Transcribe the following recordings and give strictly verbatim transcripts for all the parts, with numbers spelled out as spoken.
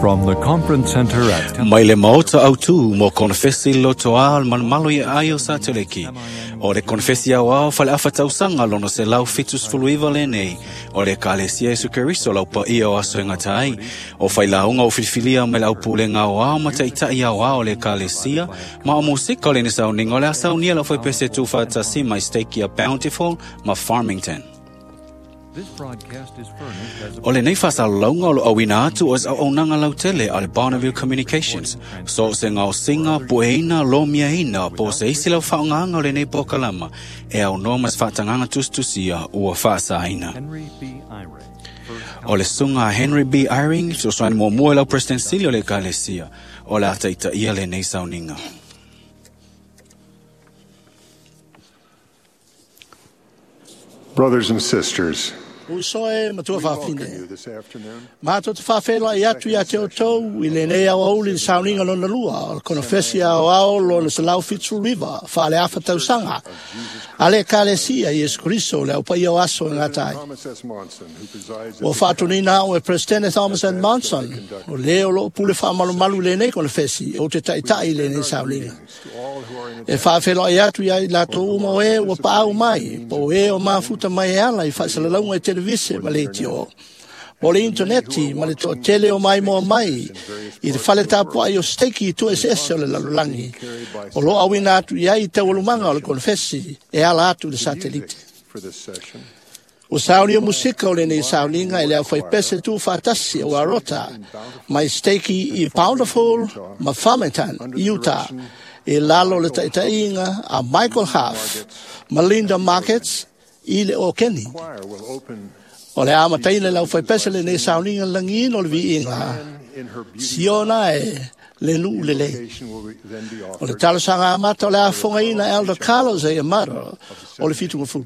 From the Conference Center at Mai le maota au tū mo konfesi loto al malmalo i ai o sateliki. O le konfesi au au fale afa tausanga lono se lau fitus fuluiva le nei. O le kalesia Yesu Keriso lau pa ia o aso e ngata ai. O whailaunga o filifilia me lau pule ngā o ao ma taitai au ao le kalesia. Ma o musika o le nisau ningo le asau nia lau whaipese tūwhatasi mai stake ia Bountiful ma Farmington. O le nei whasalalaunga o lo awina atu o au aunanga lautele a le Bonneville Communications. So se ngao singa, pueina, lomiaina, po se isi lau whaongaanga o le nei pokalama, e au noa mas whaatanganga tustusia ua whaasaina. O le sunga Henry B. Eyring, so soan mua mua lau President Silio le kalesia, o le ataita ia le nei sauninga. Brothers and sisters, Usoe matua whawhine. Mātou te whawhela i atu ia te o tau i le nei au auli le sauninga lona lua o le konofesi au ao lona se lau fitsu riva whaale afa tausanga. A le kalesia Yesu Kristo le au pai o aso e ngā tai. O whaatonina au e Presidente Thomas N. Monson o leo lo pule whaamalumalu le nei konofesi o te taitai le nei sauninga. E whawhela i atu ia i lātou uma o e ua paau mai po e o mafuta mai e ala i whasalalauga e televise ma le itio. O le interneti ma le toatele o mai moa mai i le fale tapua ai o steki i tu S S o le lalolagi. O lo awina atu i ai taualumanga o le konfesi e ala atu le satelite. O sauni o musika o le nei sauninga e le au whaipese tu whatasi o Arota mai steki i Bountiful ma Farmington, Utah. E lalo le taitainga a Michael Huff, Melinda Markets, i le o Kenny. O le ama taina lau whaipese le nei sauninga langin o le viinga. Siona e le nuu le le. O le talosanga amata o le afonga ina Elder Carlos e Amaro o le fitunga fulu.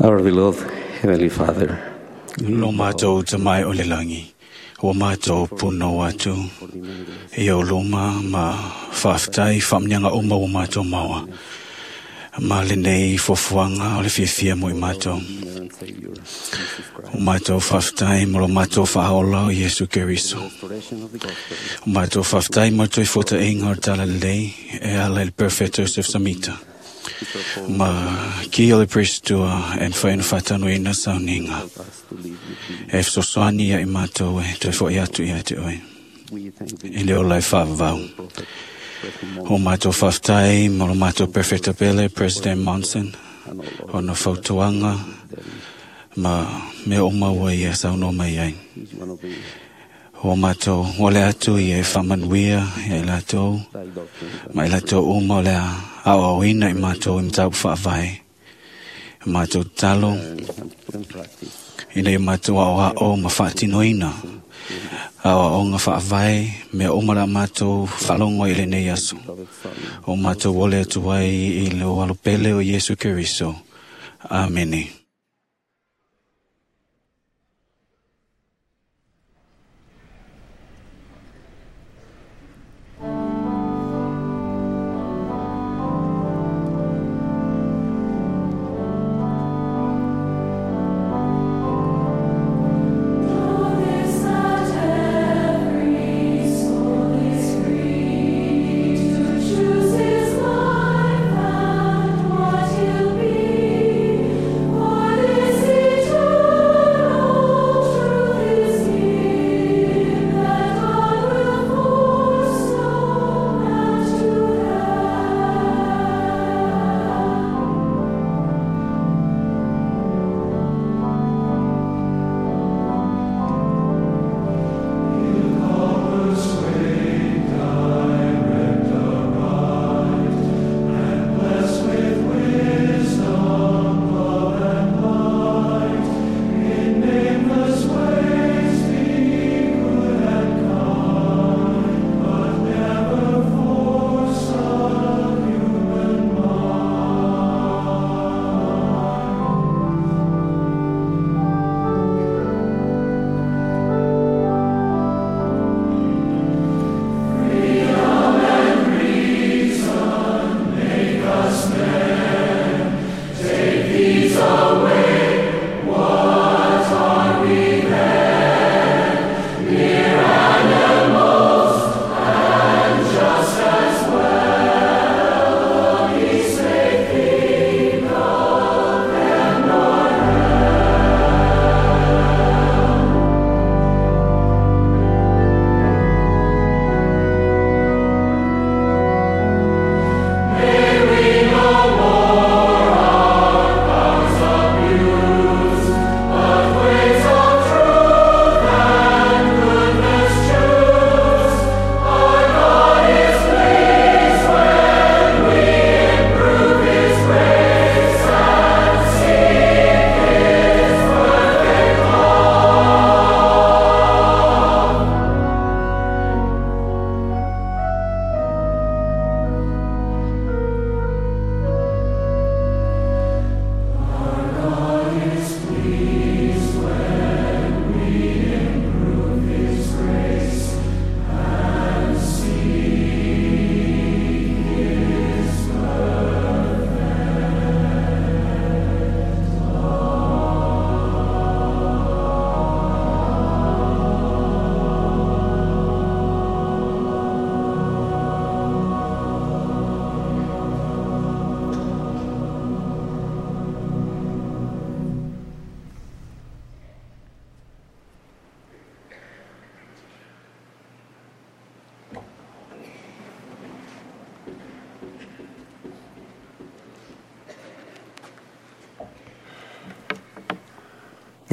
Our beloved Heavenly Father, Lo mātou te mai o le langi, o mātou puno atu, e o loma ma whaftai whamnyanga o mau mātou maua. Ma lenei fuafuaga o le fiafia mo i matou. O matou faafetai mo lo matou faaola o Iesu Keriso. O matou faafetai mo le toefuataiga o le Talalelei e ala i le Perofeta Iosefo Samita. Ma ki o le Prestua e mafai ona faatanuina sauniga. E fesoasoani ia i matou e toe fo'i atu ia te oe i le ola e faavavau. O matou faafetai mo lo matou Perofeta pele President Monson, ona fautuaga ma mea uma ua ia saunoa mai ai. O matou ole atu ia e faamanuia ia i latou, ma i latou uma o le a aoaoina i matou i mataupu faavae. Matou tatalo ina ia matou aoao ma faatinoina aoaoga faavae mea uma la matou faalogo i lenei aso. O matou ole atu ai i le alo pele o Iesu Keriso. Amene. Choose his life and what he'll be, for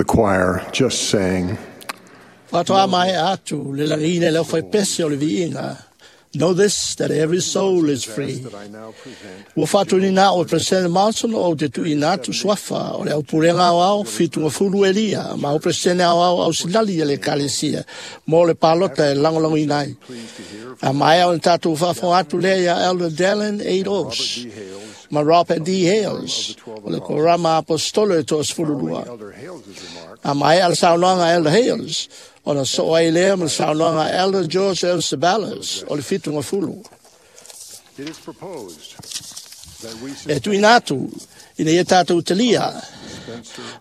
The choir just sang. Faatoa mai atu le lagina le faipese o le viiga. Know this, that every soul is free. Ua faatuina o President Monson o te tuuina atu suafa o le aupulega aoao fitu elia ma o President aoao ausilali e le Ekalesia mo le palota e lagolagoina ai. A maea o le tatou faafofoga atu lea ia Elder Dallin A. Oaks ma Robert D. Hales o le Korama Apostolo e toasefululua. A maea le saunoaga Elder Hales ona soo ai lea ma le saunoaga Elder George L. Ceballos o le fitugafulu. It is proposed E tuina atu ina ia tātou talia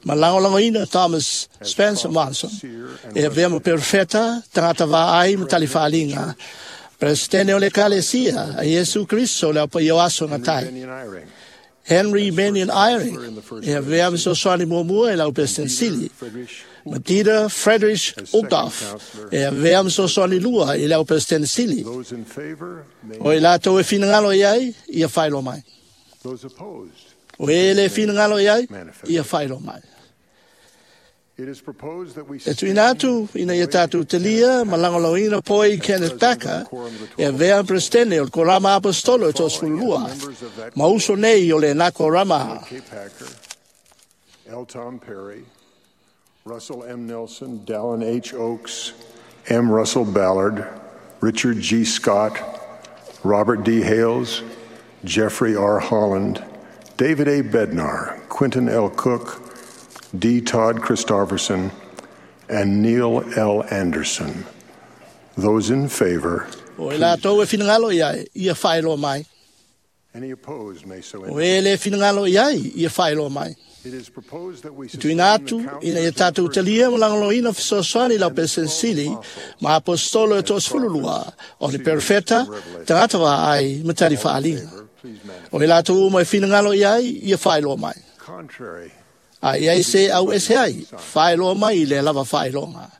ma lagolagoina Thomas Spencer Monson e avea ma perofeta tagata vaai ma talifaaliga Peresetene o le Ekalesia a Iesu Keriso o le aupaia o aso gatai. Henry Bennion Eyring e avea ma fesoasoani muamua i lau Peresetene Sili. Ma Dieter Friedrich Uchtdorf e avea ma fesoasoani lua i lau Peresetene Sili. O i latou e finagalo i ai, ia faailoa mai. O e le finagalo i ai, ia faailoa mai. E tuina atu ina ia tātou talia ma lagolagoina Poi Kenneth Packer e avea ma Peresetene o le Korama Aposetolo e toasefululua ma uso nei o le na Korama. K. Packer, L. Tom Perry, Russell M. Nelson, Dallin H. Oaks, M. Russell Ballard, Richard G. Scott, Robert D. Hales, Jeffrey R. Holland, David A. Bednar, Quentin L. Cook, D. Todd Christofferson, and Neil L. Anderson. Those in favor, O i latou e finagalo i ai, ia faailoa mai. Any opposed may so O indicate. e le finagalo i ai, ia faailoa mai. It is proposed that we E sustain tuina the atu ina counselors ia of the tātou first talia ma lagolagoina fesoasoani i lau Peresetene Sili ma Aposetolo e toasefululua o le perofeta tagata vaai ma talifaaliga. Please manifest. O i latou uma e finagalo i ai, ia faailoa mai. Contrary, A i ai se au ese ai, faailoa mai i le lava faailoga.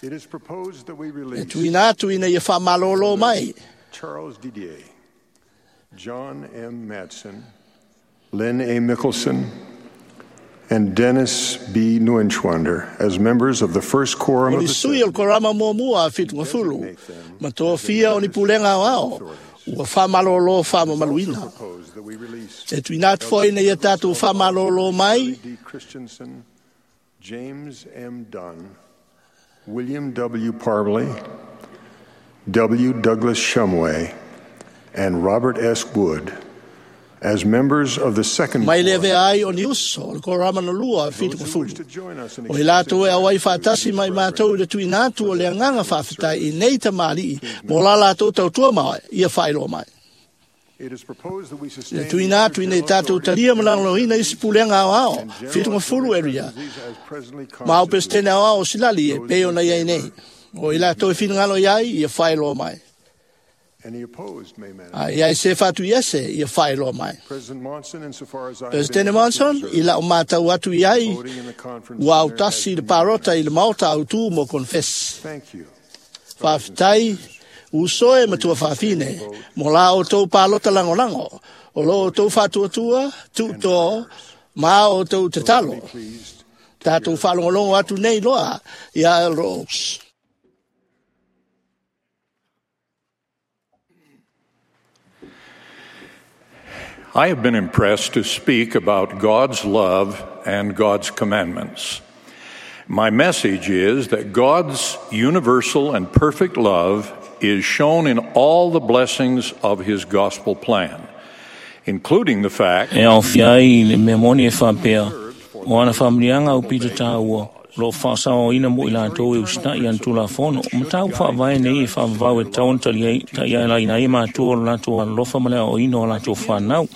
it is proposed that we E release tuina atu ina ia faamalōlō mai Charles Didier, John M. Matson, Lynn A. Mickelson, and Dennis B. Neuenschwander as members of the first quorum O of ni the sui o le korama muamua a Fitungafulu, ma tofia o ni pulega o ao, ua faamalōlō faamamaluina. Proposed that we release E tuina atu foi ina ia tātou faamalōlō mai D. Christensen, James M. Dunn, William W. Parbley, W. Douglas Shumway, and Robert S. Wood as members of the second mai le quorum. avea ai o ni uso o le korama na lua a Those who wish Fitungafulu. to join us in O i latou e auai expressing faatasi mai mātou i le tuina atu o le agaga faafetai i nei tamali'i mo la latou tautua mai, ia faailoa mai. It is proposed that we Le sustain tuina atu ina i tātou talia ma lagolagoina isi pulega ao ao, and general Fitungafulu area, presidencies as presently ma au constituted. Peresetene ao ao silali e pei ona iai nei. O i latou e finagalo i ai, ia faailoa mai. Any opposed may manifest. A iai se whatu i ese, ia faailoa mai. President Monson, insofar as I have been Presidente able to Monson, observe, i lau mātau atu i ai, voting in the conference ua center has autasi i le been parota i le maota au tū mo confess. Thank you. Faafetai, uso e matua faafine, mo la o tou palota lagolago, o lo o tou faatuatua, tuutō, ma o tou tatalo. Be pleased Tātou faalogologo atu nei loa ia Elder Oaks. I have been impressed to speak about God's love and God's commandments. My message is that God's universal and perfect love is shown in all the blessings of His gospel plan, including the fact E aofia ai le mea moni e faapea, o ana faamanuiaga au pito tāua, lo faasaoaina mo i latou e usita'i ana Tulafono, o mataupu faavae nei e faavavau e tatau ona tali taialaina ai e matua o le latou alolofa ma le aoaina o latou fanau.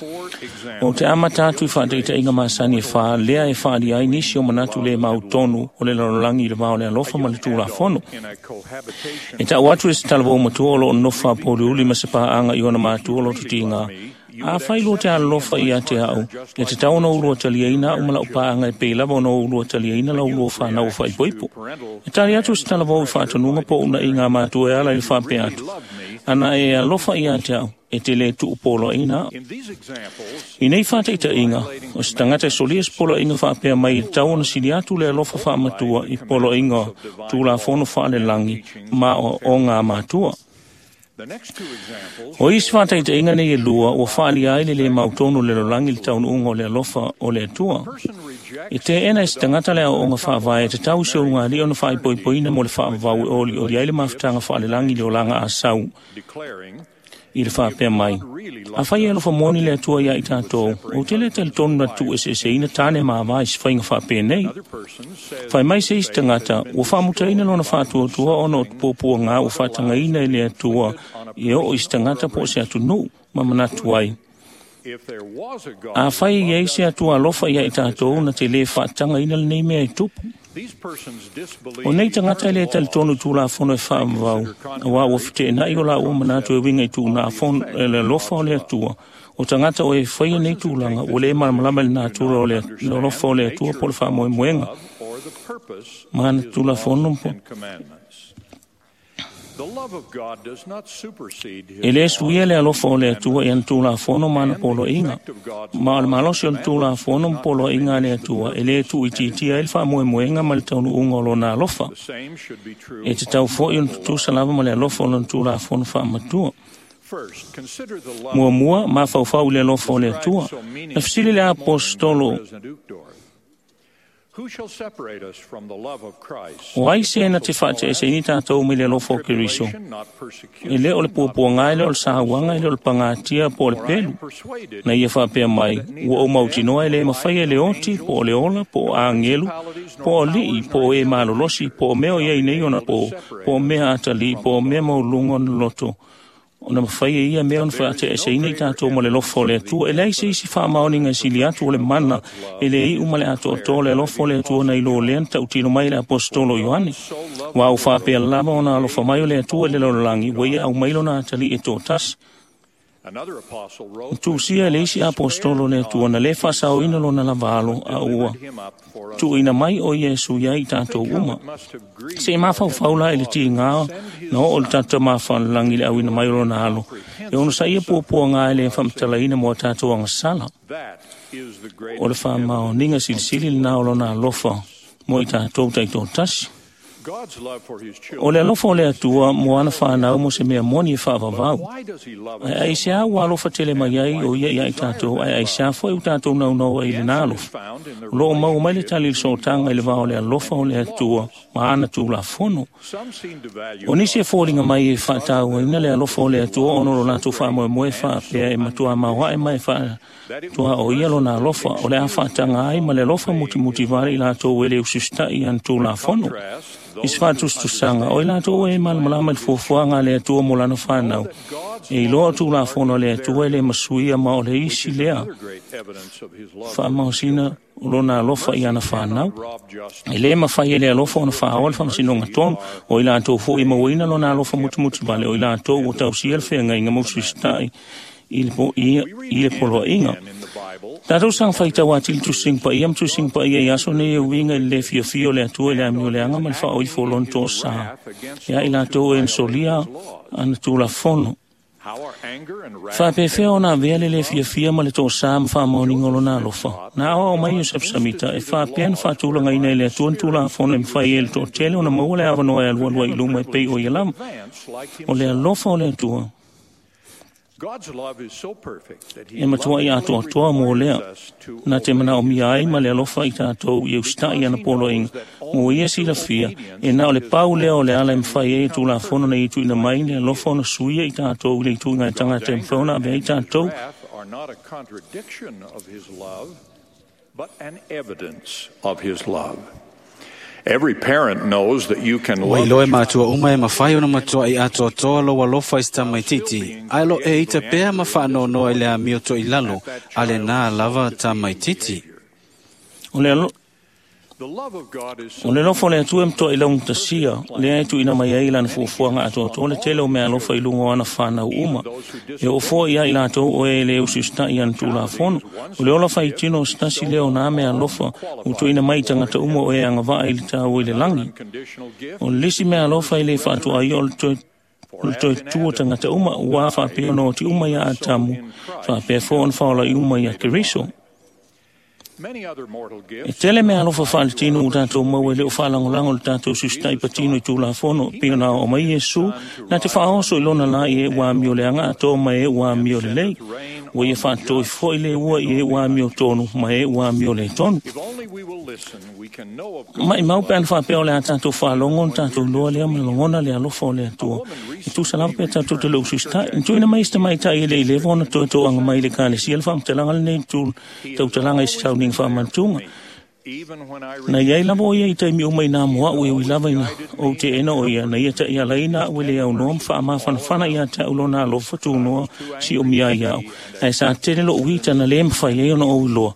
O te amata atu i faataitaiga masani e fā lea e faalia ai nisi o manatu le mautonu o le lalolagi i le va o le alofa ma le Tulafono. in a cohabitation E tau atu e se talavou matua o loo nofo faapoliuli ma se paaga i ona matua o loto tiga. A fai lua te alolofa ia te au, e te tau ona ulua taliaina au ma lau paaga e pei lava ona ulua taliaina lau ulua whanau o whaipoipo. E tali atu se talavou i whaatanuga po una i ngā mātua e ala i le whaapea atu. Ana e alofa ia te au, e te le tuupoloaina au. In these examples, I nei whātaitaiga, o se tangata e solia se poloaiga faapea mai e tatau ona sili atu le alofa faamatua i poloaiga Tulafono faalelagi ma o, o ngā matua. the next two examples O isi whātaitaiga nei e lua, ua whaalia ai le le mautonu le lolangi le taunuunga o le alofa o le Atua. person rejects E te ena e se tangata le aoaoga faavae e tatau se ulugalii ona faaipoipoina mo le faavavau e olioli ai le mafutaga faalelangi le olaga asau declaring i le faapea mai. A fai e alofa moni le Atua ia i tātou, o te le talitonu na tuueseeseina tāne ma avā i se faiga faapenei. another person says Fai mai se isi tagata, ua faamutaina lona faatuatua ona o tupuapuagā ua faatagaina e le Atua e oo i se tagata po o se atunuu ma manatu ai. Afai e iai se Atua alofa ia i tatou na te lē faatagaina lenei mea e tupu. O nei tagata e lē talitonu i Tulafono e faavavau, auā ua feteenai o laua manatu e uiga i tuugafono e le alofa o le Atua. O tagata o e faia nei tulaga ua lē malamalama i le natura o le alofa o le Atua po o le faamoemoega ma ana Tulafono po E lē suia le alofa o le Atua i ana Tulafono ma ana poloaiga. Ma o le malosi o le Tulafono ma poloaiga a le Atua e lē tuuitiitia ai le faamoemoega ma le taunuuga o lona alofa. E tatau foi ona tutusa lava ma le alofa o lona Tulafono faamatua. Muamua, mafaufau i le alofa o le Atua. Na fesili le Aposetolo, o ai se na te faateeseini tatou mai le alofa o Keriso? E lē o le puapuaga, e lē o le sauaga, e lē o le pagatia po o le pelu. Na ia faapea mai, ua ou mautinoa e lē mafai e le oti, po o le ola, po o agelu, po o alii, po o e malolosi, po o mea o iai nei ona po, po o mea atalii, po o mea maualuga ona loto, ona mafai e ia mea ona faateeseina i tatou ma le alofa o le Atua. E leai se isi faamaoniga e sili atu o le mana e le iu ma le atoatoa o le alofa o le Atua nai lo lea na tautino mai le Aposetolo Ioane. Ua au faapea lava ona alofa mai o le Atua i le lalolagi, ua ia aumai lona atalii e toatasi. Tusia e le isi Aposetolo le Atua na lē faasaoina lona lava alo, a ua tuuina mai o Iesu iai i tatou uma. Se i mafaufau la i le tigā na oo le tatou mafalelagi i le auina mai o lona alo, e ono saia puapuaga e lē faamatalaina mo a tatou agasala. O le faamaoniga silisili lenā o lona alofa mo i tatou taitoatasi. O le alofa o le Atua mo ana whanau mo se mea moni e whaavavau. Ai ai se au alofa tele mai ai o ia ia i tātou, ai ai se afo e u tātou nau nau ai le nā alofa. O loo mau mai le tali le sootanga i le vao le alofa o le Atua ma ana Tulafono. O nisi e fōlinga mai e whaatau ina le alofa o le Atua ono lo lātou whaamoemoe whaapea e matua mawae mai whaatua o ia lona alofa o le a whaatanga ai ma le alofa mutimuti vare i lātou e le usustai ana Tulafono. I se faatusatusaga o i latou e malamalama i le fuafuaga a le Atua mo lana whanau. E iloa o Tulafono a le Atua e le masuia ma o le isi lea faamaosina o lona alofa i ana whanau. E lē mafai e le alofa ona faaoa le faamasinoga tonu, o i latou foi e mauaina lona alofa mutimuti vale, o i latou ua tausia le feagaiga ma ususitai i le, po, i, i le poloaiga. Tatou saga faitau atili tusiga paia ma tusiga paia i aso nei e uiga i le lē fiafia o le Atua i le amioleaga ma le faaoifo o lona toasā. E ai latou e na ana Tulafono. Faapefea ona avea le lē fiafia ma le toasā ma faamaoniga o lona alofa. Na aoao mai Iosefa Samita e faapea na faatulagaina e le Atua na Tulafono e mafai e le toatele ona maua le avanoa e alualua i luma e pei o ia lava. O le alofa o le Atua e matua i atoatoa mo lea, na te manaomia ai ma le alofa i tatou i usitai ana poloaiga. Mo ia silafia, e na o le pau lea o le ala e mafai ai e Tulafono na i tuuina mai le alofa ona suia i tatou i le ituiga e tagata e mafai ona avea i tatou. But an evidence of his love. Every parent knows that you can Ua love iloa e matua uma e mawhai ona matua i atoatoa lo alofa i tamaititi. Ai lo e ita pea ma whaanonoa i le amio to i lalo, a le nā lava tamaititi. O le alo The love of God is so O le alofa o le Atua e matoa i laugatasia, lea e tuuina mai ai lana fuafuaga atoatoa le tele o mea alofa i luga o ana whanau uma. E oo ia i latou o e le usiusitai ana Tulafono. O le ola faitino o se tasi lea o nā mea alofa ua tuuina mai i tagata uma o e agavaa i le tāua i le lagi. unconditional gift O le isi mea alofa e le faatoa o le toe o le toe tua tagata uma, ua faapea ona oti uma ia Atamu, faapea foi ona faolai uma ia Keriso. Many other mortal E gifts tele mea alofa faaletino ua tatou maua e le o faalagolago le tatou usiusitai patino i Tulafono, pei ona aoao mai Iesu, na te faaoso i lona la i e ua amio leaga atoa ma e ua amio lelei. Ua ia faatoi foi le ua i e ua amio tonu ma e ua amio le tonu. If only we will listen, we can know of God's Mai mau pe ana faapea o le a tatou faalogo ona tatou iloa lea ma lagona le alofa o le Atua. E tusa lava pe tatou te le usiusitai. Na tuuina mai se tamaitai e le i leva ona toe toaga mai i le ekalesia le faamatalaga lenei tu tautalaga i se sauniga faamanatuga. Na iai lava o ia i taimi uma i nā moa'u e ui lava ina ou teena o ia, na ia ta'ialaina a'u e le aunoa ma fa'amafanafana iā te a'u lona alofa tunoa si'omia ai a'u. Ae sa tele lo'u ita na lē mafai ai ona ou iloa,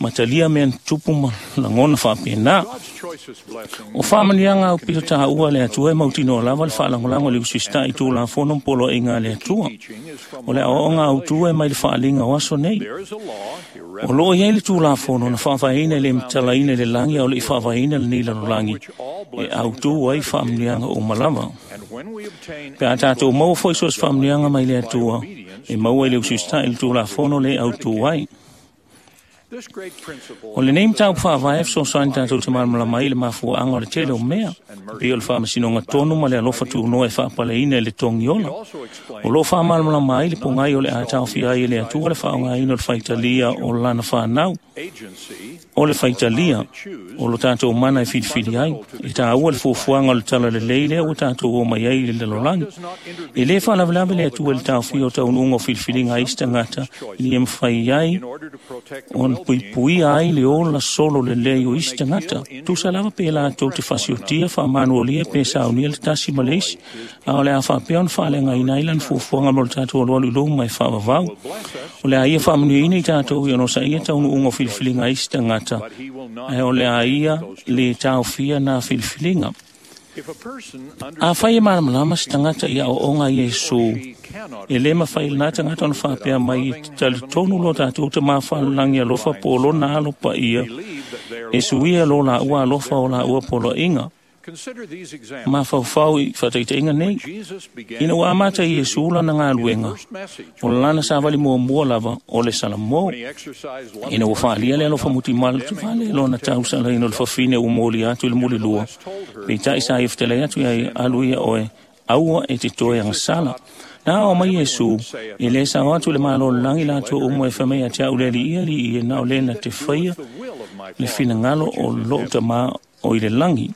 ma talia mea na tupu ma lagona fa'apena. O fa'amanuiaga au pito tāua a le Atua e mautinoa lava le fa'alagolago i le usisita'i i tulafono ma poloa'iga a le Atua. O le aoaoga autū e mai le fa'aliga o aso nei. O loo iai le tulafono na fa'avaeina e le matalaina i le lagi a o le'i fa'avaeina lenei lalolagi e autū ai fa'amanuiaga uma lava. Pe a tatou maua fo'i so o se fa'amanuiaga mai le Atua, e maua i le usisita'i i le tulafono le autū ai. O lenei mataupu fa'avae e fesoasoani tatou te malamalama ai i le mafua'aga o le tele o mea, e pei o le fa'amasinoga tonu ma le alofa tunoa e fa'apaleina i le togi ola. O loo fa'amalamalama ai le pogai o le a taofia ai e le Atua le fa'aaogāina o le faitalia o lana fanau. O le faitalia o lo tatou mana e filifili ai, e tāua le fuafuaga o le talalelei lea ua tatou o mai ai i le lalolagi. E lē fa'alavelave le Atua i le taofia o taunu'uga o filifiliga a isi tagata ina ia mafai ai ona puipuia ai le ola solo lelei o isi tagata. Tusa lava pe latou te fa'asiotia fa'amanualia pe saunia le tasi ma le isi, a o le a fa'apea ona fa'aleagaina ai lana fuafuaga mo le tatou alualu i luma e fa'avavau. O le a ia fa'amanuiaina i tatou i ona osaia taunu'uga o filifiliga a isi tagata, ae o le a ia lē taofia na filifiliga. Afai e malamalama se tagata i aoaoga a Iesu, e lē mafai lenā tagata ona fa'apea mai e talitonu lo tatou tamā fa'alelagi alofa po o lona alo paia e suia lo lāua alofa o lāua poloa'iga. Mafaufau i fa'ataita'iga nei, ina ua amata i Iesu lana galuega, o lana savali muamua lava o le salamō. Ina ua fa'alia le alofa mutimale lona tausalaina o le fafine ua molia atu i le mulilua, peita'i sa ia fetalai atu ia alu ia oe, aua e te toe agasala. Na ao mai Iesu, e lē sao atu le malo o le lagi latou uma e fa'amai ia te a'u le Ali'i ali'i e na o lē na te faia le finagalo o lo'u tamā o i le lagi.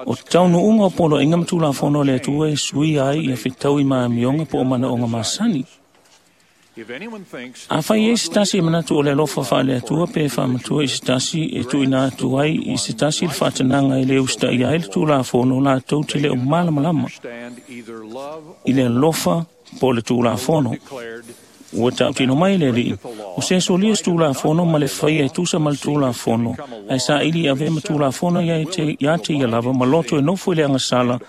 O taunu'uga o poloa'iga ma tulafono a le Atua e suia ai ia fetaui ma amioga po o mana'oga masani. Afai ai se tasi e manatu o le alofa fa'aleatua pe fa'amatua i se tasi e tu'uina atu ai i se tasi le fa'atanaga e lē usita'ia ai le tulafono, latou te lē o malamalama i le alofa po o le tulafono. Ua ta'utino mai le Ali'i, o se solia se tulafono ma le faia e tusa ma le tulafono, ae sa'ili i avea ma tulafono ia te, ia te ia lava ma loto e nofo i le agasala,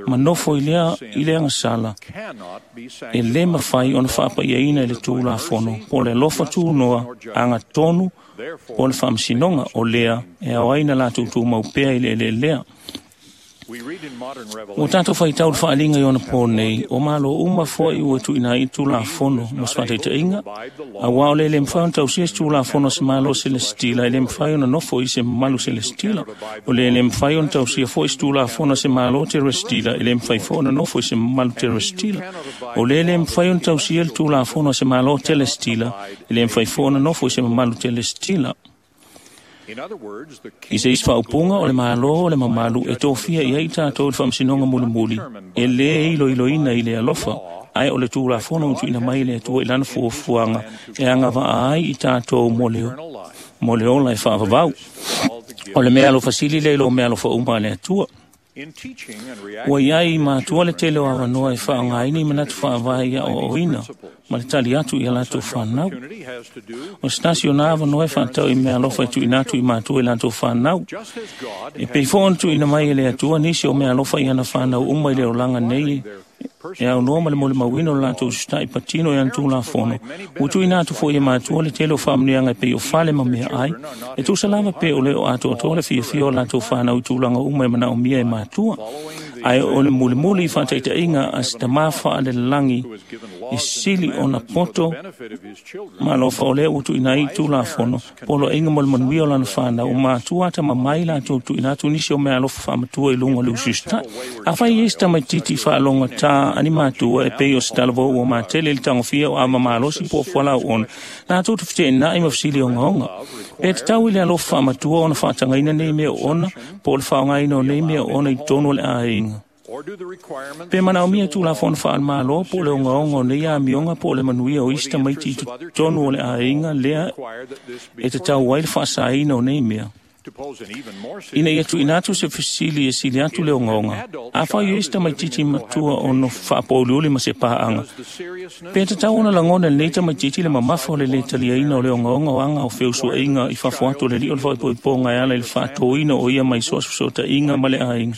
ma nofo i lea i le agasala, e lē mafai ona fa'apa'iaina i le tulafono, po o le alofa tunoa agatonu po o le fa'amasinoga o lea e ao ai na latou tumau pea i le eleelea. Ua tatou faitau le fa'aliga i ona pō nei, o malo uma fo'i ua tu'uina ai i tulafono mo se fa'ataita'iga, auā o le lē mafai ona tausia se tulafono a se malo selesitila, e lē mafai ona nofo i se mamalu selesitila. O le lē mafai ona tausia fo'i se tulafono a se malo teresitila, e lē mafai fo'i ona nofo i se mamalu teresitila. O le lē mafai ona tausia le tulafono a se malo telesitila, e lē mafai fo'i ona nofo i se mamalu telesitila. I se isi fa'aupuga o le malo o le mamalu e tofia i ai tatou i le fa'amasinoga mulimuli, e lē iloiloina i le alofa, ae o le tulafono ua tu'uina mai e le Atua i lana fuafuaga e agava'a ai i tatou mo le, mo le ola e fa'avavau. O le mea alofa sili lea i lo mea alofa uma a le Atua. Ua iai matua le tele o avanoa e fa'aaogāina i manatu fa'avae i a'oa'oina ma le tali atu ia latou fanau. O se tasi o na avanoa e fa'atau i mea alofa e tu'uina atu i matua i latou fanau. E pei fo'i ona tu'uina mai e le Atua nisi o mea alofa i ana fanau uma i le olaga nei e aunoa ma le molimauina o le latou usita'i patino i ana tulafono. Ua tu'uina atu fo'i e matua le tele o fa'amanuiaga e pei o fale ma mea ai, e tusa lava pe o le o atoatoa le fiafia o latou fanau i tulaga uma e mana'omia e matua. Ae o le mulimuli i fa'ataita'iga a se tamā fa'alelagi e sili ona poto ma alofa o lea ua tu'uina ai i tulafono poloa'iga mo le manuia o lana fanau, o matua atamamai latou tu'uina atu nisi o mea alofa fa'amatua i luga o le usiusita'i. Afai ai se tamaititi fa'alogatā ani matua e pei o se talavou ua matele i le tagofia o ava malosi po o fualaau latou te fete'ena'i ma fesili ogaoga. Pe tatau i le alofa fa'amatua ona fa'atagaina nei mea o ona po o le fa'aaogāina o nei mea o ona i totonu o le aiga. Pe manaomia Tulafono faale-Malo po o le ogaoga o nei amioga po o le manuia o isi tamaiti i totonu o le aiga lea e tatau ai le faasaina o nei mea. Ina ia tuuina atu se fesili e sili atu le ogaoga, afai o isi tamaitiiti matua ono faapouliuli ma se paaga, pe tatau ona lagona e lenei tamaitiiti le mamafa o le lē taliaina o le ogaoga o aga o feusuaiga i fafo atu o le alii o le faaipoipoga e ala i le faatōina o ia mai so o se fesootaiga ma le aiga.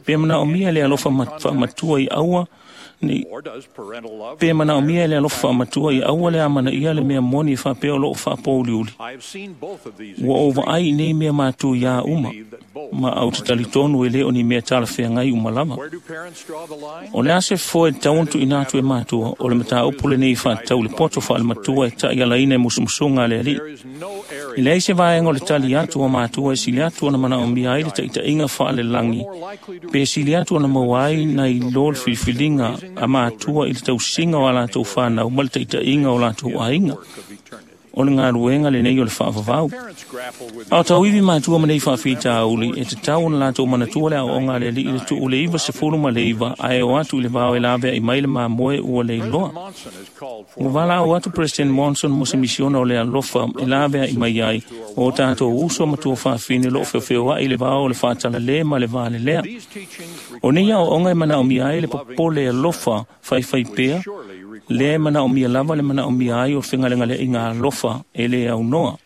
Pe manaomia le alofa faamatua i aua nei pe manaomia le alofa faamatua i aua le amanaia le mea moni e faapea o loo faapouliuli. Ua ou vaai i nei mea matuiā uma, ma ou te talitonu e lē o ni mea talafeagai uma lava. O le a se foe tatau ona tuuina atu e matua, o le mataupu lenei faatatau i le poto faalematua e ta'ialaina e musumusuga a le alii. E leai se vaega o le tali atu a matua e sili atu ona manaomia ai le taʻitaʻiga faalelagi, pe sili atu ona maua ai nai lo le filifiliga a matua i le tausiga o a latou fanau ma le taʻitaʻiga o latou aiga. O le galuega lenei o le faavavau. A o tauivi matua ma nei faafitauli, e tatau ona latou manatua le aoaoga a le alii i le tuu le iva sefulu ma le iva, ae o atu i le vao e laveai mai le mamoe ua leiloa. Ua valaau atu President Monson mo se misiona o le alofa e laveai mai ai o tatou uso matua faafine o loo feofeoaʻi i le vao o le faatalalē ma le valelea. O nei aoaoga e manaomia ai le popole alofa faifaipea, lea e manaomia lava le manaomia ai o le fegalegaleaiga alofa e lē aunoa.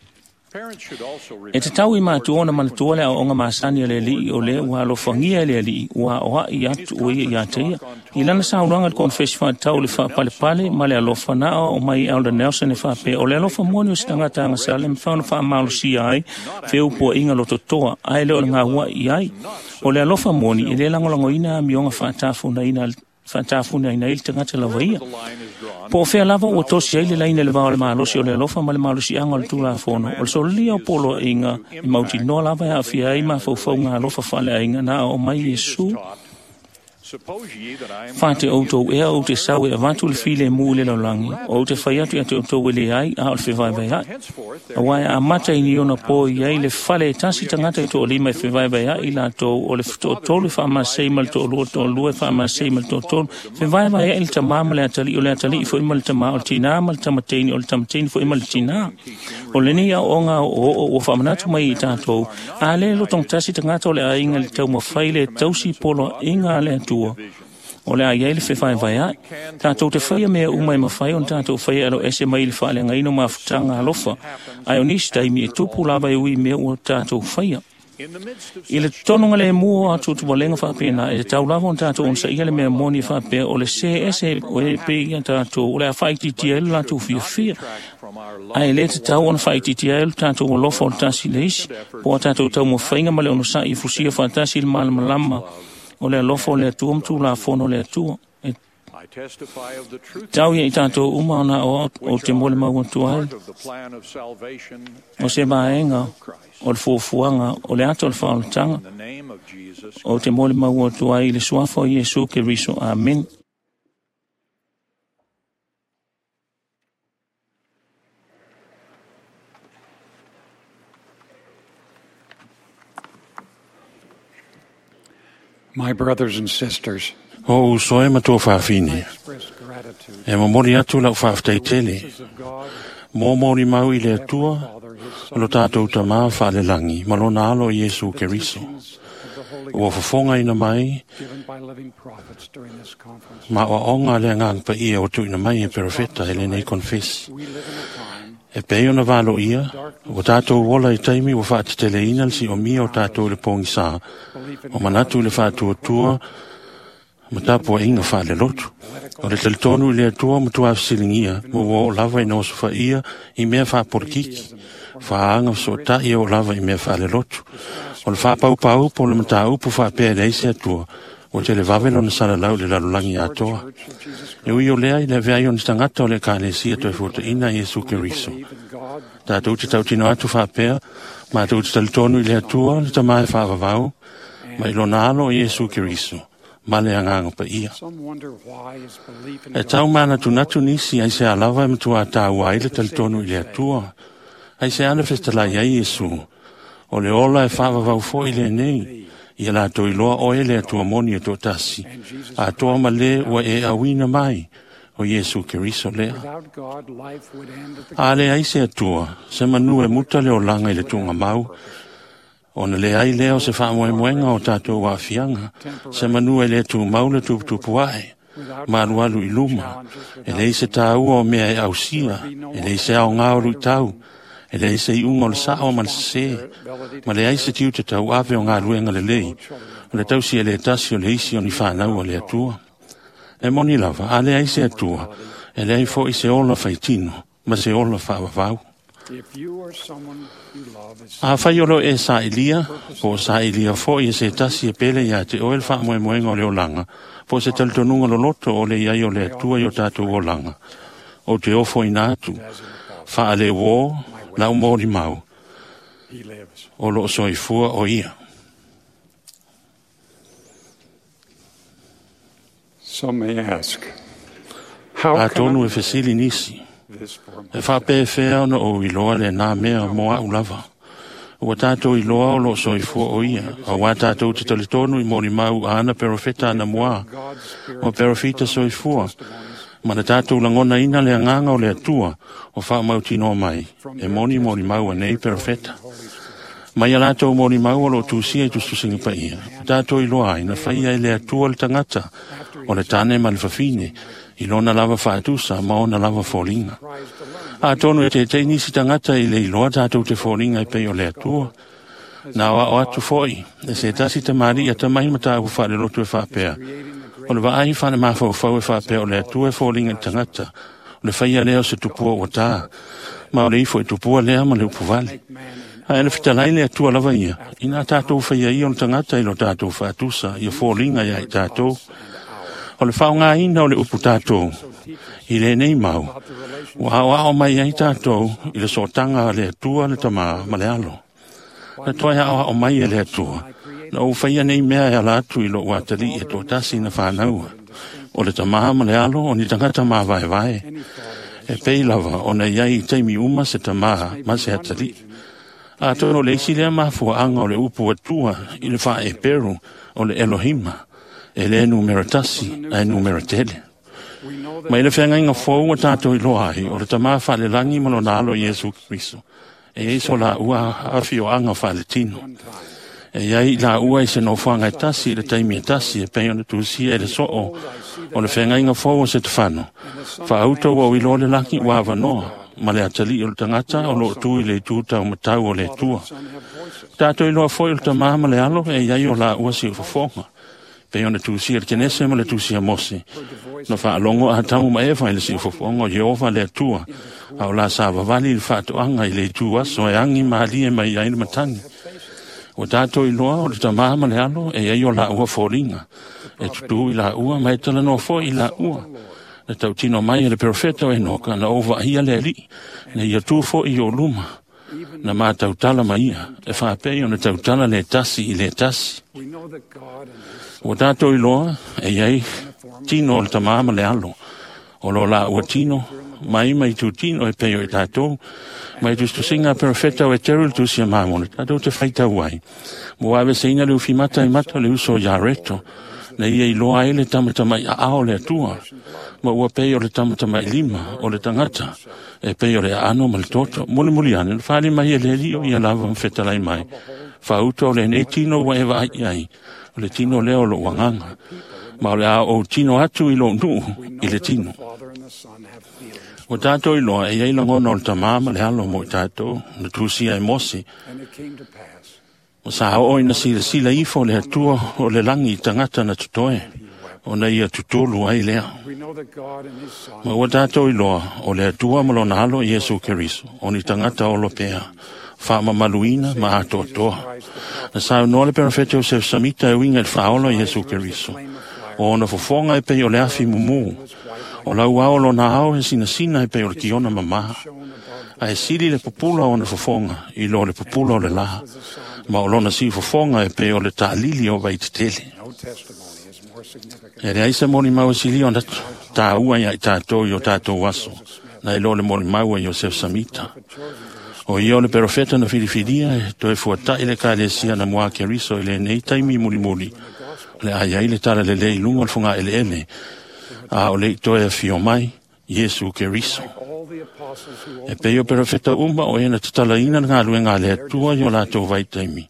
E tatau i matua ona manatua le aoaoga masani a le alii o lea ua alofagia e le alii ua aoaʻi atu o ia iā te ia. I lana saunoaga i le konefesi faatatau i le faapalepale ma le alofa na aoao mai Elder Nelson e faapea o le alofa moni o se tagata agasala e mafai ona faamalosia ai feupuaʻiga lototoa ae le o le gauaʻi ai. O le alofa moni e lē lagolagoina amioga faatafunaina faatafunaina ai le tagata lava ia. Po o fea lava ua tosi ai le laina i le vao o le malosi o le alofa ma le malosiaga o le Tulafono, o le sololia o poloaiga e mautinoa lava e aafia ai mafaufauga alofa faaleaiga na aoao mai Iesu. Fate outou ea ou te sau e avatu le filemu i le lalolagi, o ou te fai atu ia te outou e leai a o le fevaevaeaʻi. Auā e amata i ni ona po i ai le fale e tasi tagata i toalima e fevaevaeaʻi latou, o le toatolu e faamasei ma le toalua, toalua e faamasei ma le toatolu, fevaevaeaʻi le tamā ma le atalii, o le atalii foi ma le tamā, o le tinā ma le tamateini, o le tamateini foi ma le tinā. O lenei aoaoga oooo ua faamanatu mai i tatou, a lē lotogatasi tagata o le aiga i le taumafai le tausi poloaiga a le Atua, o le a iai le fevaevaeaʻi. Tatou te faia mea uma e mafai ona tatou faia e aloese mai i le faaleagaina o mafutaga alofa, ae o nisi taimi e tupu lava e ui mea ua tatou faia. I le totonuga lemu o atuatuvalega faapena, e tatau lava ona tatou onosaia le mea moni e faapea o le sē ese e pei ia tatou o le a faaitiitia ai le latou fiafia, ae lē tatau ona faaitiitia ai le tatou alofa o le tasi i le isi, po o a tatou taumafaiga ma le onosaʻi e fusia faatasi i le malamalama o le alofa o le Atua ma Tulafono o le Atua. E tau ia i tatou uma ona aoao ou te molimau atu ai o se vaega o le fuafuaga o le ata o le faaolataga. Ou te molimau atu ai i le suafa o Iesu Keriso. Amene. My brothers and sisters, O uso e matua faafine, express gratitude e momoli atu lau faafetaitele, of God, mo moli mau i le Atua, Father, His o lo tātou tamā faalelangi, ma lona alo i Iesu Keriso. teachings of the Holy Ua fofoga ina mai, given by living prophets during this conference. ma oaoga le agaga paia o tuuina mai e perofeta e lenei konefesi. We live in a time E pei ona valo ia, ua tātou ola i taimi ua faateteleina le siomia o tātou i le pōgisā, belief in o manatu i le faatuatua ma tapuaʻiga faalelotu. O le talitonu i le Atua matua fesiligia ma ua oo lava ina osofaia i mea faapolokiki, faaaga fesootaʻi e oo lava i mea faalelotu. O le faapaupau po o le mataupu faapea e leai se Atua, ua televave lona salalau i le lalolagi atoa. Church of Jesus E ui o lea i le avea ai o ni tagata o le Ekalesia toe fuataʻina Iesu Keriso. believe in God, Tatou te tautino atu faapea, matou te talitonu i le Atua, le Tamā e faavavau, ma i lona alo o Iesu Keriso, ma le agaga paia. Some wonder why his belief in E God tau manatunatu nisi ai se alava e matua tāua ai le talitonu i le Atua. Ai se ana fetalai ai Iesu. O le ola e faavavau foi lenei, Ia latou iloa oe le Atua moni e toatasi, atoa ma le ua e auina mai, o Iesu Keriso lea. A leai se Atua, se manu e muta le olaga i le tuugamau, ona leai lea o se faamoemoega o tatou aafiaga, se manu e le tumau le tuputupu ae, ma alualu i luma, e leai se taua o mea e ausia, e leai se aoga o luitau, e leai se iuga o le sao ma le sesē, ma leai se tiute tauave o galuega lelei, o le tausi e le tasi o le isi o ni fanau a le Atua. E moni lava, a leai se Atua, e leai foi se ola faitino, ma se ola faavavau. Afai o lo e sailia, po o sailia foi e se tasi e pele ia te oe le faamoemoega o le olaga, po o se talitonuga loloto o le iai o le Atua i o tatou olaga, ou te ofoina atu, faaleuō lau molimau, o loo soifua o ia. Some may ask, how can Atonu I e fesili nisi, this for e faapefea ona ou iloa lenā mea mo a'u lava. Ua tatou iloa o loo soifua o ia, auā tatou te talitonu i molimau a ana perofeta anamuā, o perofita soifua, ma na tatou lagonaina le agaga o le Atua o faamautinoa mai, e moni molimau a nei perofeta. Mai a latou molimau o loo tusia i tusitusiga paia, ua tatou iloa ai na faia e le Atua le tagata, o le tane ma le fafine, i lona lava faatusa ma ona lava foliga. Atonu e teitei nisi tagata i le iloa tatou te foliga e pei o le Atua. Na aoao atu foi, e se tasi tamalii atamai ma tāua faalelotu e faapea. O le vaai faale-mafaufau e faapea o le Atua e foliga i le tagata, o le faia lea o se tupua ua tā, ma o le ifo i tupua lea ma le upuvale. Ae na fetalai le Atua lava ia, ina tatou faia ia o le tagata i lo tatou faatusa, ia foliga ia i tatou. O le faaaogaina o le upu tatou i lenei mau, ua aoao mai ai tatou i le sootaga a le Atua le Tamā ma le Alo. Na toe aoao mai e le Atua, na ou faia nei mea e ala atu i lou atalii e toatasi na fanaua. O le Tamā ma le Alo o ni tagata mavaevae, e pei lava ona iai i taimi uma se tamā ma se atalii. Atonu o le isi lea mafuaaga o le upu Atua i le faaeperu o le Elohima, e le numera tasi ae numera tele. Mai le feagaiga fou ua tatou iloa ai o le Tamā faalelagi ma lona Alo Iesu Keriso, e iai so laua afioaga faaletino. E iai laua i se nofoaga e tasi i le taimi e tasi e pei ona tusia e le soo o le feagaiga fou o Setefano. Faauta ua ou iloa le lagi ua avanoa ma le atalii o le tagata o loo tu i le itu taumatau o le Atua. Tatou iloa foi o le Tamā ma le Alo e iai o laua siufofoga, pei ona tusia le Kenese ma le tusia Mose. Na faalogo Atamu ma Eva i le siufofoga o Ieova le Atua, a o la savavali i le faatoaga i le itu aso e agi malie mai ai le matagi. Ua tatou iloa o le Tamā ma le Alo e iai o laua foliga, e tutū i laua ma e talanoa foi i laua. Na tautino mai e le perofeta o Enoka na ou vaaia le Alii, na ia tu foi i ou luma, na matautala ma ia, e faapei ona tautala le tasi i le tasi. We know that God and His Ua tatou iloa e iai tino o le Tamā ma le Alo, o lo laua tino, mai mai tutino e pei o i tatou, mai tusitusiga a perofeta o Eteru le tusi a Mamona, tatou te faitau ai. Mo aveseina le ufimata i mata o le uso o Iareto, na ia iloa ai le tamatamai aao o le Atua, ma ua pei o le tamatamai lima o le tagata, e pei o le aano ma le toto. Mulimuli ane, na fali mai e le Alii o ia lava ma fetalai mai. Faauta o lenei tino ua e vaai i ai, o le tino lea o lou agaga, ma o le a ou tino atu i lou nuu i le tino. Father and the Son have feelings. Ua tatou iloa e iai lagona o le Tamā ma le Alo mo i tatou, na tusia e Mose, And it came to pass ma sa oo ina silasila ifo le Atua o le lagi i tagata na totoe, ona ia tutulu ai lea. We know that God and His Son Ma ua tatou iloa o le Atua ma lona Alo Iesu Keriso, o ni tagata olo pea, faamamaluina ma atoatoa. Na saunoa le perofeta o Sefsamita e uiga i le faaola o Iesu Keriso, o ona fofoga e pei o le afi mumū, o lau ao lona ao e sinasina e pei o le kiona mamā. Ae sili le pupula o ona fofoga i lo le pupula o le lā, ma o lona siufofoga e pei o le taalili o vaitetele. no testimony is more significant E leai se molimau e sili ona tāua ia i tātou i o tātou aso, na i lo le molimau a Iosef Samita. O ia o le perofeta na filifilia e toe fuata'i le ekalesia na mua Keriso i lenei taimi mulimuli o le a i ai le talalelei i luga o le fogaeleele a o le'i toe afio mai Iesu Keriso. E pei o perofeta uma o e na tatalaina le galuega a le Atua i o latou vaitaimi.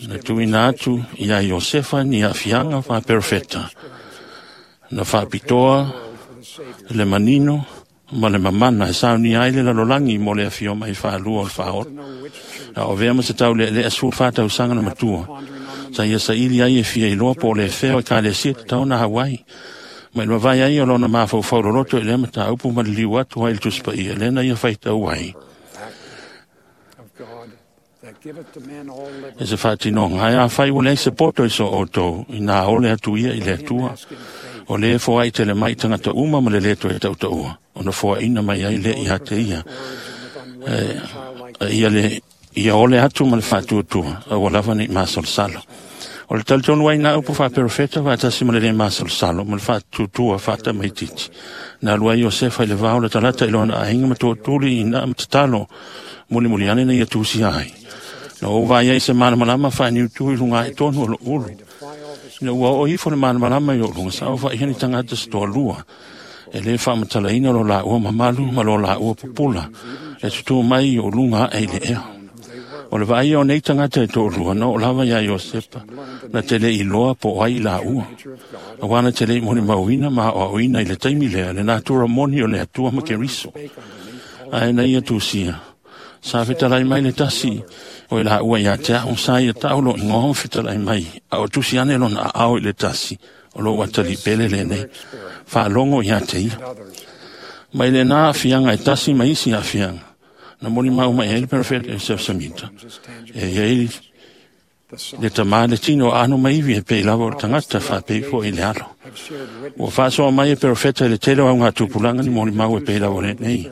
Na tuuina atu iā Iosefa ni aafiaga faaperofeta na faapitoa le manino ma le mamana e saunia ai le lalolagi mo le afio mai faalua o le faaola. A o avea ma se taulealea sefulufa tausaga na matua sa ia saili ai e fia iloa po o le fea o ekalesia tatau ona hauai. Ma i le mavae ai o lona mafaufau loloto i lea mataupu ma liliu atu ai i le Tusi Paia lea na ia faitau ai. E se faatinoga ae afai ua leai se poto i so outou inā ole atu ia i le Atua o lē foai tele mai tagata uma ma le lē toe tautaua ona foaina mai ai lea ia te ia. E, ia le ia ole atu ma le faatuatua aua lava nei masalosalo. O le talitonu ai na upu faaperofeta faatasi ma le lē masalosalo ma le faatuatua faatamaititi. Na alu ai Iosefa i le vao le talata i lona aiga ma tootuli ina ma tatalo mulimuli ane na ia tusia ai. Na ou vaai ai se malamalama faaniutu i luga ae tonu o lou ulu. Ina ua oo ifo le malamalama i ou luga sa ou vaaia ni tagata se toalua e lē faamatalaina lo laua mamalu ma lo laua pupula e tutū mai i ou luga ae i le ea. O le vaaia o nei tagata e toalua na oo lava iā Iosepa na te le'i iloa po o ai i laua. Auā na te le'i molimauina ma aoaoina i le taimi lea le natura moni o le Atua ma Keriso. Ae na ia tusia sa fetalai mai le tasi o i laua iā te a'u sa ia ta'u lo igoa ma fetalai mai a o tusi ane lona aao i le tasi o lou atalii pele lenei faalogo iā te ia. Mai lenā aafiaga e tasi ma isi aafiaga na molimau mai ai le perofeta Iosef Samita e iai le tamā le tino aano maivi e pei lava o le tagata faapei fo'i i le alo. Ua faasoa mai e perofeta i le tele o augatupulaga ni molimau e pei lava o lenei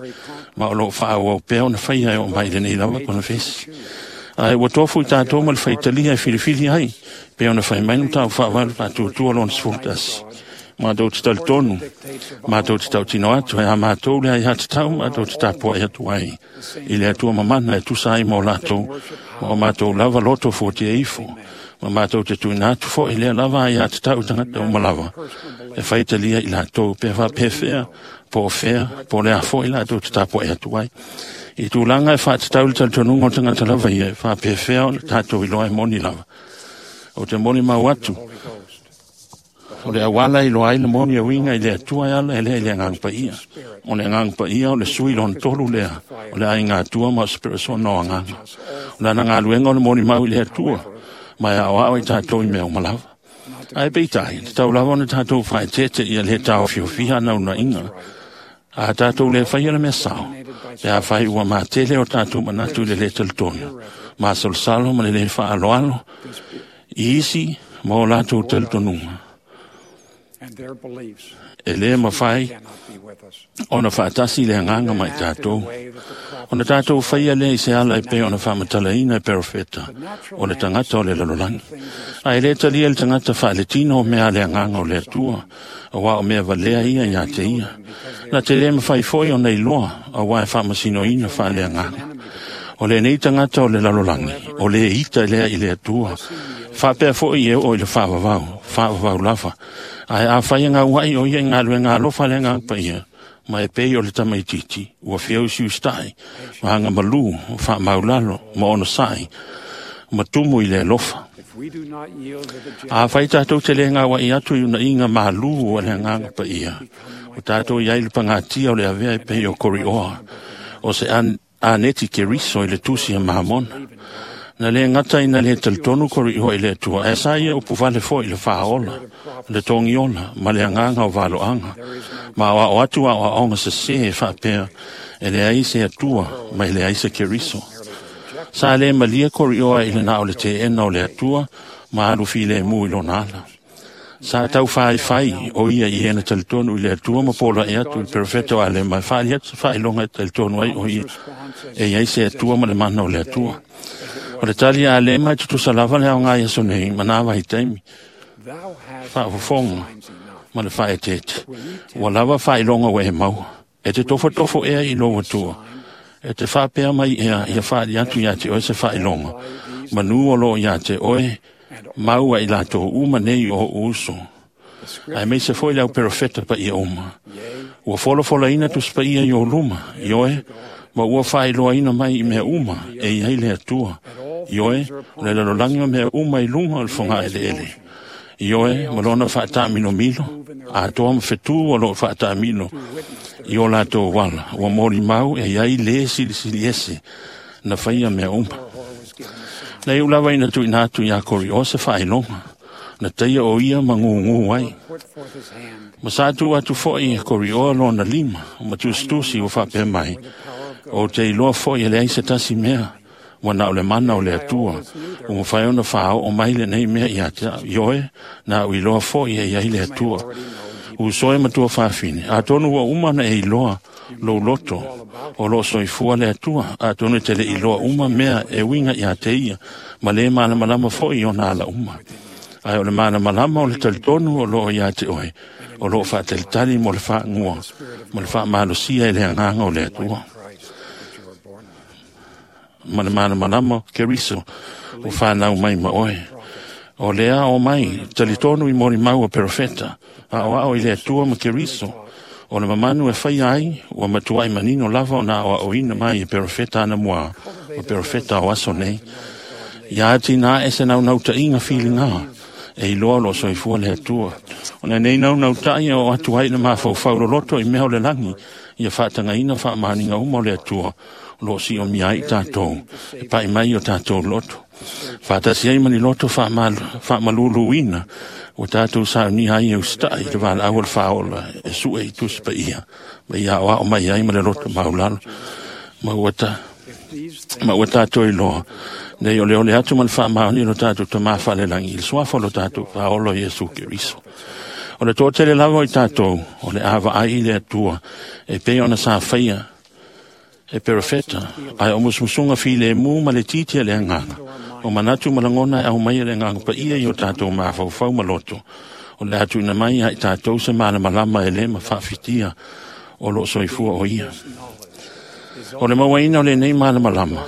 ma o loo faaauau pea ona faia e oo mai i lenei lava konofesi. Ae ua tofu i tatou ma le faitalia e filifili ai pe ona fai mai le mataupu faavae le faatuatua lona sefulu tasi. Matou te talitonu, matou te tautino atu e a matou le aiatatau matou te tapuai atu ai i le Atua mamana e tusa ai ma o latou ma o matou lava loto fuatia ifo ma matou te tuuina atu fo'i lea lava aiatatau i tagata uma lava e faitalia i latou pe faapefea po o fea po o le a fo'i latou te tapuai atu ai. I tulaga e faatatau i le talitonuga o le tagata lava ia e faapefea ona tatou iloa e moni lava. O te molimau atu o le auala i loa ai le moni e uiga i le Atua e ala e lea i le Agaga Paia. O le Agaga Paia o le sui lona tolu lea o le aiga Atua ma o se peresona o agaga. O lana galuega o le molimau i le Atua ma e aoao i tatou i mea uma lava. Ae peitai, tatau lava ona tatou faaeteete ia lē taofiofia anaunaiga a tatou lē faia le mea sao, pe afai ua matele o tatou manatu i le lē talitonu, masalosalo ma le lē faaaloalo i isi ma o latou talitonuga. E lē mafai ona faatasi le agaga ma i tatou. Ona tatou faia lea i se ala e pei ona faamatalaina e perofeta o le tagata o le lalolagi. Ae lē talia le tagata faaletino o mea a le agaga o le Atua, auā o mea valea ia iā te ia. Na te lē mafai foi ona iloa, auā e faamasinoina faaleagaga. O lenei tagata o le lalolagi, o lē ita lea i le Atua, faapea fo'i e oo i le faavavau, faavavau lava. Ae afai e gaua'i o ia i galuega alofa a le Agaga Paia, ma e pei o le tamaitiiti, ua feausiusitai, ma agamalū, faamaulalo, ma onosa'i, ma tumu i le alofa. Afai tatou te lē gaua'i atu i unaiga malū a le Agaga Paia, o tatou i ai le pagatia o le avea e pei o Korioa, o se aneti Keriso i le tusi a Mamona. Na lē gata ina lē talitonu Korioa i le Atua, ae sa ia upufale fo'i i le faaola, le togiola ma le agaga o valoaga, ma aoao atu aoaoga sesē e faapea e leai se Atua ma e leai se Keriso. Sa lē malie Korioa i le na o le teena o le Atua ma alu filemu i lona ala. Sa taufaifai o ia i ena talitonu i le Atua ma pola'i atu i le perofeta o Alema e faali atu se faailoga e talitonu ai o ia e iai se Atua ma le mana o le Atua. O le tali a Alema e tutusa lava le aoga i aso nei ma nā vaitaimi, faafofoga ma le faaeteete. Ua lava faailoga ua e maua. E te tofotofo ea i lou Atua E te faapea mai ea ia faali atu ia te oe se faailoga, manu o loo ia te oe, mau ai latou uma nei o ou uso. Ae maise foi le au perofeta paia uma. Ua folafolaina tusipaia i o luma, ioe, ma ua faailoaina mai i mea uma e i ai le Atua. Ioe, o le lalolagi ma mea uma i luga o le fogaeleele. Ioe, ma lona faataminomilo, atoa ma fetu o loo faatamilo i o latou ala, ua molimau e i ai lē silisili ese na faia mea uma. Na iu lava ina tuuina atu iā Kori'o se faailoga, na taia o ia ma gugū ai. Ma sa tuu atu fo'i e Kori'oa lona lima, ma tusitusi ua faapea mai, o te iloa fo'i e leai se tasi mea, ua na o le mana o le Atua, ua mafai ona faaoo mai lenei mea ia te au. Ioe, na au iloa fo'i e i ai le Atua. Uso e matua faafine, atonu ua uma na e iloa lou loto, o loo soifua le Atua, atonu e te le iloa uma mea e uiga ia te ia, ma lē malamalama fo'i ona ala uma. Ae o le malamalama o le talitonu o loo ia te oe, o loo faatalitali mo le faagua, ma le faamalosia e le agaga o le Atua. Ma le malamalama o Keriso ua fanau mai ma oe. O lea o mai, talitonu i molimau a perofeta, aoao i le Atua ma Keriso, o le mamanu e faia ai, ua matuai manino lava ona aoaoina mai e perofeta anamua, ma perofeta o aso nei. Ia atinā e se naunautāiga filigā, e iloa o loo soifua le Atua. O lenei naunauta'i o atu ai le mafaufau loloto i mea o le lagi, ia faatagaina faamaoniga uma o le Atua, o loo siomia ai tatou, e pa'i mai o tatou loto. Faatasi ai ma ni loto faamaluluina, ua tatou saunia ai e usita'i i le valaau o le faaola e su'e i tusi paia, ma ia aoao mai ai ma le loto maulalo. Ma ua ta, ma ua tatou iloa, nei o le ole atu ma le faamaoni o lo tatou tamā faalelagi i le suafa o lo tatou faaola o Iesu Keriso. O le toatele lava o i tatou, o le a vaai i le Atua, e pei ona sa faia e perofeta, ae o musumusuga filemu ma le titi a le agaga, o manatu ma lagona e aumai e le agaga paia i o tatou mafaufau ma loto, o le a tuuina mai ia i tatou se malamalama e lē ma faafitia o loo soifua o ia. O le mauaina o lenei malamalama,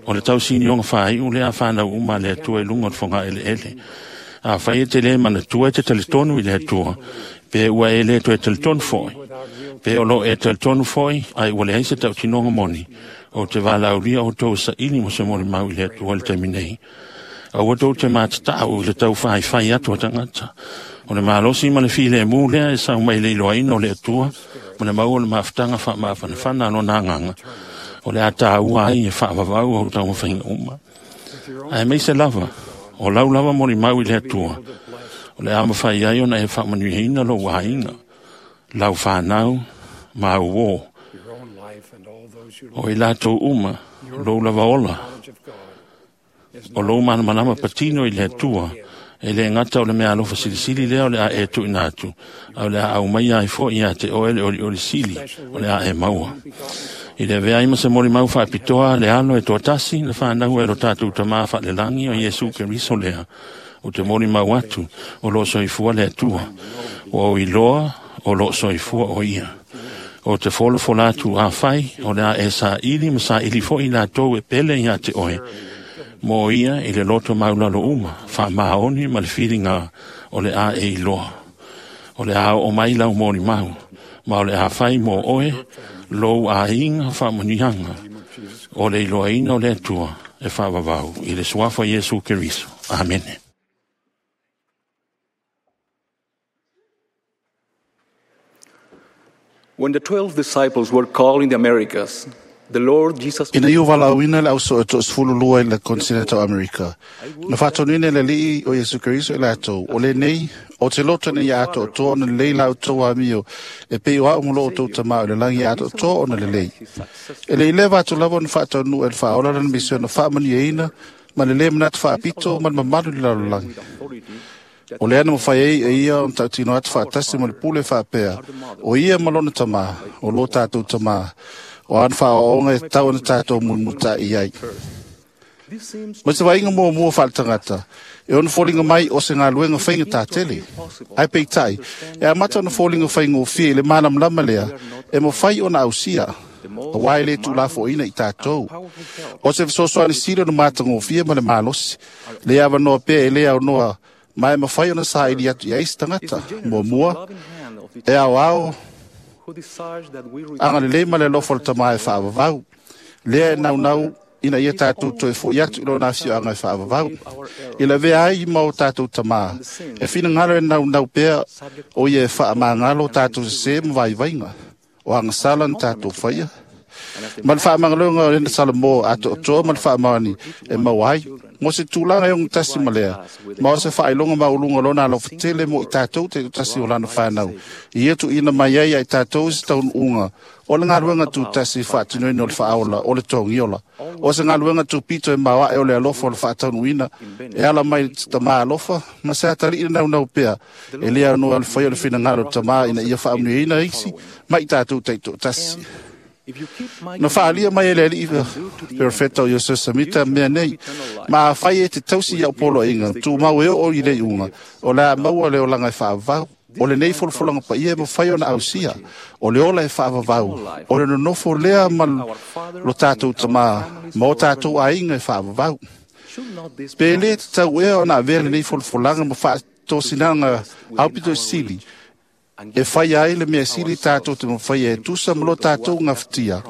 o le tausinioga faaiu lea fanau uma a le Atua i luga o le fogaeleele. Afai e te lē manatua e te talitonu i le Atua, pe ua e lē toe talitonu fo'i, pe o loo e talitonu fo'i, ae ua leai se tautinoga moni, o te valaaulia outou saili mo se molimau i le Atua i le taimi nei. Aua tou te matata'u i le taufaifai atu a tagata. O le malosi ma le filemu lea e sau mai le iloaina o le Atua, ma le maua o le mafutaga faamafanafana a lona agaga, o le a tāua ai e faavavau au taumafaiga uma. Ae maise lava, o lau lava molimau i le Atua, o le a mafai ai ona e faamanuiaina lou aiga, lau fanau, ma au uō. O i latou uma, lou lava ola, o lou malamalama patino i le Atua, e le gata o le mea alofa silisili lea o le a e tuuina atu, a o le a aumaia ai fo'i ia te oe le olioli sili o le a e maua. I le avea ai ma se molimau faapitoa le alo e toatasi na fanau e lo tatou tamā faalelagi o Iesu Keriso lea, o te molimau atu o loo soifua le Atua, ua ou iloa o loo soifua o ia. O te folafola atu afai o le a e saili ma saili fo'i latou e pele ia te oe, mo ia i le loto maulalo uma, faamaoni ma le filiga o le a e iloa. O le a oo mai lau molimau, ma o le a fai mo oe lou aiga faamanuiaga, o le iloaina o le Atua e faavavau i le suafa o Iesu Keriso. Amene. When the twelve disciples were called in the Americas, the Lord Jesus Ina ia valaauina le auso e toasefulu lua i le kontinenta o Amerika. Na faatonuina e le Alii o Iesu Keriso i latou, o lenei, o te loto nei ia atoatoa ona lelei la outou amio, e pei o au ma lo outou tamā o le lagi ia atoatoa ona lelei. E le i leva atu lava ona faataunuu e le faaola lana misiona faamanuiaina ma le lē manatu faapito ma le mamalu i le lalolagi. O lea na mafai ai e ia ona tautino atu faatasi ma le pule faapea, o ia ma lona tamā, o lo tatou tamā, o ana faaoaoga e tatau ona tatou mulimulita'i ai. Ma se vaaiga muamua faaletagata, e ona foliga mai o se galuega faigatā tele. Ae peitai, e amata ona foliga faigofie i le malamalama lea, e mafai ona ausia. Auā e lē tuulafoʻoina i tatou. O se fesoasoani sili ona matagofie ma le malosi, le avanoa pea e lē aonoa ma e mafai ona saili atu i ai se tagata. Muamua, e aoao agalelei ma le alofa o le Tamā e faavavau, lea e naunau ina ia tatou toe fo'i atu i lona afioaga e faavavau. I lavea ai ma o tatou Tamā, e finagalo e naunau pea o ia e faamagalo o tatou sesē ma vaivaiga, o agasala na tatou faia. Ma le faamagaloga o lena Salamo atoatoa ma le faamaoni e maua ai, mo se tulaga e ogatasi ma lea, ma o se faailoga maualuga o lona alofa tele mo i tatou taitasi o lana fanau, i ia tuuina mai ai ia i tatou se taunuuga o le galuega tutasi faatinoina o le faaola o le togiola. O se galuega tupito e maoae o le alofa o le faataunuuina e ala mai le Tamā alofa ma se atalii le naunau pea e lē aonoa le faia o le finagalo o le Tamā ina ia faamanuiaina isi ma i tatou taitoatasi. Na faaalia mai e le alii perofeta o Iosefa Samita mea nei, ma afai e te tausi i au poloaiga, tumau e oo i le iuga, o le a maua le olaga e faavavau. O lenei folafolaga paia e mafai ona ausia, o le ola e faavavau, o le nonofo lea ma lo tatou Tamā, ma o tatou aiga e faavavau. Pe lē tatau ea ona avea lenei folafolaga ma faatosinaga aupito sili, e faia ai le mea sili tatou te mafaia e tusa ma lo tatou gafatia,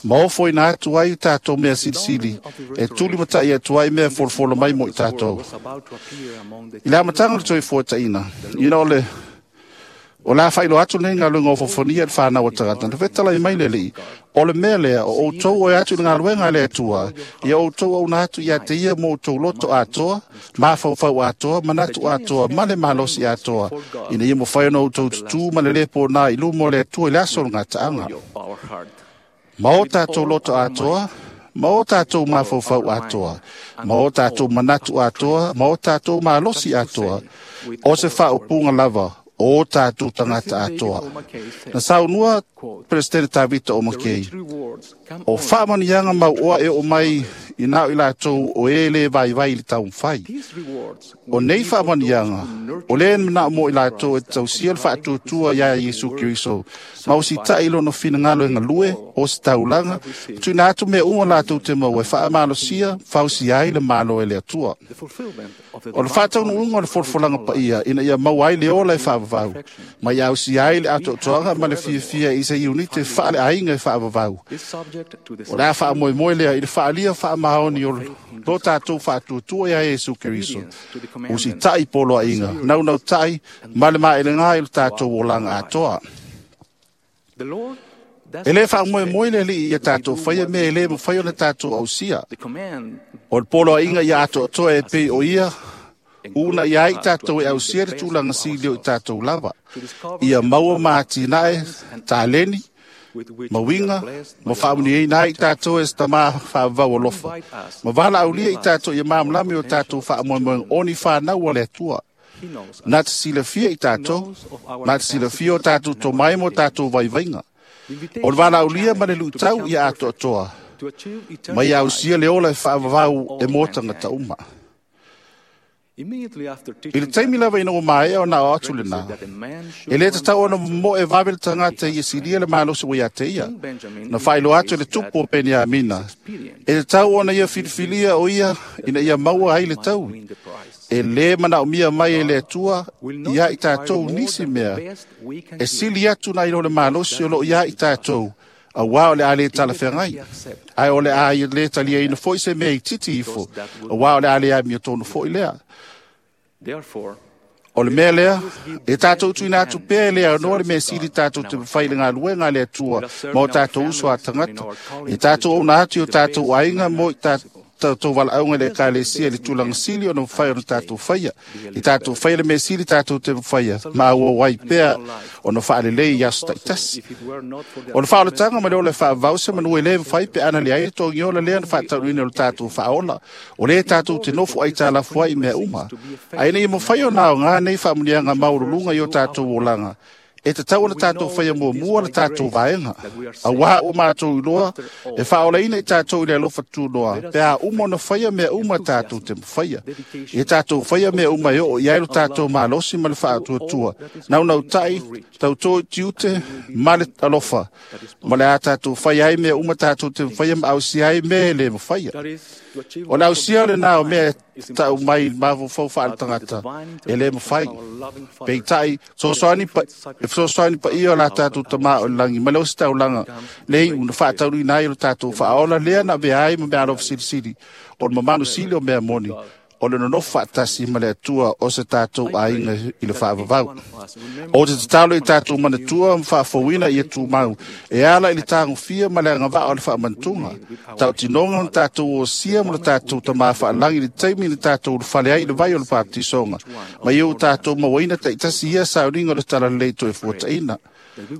ma ofoina atu ai tatou mea silisili, e tulimata'i atu ai mea folofola mai mo i tatou. I le amataga o le toifuataʻina, ina o le o le a faailoa atu lenei galuega ofofonia i le fanau a tagata, na fetalai mai le Alii, o le mea lea, o outou o e atu i le galuega a le Atua, ia outou auna atu ia te ia mo outou loto atoa, mafaufau atoa, manatu atoa, ma le malosi atoa, ina ia mafai ona outou tutū ma le lē pōnā i luma o le Atua i le aso o le gataaga. Ma o tatou loto atoa, ma o tatou mafaufau atoa, ma o tatou manatu atoa, ma o tatou malosi atoa, o se faaupuga lava o tatou tagata atoa. Na saunua Peresetene Tavita o Makei, o faamanuiaga mauoa e oo mai i na o i latou o e lē vaivai i le taumafai. O nei faamanuiaga, o lē manao mo i latou e tausia le faatuatua iā Iesu Keriso, ma o sitaʻi i lona finagalo e galue o se taulaga, tuuina atu mea uma latou te maua e faamalosia fausia ai le Malo e le Atua. O le faataunuuga o le folafolaga paia ina ia maua ai le ola e faavavau, ma ia ausia ai le atoatoaga ma le fiafia i se iunite faaleaiga e faavavau. O le a faamoemoe lea i le faaalia faamaoni o lo tatou faatuatua iā Iesu Keriso, usitaʻi poloaiga, naunautaʻi ma le maelegā i lo tatou olaga atoa. E lē faamoemoe le Alii ia tatou faia mea e lē mafai ona tatou ausia. O le poloaiga ia atoatoa e pei o ia una ia ai tatou e ausia le tulaga sili o i tatou lava, ia maua ma atinae taleni, ma uiga, ma faamanuiaina ai i tatou e se Tamā faavavau alofa, ma valaaulia i tatou ia malamalama i o tatou faamoemoega o ni fanau a le Atua. Na te silafia i tatou, na te silafia o tatou tomai ma o tatou vaivaiga. O le valaaulia ma le luitau ia atoatoa, ma ia ausia le ola e faavavau e mo tagata uma. I le taimi lava ina ua maea ona ao atu lenā, e lē tatau ona momoe vave le tagata ia silia le malosi ua ia te ia. Na faailoa atu e le tupu o Peniamina, e tatau ona ia filifilia o ia ina ia maua ai le taui. E lē manaomia mai e le Atua ia i tatou nisi mea e sili atu nai lo le malosi o loo ia i tatou, auā o le a lē talafeagai, ae o le a lē taliaina foi se mea itiiti ifo, auā o le a lē amiotonu foi lea. O le mea lea, e tatou tuuina atu pea e le aonoa le mea sili tatou te mafai i le galuega a le Atua ma o tatou uso a tagata. E tatou auna atu i o tatou aiga mo i tatou valaauga i le Ekalesia i le tulaga sili ona mafai ona tatou faia. I tatou faia le mea sili tatou te mafaia, ma auau ai pea ona faalelei i aso taitasi. O le faaolataga ma le ola e faavavau se manu e lē mafai pe ana leai le togiola lea na faataunuuina o le tatou faaola, o lē tatou te nofo aitalafu ai i mea uma. Ae ina ia mafai ona aogā nei faamanuiaga maualuluga i o tatou olaga, E tatau ona tatou faia muamua le tatou vaega. Auā ua matou iloa e faaolaina i tatou i le alofa tunoa pe a uma ona faia mea uma tatou te mafaia. Ia tatou faia mea uma e oo i ai lo tatou malosi ma le faatuatua, naunautai, tautō i tiute ma le alofa, ma le a tatou faia ai mea uma tatou te mafaia ma ausia ai mea e le mafaia. O le ausia lenā o mea e tau mai mafaufau faaletagata e le mafai. Peitai, fesoasoani pa, e fesoasoani paia o la tatou tamā o le lagi ma le ositaulaga le iu na faataunuina ai o le tatou faaola lea na avea ai ma mea alofa silisili o le mamalu sili o mea moni o le nonofo faatasi ma le Atua o se tatou aiga i le faavavau. O te tatalo i tatou manatua ma faafouina ia tumau e ala i le tagofia ma le agavaa o le faamanatuga. Tautinoga o le tatou osia ma le tatou tamā faalagi i le taimi na tatou ulufale ai i le vai o le baptisoga, ma ia o tatou mauaina taitasi ia sauniga o le talalelei toe fuataina.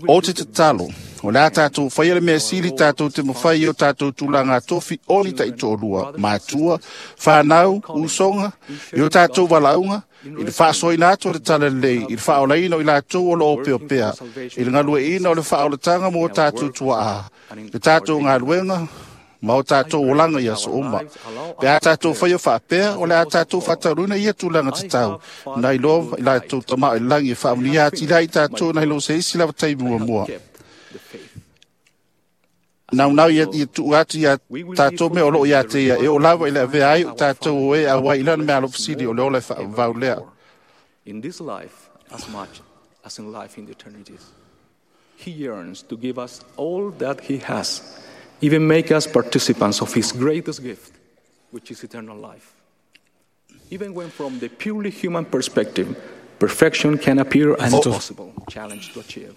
O te tatalo, o le a tatou faia le mea sili tatou te mafai i o tatou tulaga tofi o ni taitoalua, matua, whanau, usoga, i o tatou valaauga, i le faasoaina atu o le talalelei, i le faaolaina o i latou o lo o opeopea, i le galueaiina o le faaolataga mo o tatou tuaa, le tatou galuega, ma o tatou olaga i aso uma. Pe a tatou faia faapea, o le a tatou faataunuina ia tulaga tatau, nai lo i latou tamā o le lagi e faamanuia atili ai i tatou nai lo se isi lava taimi muamua. Naunau ia, ia tuu atu ia tatou mea o loo ia te ia, e oo lava i le avea ai o tatou o e auai i lana mea alofasili o le ola e faavavau lea. In this life, as much as in life in the eternities, He yearns to give us all that He has, even make us participants of His greatest gift, which is eternal life. Even when from the purely human perspective, perfection can appear an impossible challenge to achieve.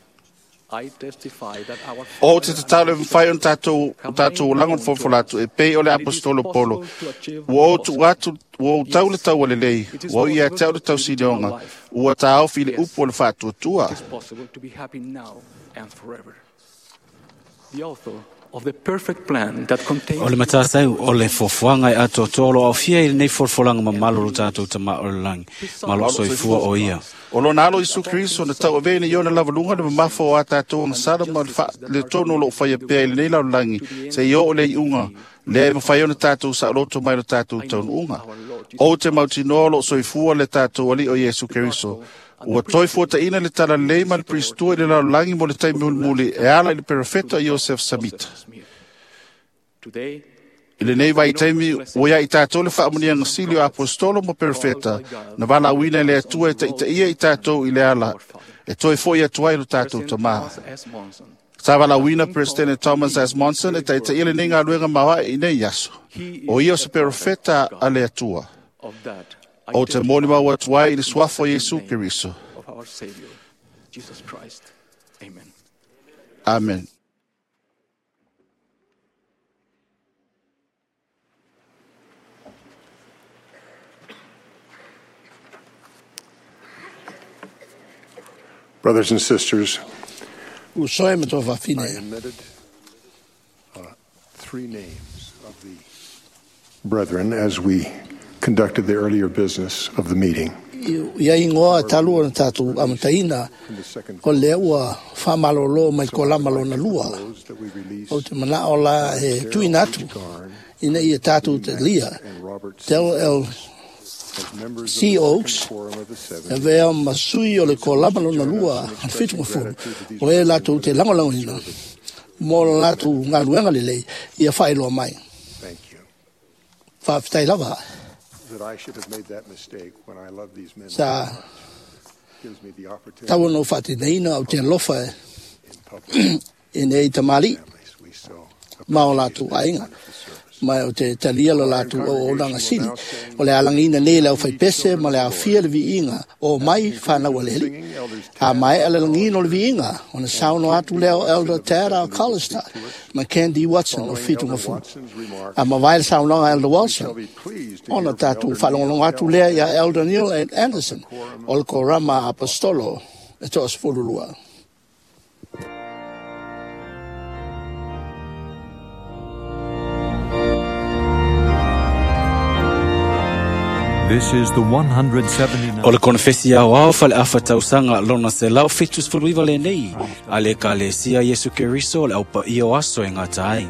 I testify that our O te tatalo e mawhai o tatou, tatou olaga o le fofola atu e pei o le apostolo Polo. Ua o tuu atu, ua ou tau le tau a lelei, ua o ia te au le tausilioga, ua taofi i le upu o le faatuatua. It is possible to be happy now and forever. The author of the perfect plan that contains O le matātai o le foafoaga e atoatoa o lo aofia i lenei folafolaga mamalo o lo tatou tamā o le lagi, ma lo o soifua o ia. O lona alo Iesu Keriso na tauavea ina i ona lavaluga le mamafa o a tatou agasala ma le le tonu o loo faia pea i lenei lalolagi seia oo le iuga lea e mafai ona tatou saoloto mai lo tatou taunuuga. O te mautinoa o loo soifua le tatou alii o Iesu Keriso. Ua toe fuataina le talalelei ma le Pristua i le lalolagi mo le taimi mulimuli e ala i le perofeta Iosef Samita. Today, I lenei vaitaimi ua ia i tatou le faamuniaga sili o apostolo ma perofeta na valaauina e le Atua e taitaia i tatou i le ala e toe fo'i atu ai lo tatou tamā. S. Monson, Sa valaauina President Thomas S. Monson e taitaia lenei galuega maoae i nei aso. O ia o se perofeta a le Atua. of that I O te molimau atu ai i le suafa o Iesu Keriso. of our Savior, Jesus Christ. Amen. Amen. Brothers and sisters, Uso e matua faafine. I omitted uh, three names of the brethren as we conducted the earlier business of the meeting. Ia ingoa talu o na tatou amataina, o lea ua whamalolo mai ko lama lona lua. O te mana o la e tuina atu, ina ia tatou te lia. Del L. C. Oaks, e vea ma sui o le ko lama lona lua, al whitu mafuru, o e latou te langolangoina, mo la latou ngaluenga lelei, ia whaeloa mai. Thank you. Whaafetai lava. That I should have made that mistake when I love these men Sa so much gives me the opportunity tau no whaatinaina o te alofa in public e nei tamali we so ma o latou aiga mai o te talia lo latou o olanga sili o le alangina nei le au faipese ma le afia le viiga o mai whanau a leli a mai a le langina o le viiga o na sauno atu leo Elder Tara Collister ma Candy Watson o Whitu Mafu a ma vai le saunoaga Elder Watson ona tatou faalogologo atu lea ia Elder Neil Anderson o le Korama Apostolo e toasefululua. This is the one hundred seventy-nine. O le konofesi aoao faleafa tausaga lona selau fitu sefuluiva lenei a le Ekalesia Iesu Keriso o le aupaia o aso e gata ai.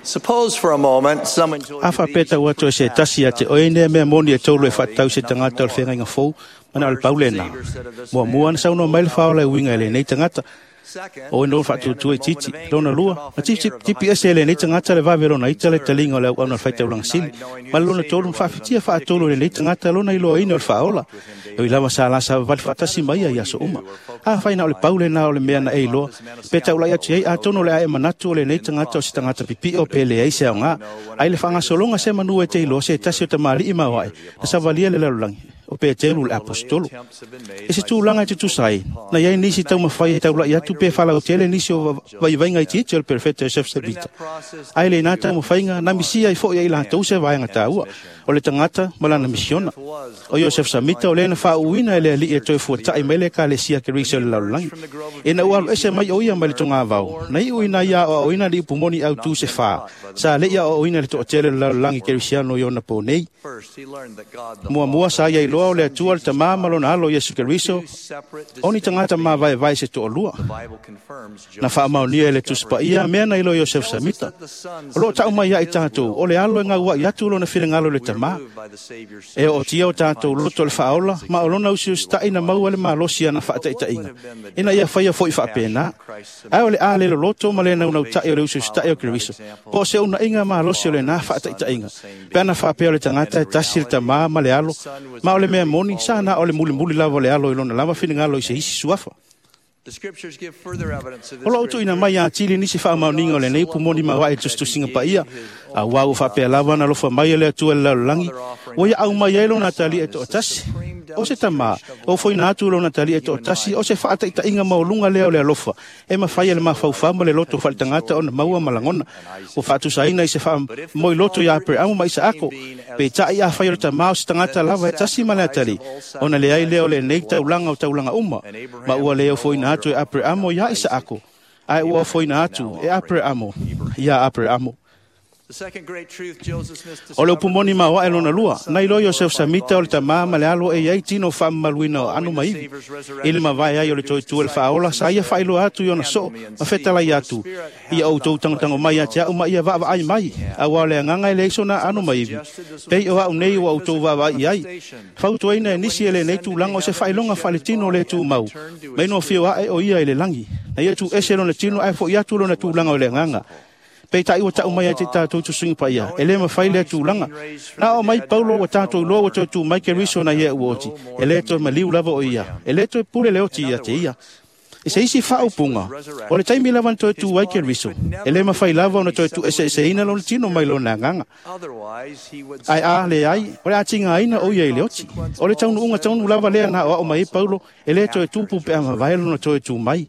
Suppose for a moment someone A faapea ua toe se tasi ia te oe nea mea moni e tolu e faatatau se tagata o le feagaiga fou mana o le paulena. Muamua na saunoa mai le faaola e uiga i lenei tagata. O e no faatuatua i titi, lona lua, na tipi ese e lenei tagata le vave lona ita le taliga o le auauna o le faitaulaga sili. Ma le lona tolu na faafitia faatolu e lenei tagata lona iloaina o le faaola. E ui lava sa lasa vavali faatasi mai ia i aso uma. Afai na o le paulena o le mea na e iloa, pe taulai atu ai atonu o le ae manatu o lenei tagata o se tagata pipio pe leai se aoga. Ai le faagasologa se manu e te iloa se tasi o tamalii maoae, na savalia le lalolagi o Petelu le apostolo. E se tulaga e tutusa ai, na iai nisi taumafai e taulai atu pe falautele nisi o vaivaiga itiiti o le perfeta Joseph Smith. Ai lenā taumafaiga na misia ai fo'i ai latou se vaega taua o le tagata ma lana misiona. O Joseph Smith o lea na faauuina e le alii e toe fuata'i mai le Ekalesia Keriso i le lalolagi. Ina ua alu ese mai o ia mai le togavao, na iu ina ia aoaoina le ipu moni autū se fā, sa le'i aoaoina le to'atele o le lalolagi Kerisiano i ona po nei. Muamua sa ia iloa o le Atua le Tamā ma lona alo Iesu Keriso, o ni tagata mavaevae se to'alua. Na faamaonia e le Tusi Paia mea na iloa Iosef Samita. O loo ta'u mai ia i tatou, o le alo e gaua'i atu lona finagalo i le Tamā. E ootia o tatou loto le faaola, ma o lona usiusita'i na maua le malosi ana faataitaiga. Ina ia faia fo'i faapena. Ae o le a le loloto ma le naunauta'i o le usiusita'i o Keriso. Po o se unaiga malosi o lenā faataitaiga. Pe ana faapea o le tagata e tasi le Tamā ma le alo, ma o le mea moni, sa na o le mulimuli lava o le alo i lona lava finagalo i se isi suafa. O loo tuuina mai ia atili nisi faamaoniga o lenei pumoni mauae tusitusiga paia, auā ua faapea lava na alofa mai e le Atua i le lalolagi, ua ia au mai ai lona atalii e to'atasi. O se tamā, o foina atu lona tali e to'atasi, o se fa'ataʻitaʻiga maualuga lea o le alofa, e mafai e le mafaufau ma le loto fa'aletagata ona maua ma lagona. Ua fa'atusaina i se fa'amoiloto iā Apereamu ma Isaako, peita'i afai o le tamā o se tagata lava e tasi ma le atalii, ona leai lea o lenei taulaga o taulaga uma, ma ua le ofoina atu e Apereamo iā Isaako, ae ua ofoina atu e Apereamo iā Apereamo. O le upumoni maoaʻe lona lua, na iloa Iosefa Samita o le tamā ma le alo e iai tino faamamaluina o aano ma ivi. I le mavae ai o le toetua le faaola, sa ia faailoa atu i ona soo ma fetalai atu, ia outou tagotago mai ia te aʻu ma ia vaavaai mai, auā o le agaga e leai sona aano ma ivi, pei o aʻu nei ua outou vaavaai i ai. Fautuaina e nisi e lenei tulaga o se faailoga faaletino le tumau, mai no fio aʻe o ia i le lagi, na ia tuuese lona tino ae foʻi atu lona tulaga o le agaga. Peitai ua ta'u mai ai te tatou tusuiga paia, e lē mafai lea tulaga. Na oo mai Paulo ua tatou iloa ua toe tu mai Keriso na ia ua oti, e lē toe maliu lava o ia, e lē toe pule le oti ia te ia. I se isi fa'aupuga, o le taimi lava na toe tu ai Keriso, e lē mafai lava ona toe tu'ese'eseina lona tino mai lona agaga. Ae a leai, o le atigaina o ia i le oti. O le taunu'uga taunu lava lea na aoa'o mai ai Paulo, e lē toe tupu pe a mavae lona toe tu mai.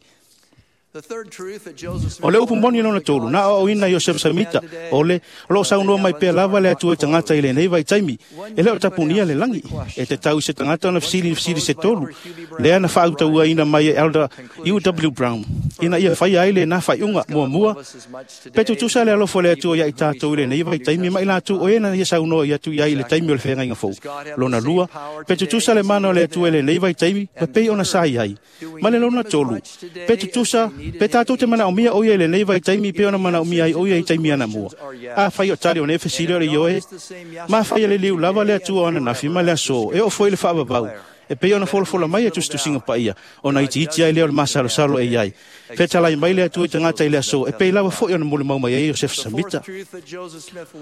O le upu moni lona tolu, na aoaoina Iosefa Samita, o le o loo saunoa mai pea lava le Atua i tagata i lenei vaitaimi, e lē o tapunia le lagi, e tatau i se tagata ona fesili i fesili se tolu, lea na faautauaina mai e Elder U W Brown, ina ia faia ai lenā faaiuga. Muamua, pe tutusa le alofa o le Atua ia i tatou i lenei vaitaimi ma i latou o e na ia saunoa i atu i ai i le taimi o le feagaiga fou. Lona lua, pe tutusa le mana o le Atua i lenei vaitaimi ma pei ona sa i ai. Ma le lona tolu, pe tutusa pe tatou te manaomia o ia i lenei vaitaimi pe ona manaomia ai o ia i taimi anamua. Afai o tali o nei fesili o le ioe, ma fai e le liu lava le Atua o ananafi ma le aso, e oo foi le faavavau, e pei ona folafola mai e tusitusiga paia, ona itiiti ai lea o le masalosalo e iai. Fetalai mai le Atua i tagata i le aso, e pei lava foi ona molimau mai ai Iosefa Samita.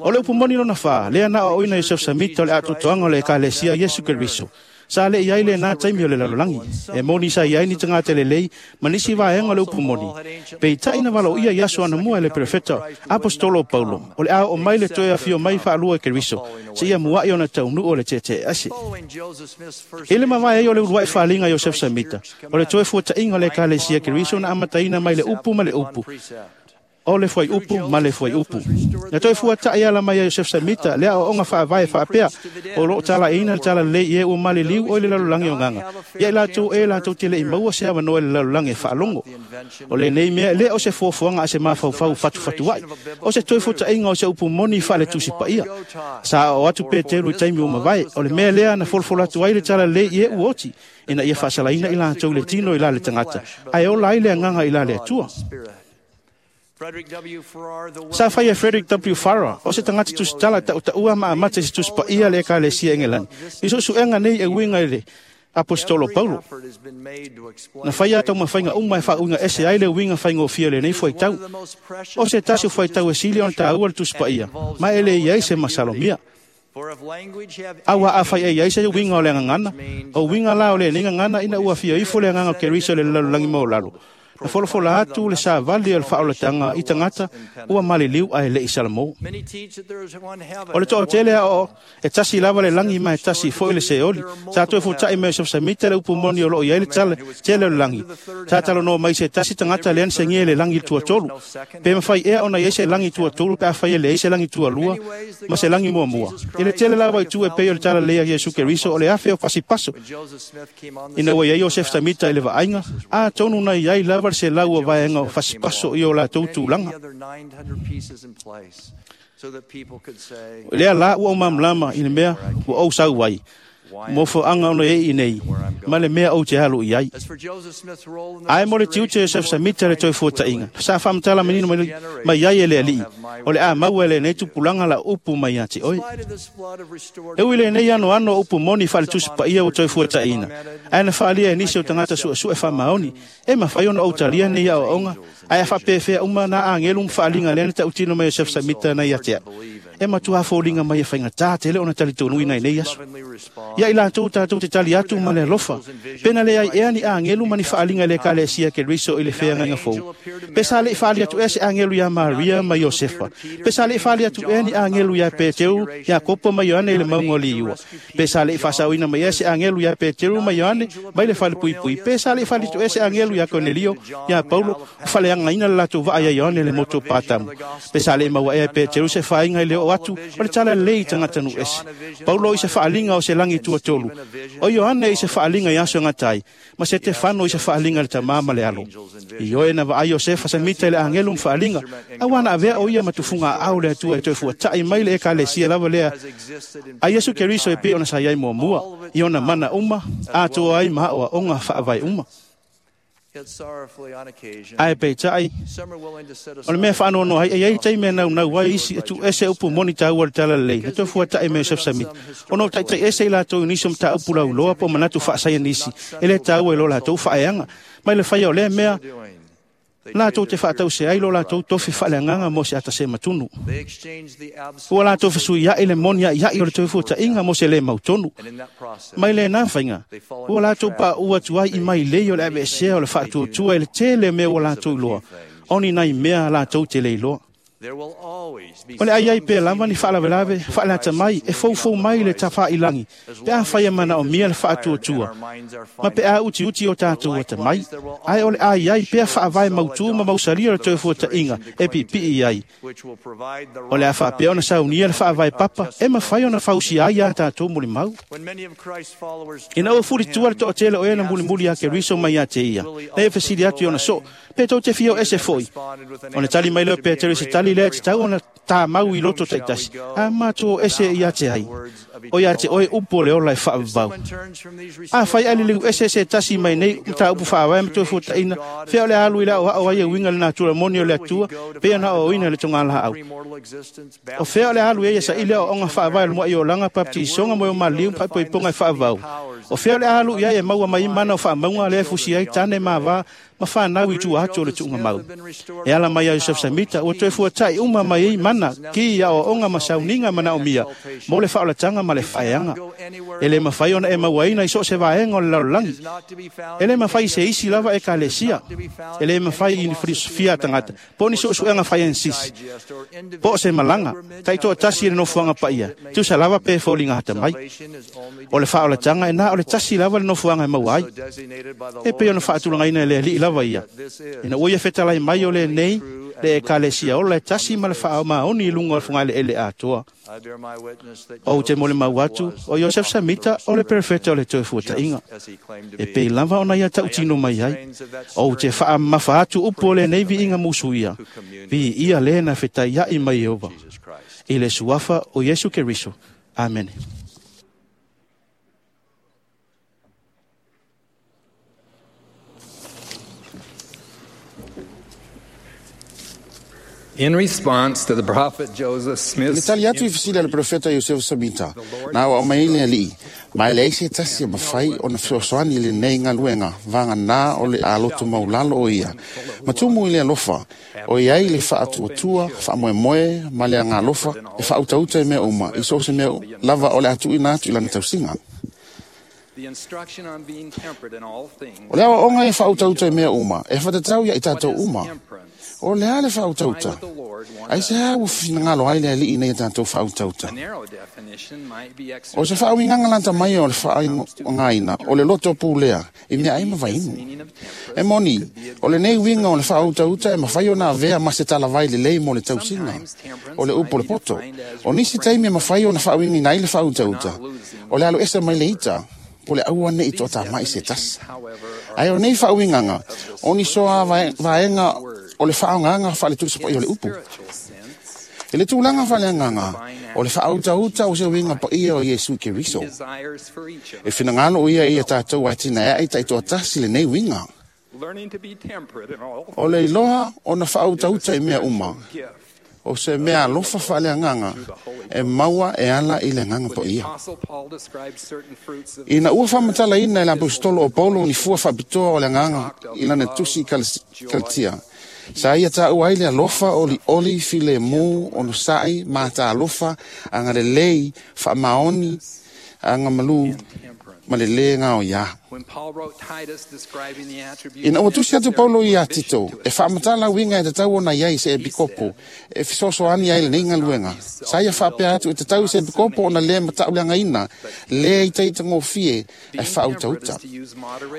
O le upu moni lona fā, lea na aoaoina Iosefa Samita o le atoatoaga o le Ekalesia Iesu Keriso. Sa le i ai lenā taimi o le lalolagi, e moni sa i ai ni tagata lelei ma nisi vaega o le upu moni. Peitai na valoia i aso anamua e le perofeta Apostolo o Paulo, o le a oo mai le toe afio mai faalua e Keriso, seia muaʻi ona taunuu o le teeteease. I le mavae ai o le uluaʻi faaliga Iosefa Samita, o le toe fuataʻiga o le Ekalesia Keriso na amataina mai le upu ma le upu, o le fuaiupu ma le fuaiupu. Na toe fuataʻi ala mai a Iosefa Samita le aoaoga faavae faapea, o loo talaʻiina le talalelei i e ua maliliu o i le lalolagi o gaga, ia i latou e latou te leʻi maua se avanoa i le lalolagi e faalogo. O lenei mea e lē o se fuafuaga a se mafaufau fatufatuaʻi, o se toe fuataʻiga o se upu moni faaletusi paia. Sa aoao atu Petelu i taimi ua mavae, o le mea lea na folafola atu ai le talalelei i e ua oti, ina ia faasalaina i latou i le tino i la le tagata, ae ola ai le agaga i la le Atua. Sa fai e Frederick W. Farrar, o se tagata tusitala ta'utaʻua ma amata i se tusi paia le Ekalesia Engelani, i suʻesuʻega nei e uiga i le Apostolo Paulo. Na faia taumafaiga uma e faauiga ese ai le uiga faigofie o lenei fuaitau. O se tasi o fuaitau e sili ona taua le tusi paia, ma e le i ai se masalomia. Auā afai e iai se uiga o le agagana, o uiga la o lenei gagana ina ua afio ifo le agaga o Keriso i le lalolagi maualalo. Na folafola atu le savali o le faaolataga i tagata ua maliliu ae leʻi salamo. O le toatele aoao e tasi lava le lagi ma e tasi foi le seoli. Sa toe fotaʻi mai Iosefa Samita le upu moni o loo i ai le tale tele o le lagi. Sa talanoa mai se tasi tagata lea na segia i le lagi tuatolu. Pe mafai ea ona i ai se lagi tuatolu pe afai e leai se lagi tualua ma se lagi muamua. I le tele lava i tu e pei o le talalelei a Iesu Keriso o le afe o fasipaso. Ina ua i ai Iosefa Samita i le vaaiga, atonu na i ai lava le se lau o vaega o fasipaso i o latou tulaga. Lea la ua ou malamalama i le mea ua ou sau ai, mo foaga ona e i nei, ma le mea ou te alu i ai. Ae mo le tiute Iosefa Samita le toe fuataʻiga, sa faamatala manino mai, mai ai e le alii, o le a maua e lenei tupulaga la upu mai ia te oe. E ui lenei anoano o upu moni faaletusi paia ua toe fuataʻiina, ae na faalia e nisi o tagata suʻesuʻe faamaoni, e mafai ona ou talia nei aoaoga, ae a faapefea uma na agelu ma faaliga lea na taʻutino mai Iosefa Samita na ia te aʻu. E matua foliga mai e faigatā tele ona talitonuina i nei aso. Ia i latou tatou te tali atu ma le alofa. Pena le ai ea ni agelu ma ni faaliga i le ekalesia Keriso i le feagaiga fou. Pe sa le'i faali atu ea se agelu iā Maria ma Iosefa. Pe sa le'i faali atu ea ni agelu iā Peteru, Iakopo ma Ioane i le mauga o Liua. Pe sa le'i faasaoina mai ea se agelu iā Peteru ma Ioane mai le falepuipui. Pe sa le'i faali atu ea se agelu iā Konelio, iā Paulo, o faleagaina le latou vaa iā Ioane le motu o Patamu. Pe sa le'i maua ea e Peteru se faaiga i le oo atu o le tala lelei i tagatanuu ese. Paulo i se faaliga o se lagi tuatolu. O Ioane i se faaliga i aso e gatai, ma Setefano i se faaliga i le tamā ma le alo. I oe na vaai Iosefa Samita i le agelu ma faaliga, auā na avea o ia ma tufuga aao le Atua e toe fuata'i mai le ekalesia lava lea a Iesu Keriso e pei ona sa iai muamua, i ona mana uma, atoa ai ma aoaoga faavae uma. Ae peitai, o le mea faanoanoa ai, e iai taimi e naunau ai isi e tuuese upu moni taua o le tala lelei, na toe fuata'i ma Iosef Samita, ona o taitaiese i latou i nisi o mataupu lauloa po o manatu faasaianisi e lē taua i lo latou faaeaga, mai le faia o lea mea latou te faatause ai lo latou tofi faaleagaga mo se atasematunu. Ua latou fesuia'i le moni a'ia'i o le toe fuata'iga mo se lē mautonu. Mai lenā faiga, ua latou paʻu atu ai i mailei o le aveesea o le faatuatua i le tele o mea ua latou iloa, o ni nai mea latou te le iloa. O le ai ai pea lava ni faalavelave faaleata mai e foufou mai le tafāilagi pe afai e manaomia le faatuatua ma pe a utiuti o tatou atamai, ae o le ai ai pea faavae mautū ma mausalia o le toe fuata'iga e piipii ai. O le a faapea ona saunia le faavae papa e mafai ona fausia ai iā tatou molimau. Ina ua fulitua le toatele o e na mulimuli iā Keriso mai iā te ia, na ia fesili atu i ona soo, pe tou te fia o ese fo'i. Ona tali mai lea o Peteru i se tali lea e tatau ona tāmau i loto taitasi, a matou o ese iā te ai, o iā te oe upu o le ola e faavavau. Afai ae liliu ese se tasi mai nei mataupu faavae ma toe fuataʻina, fea o le alu i le aoao ai e uiga le natura moni o le Atua, pei ona aoaoina i le togalaau. O fea o le alu ai e saili aoaoga faavae o le muaʻi olaga, baptisoga mo e o maliu ma faaipoipoga e faavavau. O fea o le alu i ai e maua mai mana o faamauga lea e fusi ai tane ma avā ma whanau i tua atu o le tuuga mau. E ala mai a Iosef Samita, ua toe fuata'i uma mai ai mana ki i aoaoga ma sauniga manaomia mo le faaolataga ma le faaeaga. E lē mafai ona e mauaina i so o se vaega o le lalolagi. E lē mafai i se isi lava ekalesia. E lē mafai i ni filosofia a tagata, po o ni suesuega faiansisi, po o se malaga, taitoatasi i le nofoaga paia, tusa lava pe foliga atamai. O le faaolataga e na o le tasi lava le nofoaga e maua ai. E pei ona faatulagaina e le Alii lava ia. Ina ua ia fetalai mai o lenei le ekalesia ola e tasi ma le faaomaoni i luga o le fogaeleele atoa. Ou te molimau atu, o Iosef Samita o le perofeta o le toe fuata'iga. E pei lava ona ia tautino mai ai. Ou te faamamafa atu upu o lenei viiga musuia, viia lē na fetaia'i mai Ieova. I le suafa o Iesu Keriso. Amene. In response to the prophet Joseph I le Smith's tali atu i fesili a le perofeta Iosefa Samita, na aoao mai ai le Alii, ma e leai se tasi e mafai ona fesoasoani i lenei galuega vaganā o le aloto maulalo o ia, ma tumu i le alofa, o iai le faatuatua, faamoemoe ma le agalofa e faautauta i mea uma, i so o se mea lava o le a tuuina atu i lana tausiga. the instruction on being temperate in all things O le aoaoga e faautauta i mea uma, e fatatau ia i tatou uma. O le a le faautauta? Aisehā ua finagalo ai le Alii ina ia tatou faautauta? A narrow definition might be O se faauigaga lata mai o le faaaogaina o le loto pulea i meaai ma vainu. E moni, o lenei uiga o le faautauta e mafai ona avea ma se talavai lelei mo le tausiga o le upu o le poto. O nisi taimi e mafai ona faauigaina ai le faautauta, o le alu ese mai le ita, po o le aua neʻi toatamai se tasi. Ae o nei faauigaga, o ni soa vaega o le faaaogaga faaletulisapaia o le upu. I le tulaga faaleagaga, o le faautauta o se uiga paia o Iesu Keriso. E finagalo o ia ia tatou atinaeaʻi taitoatasi lenei uiga. learning to be temperate in all O le iloa ona faautauta i mea uma, o se mea alofa faaleagaga e maua e ala i le Agaga Paia. Apostle Paul describes certain fruits of Ina ua faamatalaina e le aposetolo o Paulo ni fua faapitoa o le Agaga i lana tusi i Kalatia, Sa ia tāua ai le alofa o li oli file mū ono sa'i mata alofa anga le lei whaamaoni anga malu ma le le ngao ia. Ina ua tusi atu Paulo ia Tito, e whaamatala winga e te tau ona iai se epikopo, e fisosoani ai le nei ngaluenga. Sa ia whaapea atu e te tau se epikopo ona le matauleanga ina, le i teita ngōfie e whautauta.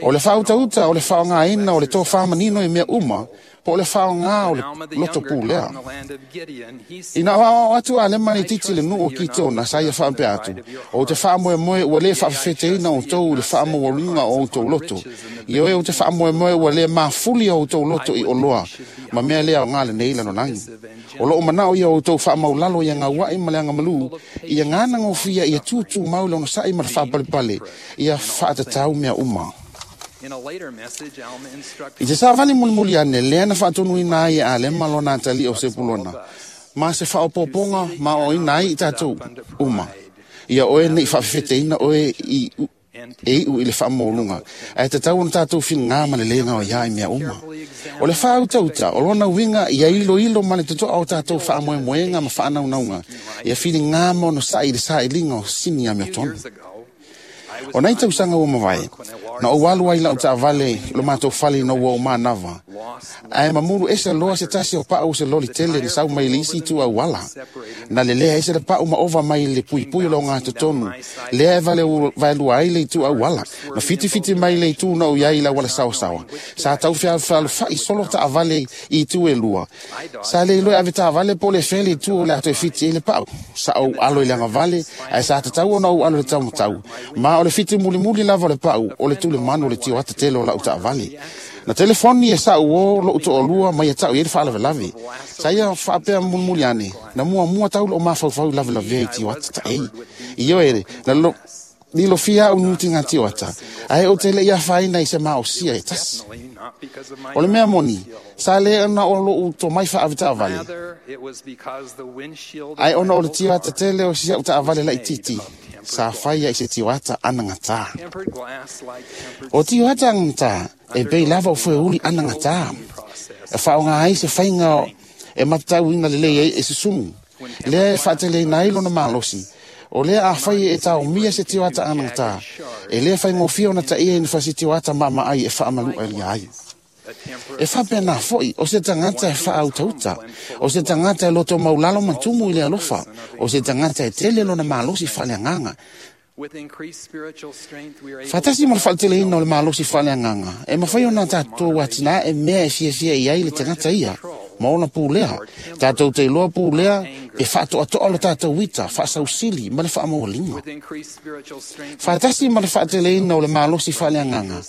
O le whautauta, o le whaonga ina, o le tō whamanino i mea uma, po o le whaonga o le loto pūlea. Ina o atu a lema ni titi le nuu o ki tōna, sa ia whaapea atu. O te whaamoe moe ua le whaafete ina o tau le whaamoe o tō loto. I oe o te whaamoe moe ua le mafuli o tō loto i oloa, ma mea lea o ngā le nei lano langi. O loo manao ia o tō whaamaulalo ia ngā wai ma le anga malu, ia ngāna ngōwhia ia tūtū mau le ona sai ma le whaapalipale, ia whaatatau mea uma. I te sāwhali mulimuli ane, lea na whaatonu ina ai a le malona atali o sepulona. Ma se whaopoponga ma o ina ai i tātou uma. Ia oe nei whaafete ina oe i e iu i le whaamolunga. Ae te tau ona tātou whingā ma le lenga o ia i mea uma. O le whautauta, o lona winga ia ilo ilo ma le totoa o tātou whaamoemoenga ma whaanaunauga. Ia whingā ma ono sa'i le sa'i linga o sini a mea tonu. O nei tausanga ua mawai, na o walu ai lau taavale lo mātou fale na ua o mānava. Ae mamuru ese loa se tasi o pau se loli tele ni sau mai le isi tu au wala. Na le lea ese le pau ma ova mai le pui pui lo ngā totonu. Lea e vale vaelua ai le itu au wala. Na fiti fiti mai le itu na o iai la wala sawa sawa. Sa tau fia whai solo taavale i itu e lua. Sa le iloe ave taavale po le fele itu o le ato e fiti e le pau. Sa au alo i langa vale, ae sa tatau ona au alo le tau matau. Ma o le fiti muli muli lava le pau o le tule manu le tio ata tele o lau taavale. Na telefoni e sa uo lo uto olua mai e tau i e whaalawe lave. Sa ia whaapea mulimuli ane, na mua mua tau lo mawhauwhau lave lave i tio ata ta ei. I oere, na lo ni lo fia au nuti ngā tio ata. Ae o tele ia whaina i se mao sia e tasi. O le mea moni, sa le ona o lo uto mai whaave taavale. Ae ona o le tio ata tele o sia o taavale lai titi. Sa whaia i se tio ata anangata. O tio ata anangata, e pei lava o fue uli anangata. E whaonga ai se whainga e matatau ina le lei e, e susumu. Lea e whaatele ina ai lona malosi. O lea a whai e tau mia se tio ata anangata. E lea whai ngōwhia ona ta ia ina whasi tio ata mama ai e whaamalu ai ai. E whapea nā foi, o se tangata e whaautauta, o se tangata e loto maulalo matumu i le alofa, o se tangata e tele lona malosi whaleanganga. Whatasi ma le whaateleina o le malosi whaleanganga, e mawhai ona tātou atina e mea e fiafia i ai le tangata ia, ma ona pūlea. Tātou te iloa pūlea e whaatoatoa lo tātou wita, whaasausili ma le whaamaualinga. Whatasi ma le whaateleina o le malosi whaleanganga,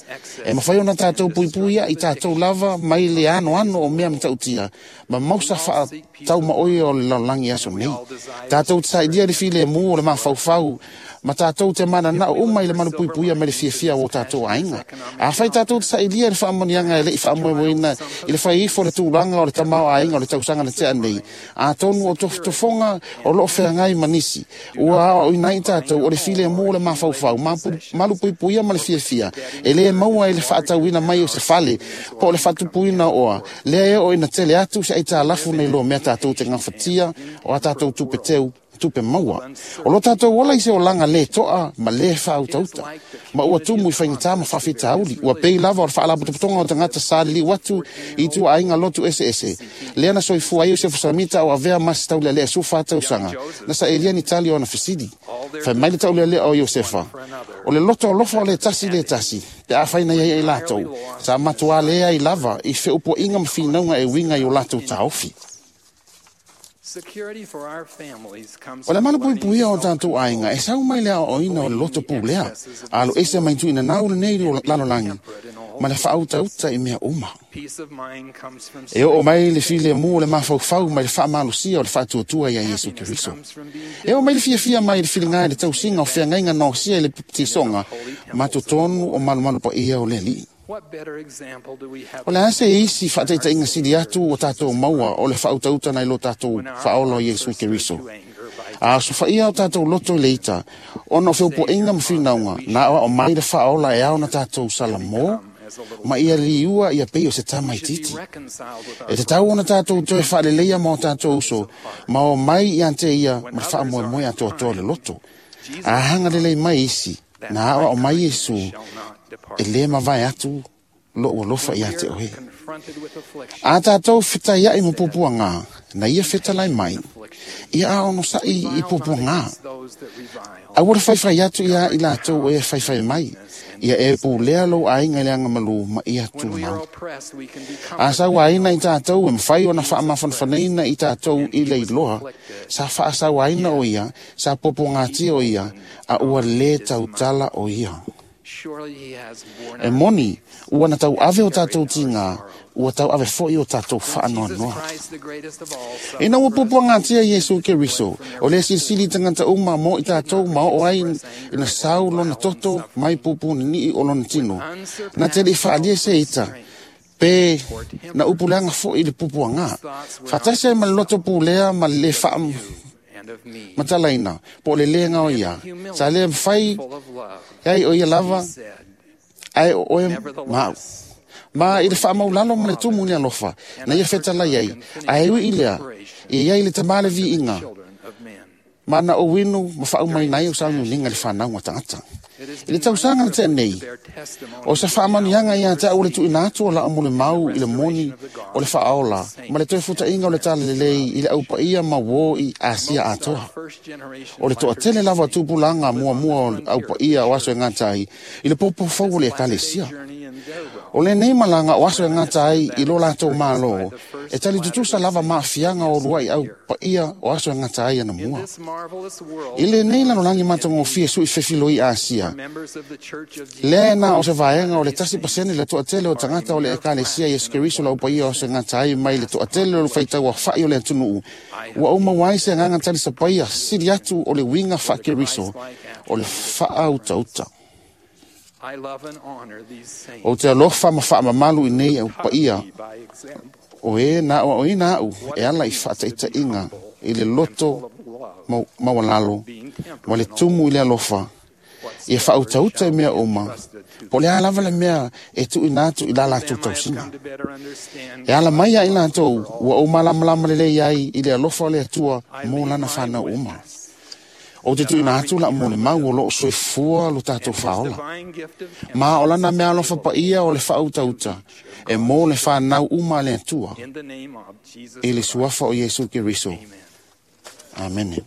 e mawhai ona tātou puipuia i tātou lava mai le ano ano o mea matautia, ma mausa whaatau maoi o le lalangi aso nei. Tātou te saidia le file mū o le mawhauwhau, ma tātou te mana nao uma i le manu puipuia me le fiafia o tātou ainga. A whai tātou te sailia le whaamonianga e le i whaamoemoeina i le whai ifo le tūranga o le tamao ainga o le tausanga le tea nei. A tonu o tofoga o loo wheangai manisi. Ua o inai tātou o le file mō le mawhauwhau, malu puipuia ma le fiafia. E le maua i le whaatauina mai o se fale, po o le whatupuina oa. Lea e o ina tele atu se ai tālafu nei loa mea tātou te ngawhatia o a tātou tupeteu tupe maua. O lo tātou ola i se olanga le toa ma le whautauta. Ma ua tumu i whaingata ma whawhitauli. Ua pei lava o le whaalapotopotonga o tangata sa li watu i tua ainga lotu ese ese. Lea na soifua ai o se fusamita o avea masi taulea lea sufa tausanga. Na sa elia ni tali o na fisidi. Whai mai le taulea lea o Iosefa. O le loto o lofa o le tasi le tasi. Pe a whaina iai ai lātou. Sa matua lea i lava i wheupo inga ma whinaunga e winga i o lātou taofi. O le mana puipuia o tātou ainga, e sau mai lea o ina o le loto pūlea, a lo ese mai tuina nau le nei o lalolangi, ma le whautauta i mea uma. E o mai le file mū le mawhauwhau mai le whaamalosia o le whaatuatua ia Yesu Keriso. E o mai le fiafia mai le whilinga i le tausinga o whiangainga nosia i le tisonga, ma totonu o malumalu pa ia o le alii. O le ase isi whaataita inga sili atu o tātou maua o le whautauta nei lo tātou whaola o Yesu Keriso. A sofa ia o tātou loto i leita, ona o whiopo inga mwhinaunga, nā o mai le whaola e au na tātou salamō, Ma ia liua ia pei o se tamaititi. E tatau ona tātou toe faaleleia ma o tātou uso, ma o mai ia te ia ma le faamoemoe atoatoa le loto. A hanga lelei mai isi, na aoao mai Iesu, e lē mavae atu lo'u alofa ia te oe. A tātou fetaia'i ma puapuagā, na ia fetalai mai, ia a onosa'i i puapuagā. Aua le faifai atu ia i latou e faifai mai, ia e pulea lou aiga i le agamalū ma ia tumau. A sauaina i tātou e mafai ona faamafanafanaina i tātou i le iloa, sa faasauaina o ia, sa puapuagātia o ia, a ua lē tautala o ia. E moni, ua na tauave o tātou tigā, ua tauave fo'i o tātou faanoanoa. Ina ua puapuagātia Iesu Keriso, o le silisili tagata uma mo i tātou ma oo ai ina sau lona toto mai pupunini'i o lona tino. Na te li'i faalia se ita, pe na upuleaga fo'i le pupuagā. Faatasi ai ma le loto pulea ma le lē faa matalaina, po o le lē gaoia. Sa lē mafai ai o ia lava, ae o oe ma au. Ma i le faamaulalo ma le tumu i le alofa, na ia fetalai ai, ae ui i lea, ia iai le tamā le viiga, ma na ou inu ma faaumaina ai o sauniuniga i le fanauga tagata. I le tausaga na tea nei, o sa faamanuiaga ia te au le tuuina atu o la'u molimau i le moni o le faaola ma le toe futaʻiga o le talalelei i le aupaia ma uō i Asia atoa. O le toatele lava o tupulaga muamua o le aupaia o aso e gata ai i le poupou o le ekalesia. O lenei malaga o aso e gata ai i lo latou mālō, e tali tutusa lava maafiaga o luaʻi aupaia o aso e gata ai anamua. I lenei lalolagi matagofie suʻi fefiloi Asia, lea e na o se vaega o le tasi pasene le toatele o tagata o le ekalesia Iesu Keriso le aupaia o aso e gata ai mai le toatele o le faitauafaʻi o le atunuu, ua ou maua ai se agaga talisapaia sili atu o le uiga faakeriso o le faautauta. Ou te alofa ma faamamalu i nei aupaia o e na aoaoina a'u e ala i faataitaiga i le loto maualalo ma le tumu i le alofa, ia faautauta i mea uma, po o le a lava le mea e tuuina atu i la latou tausiga. E ala mai ia i latou ua ou malamalama lelei ai i le alofa o le Atua mo lana fanau uma. Ou te tuuina atu la'u molimau o loo soifua lo tatou faaola. Ma o lana mea alofa paia o le faautauta e mo le fanau uma a le Atua. I le suafa o Iesu Keriso. Amene.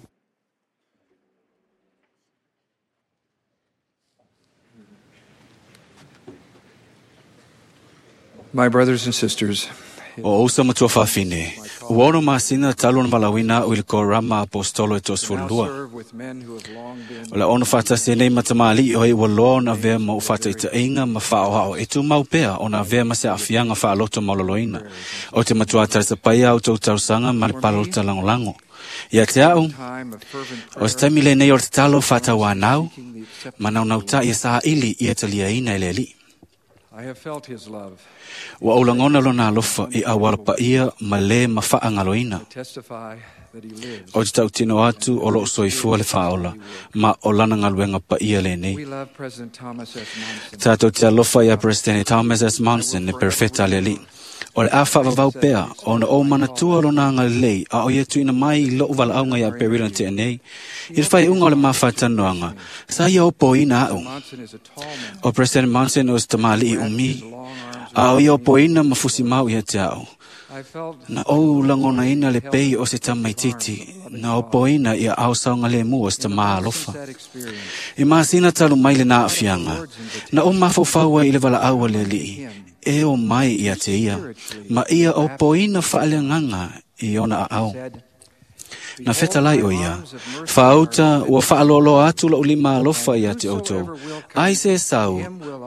My brothers and sisters, O ousa matua faafine, ua ono masina talu ona valaauina a'u i le korama apostolo e toasefululua. O le ono faatasi nei ma tamalii o ai ua loa ona avea ma ou faataʻitaʻiga ma faaoao e tumau pea ona avea ma se aafiaga faaloto mauloloina. O te matuā talisapaia a outou tausaga ma le palota lagolago. Ia te a'u, o se taimi lenei o le tatalo faatauanau ma naunautaʻi e saili ia taliaina e le Alii. I have felt his love. Ua ou lagona lona alofa i aualapaia ma lē mafaagaloina. I testify that he lives. O te tautino atu o loo soifua le faaola, ma o lana galuega paia lenei. We love President Thomas S. Monson. Tātou te alofa ia Presidente Thomas S. Monson, le perfeta le Alii. O le a faavavau pea, ona ou manatua lona agalelei, a o ia tuuina mai i lo'u valaauga ia Perila tea nei, i le faaiuga o le mafatanoaga, sa ia opoina a'u. Monson is a tall man. O President Monson o se tamalii umi, a o ia opoina ma fusimau ia te a'u. I felt Na ou lagonaina le pei o se tamaititi, na opoina ia ao saogalemu o se tamā alofa. that experience. I masina talu mai le na aafiaga, na ou mafaufau ai i le valaau a le Alii, e o mai ia te ia, ma ia opoina faaleagaga i ona aao. Said, Na fetalai o ia, faauta ua faaloaloa atu la'u lima alofa ia te outou, ai se sau,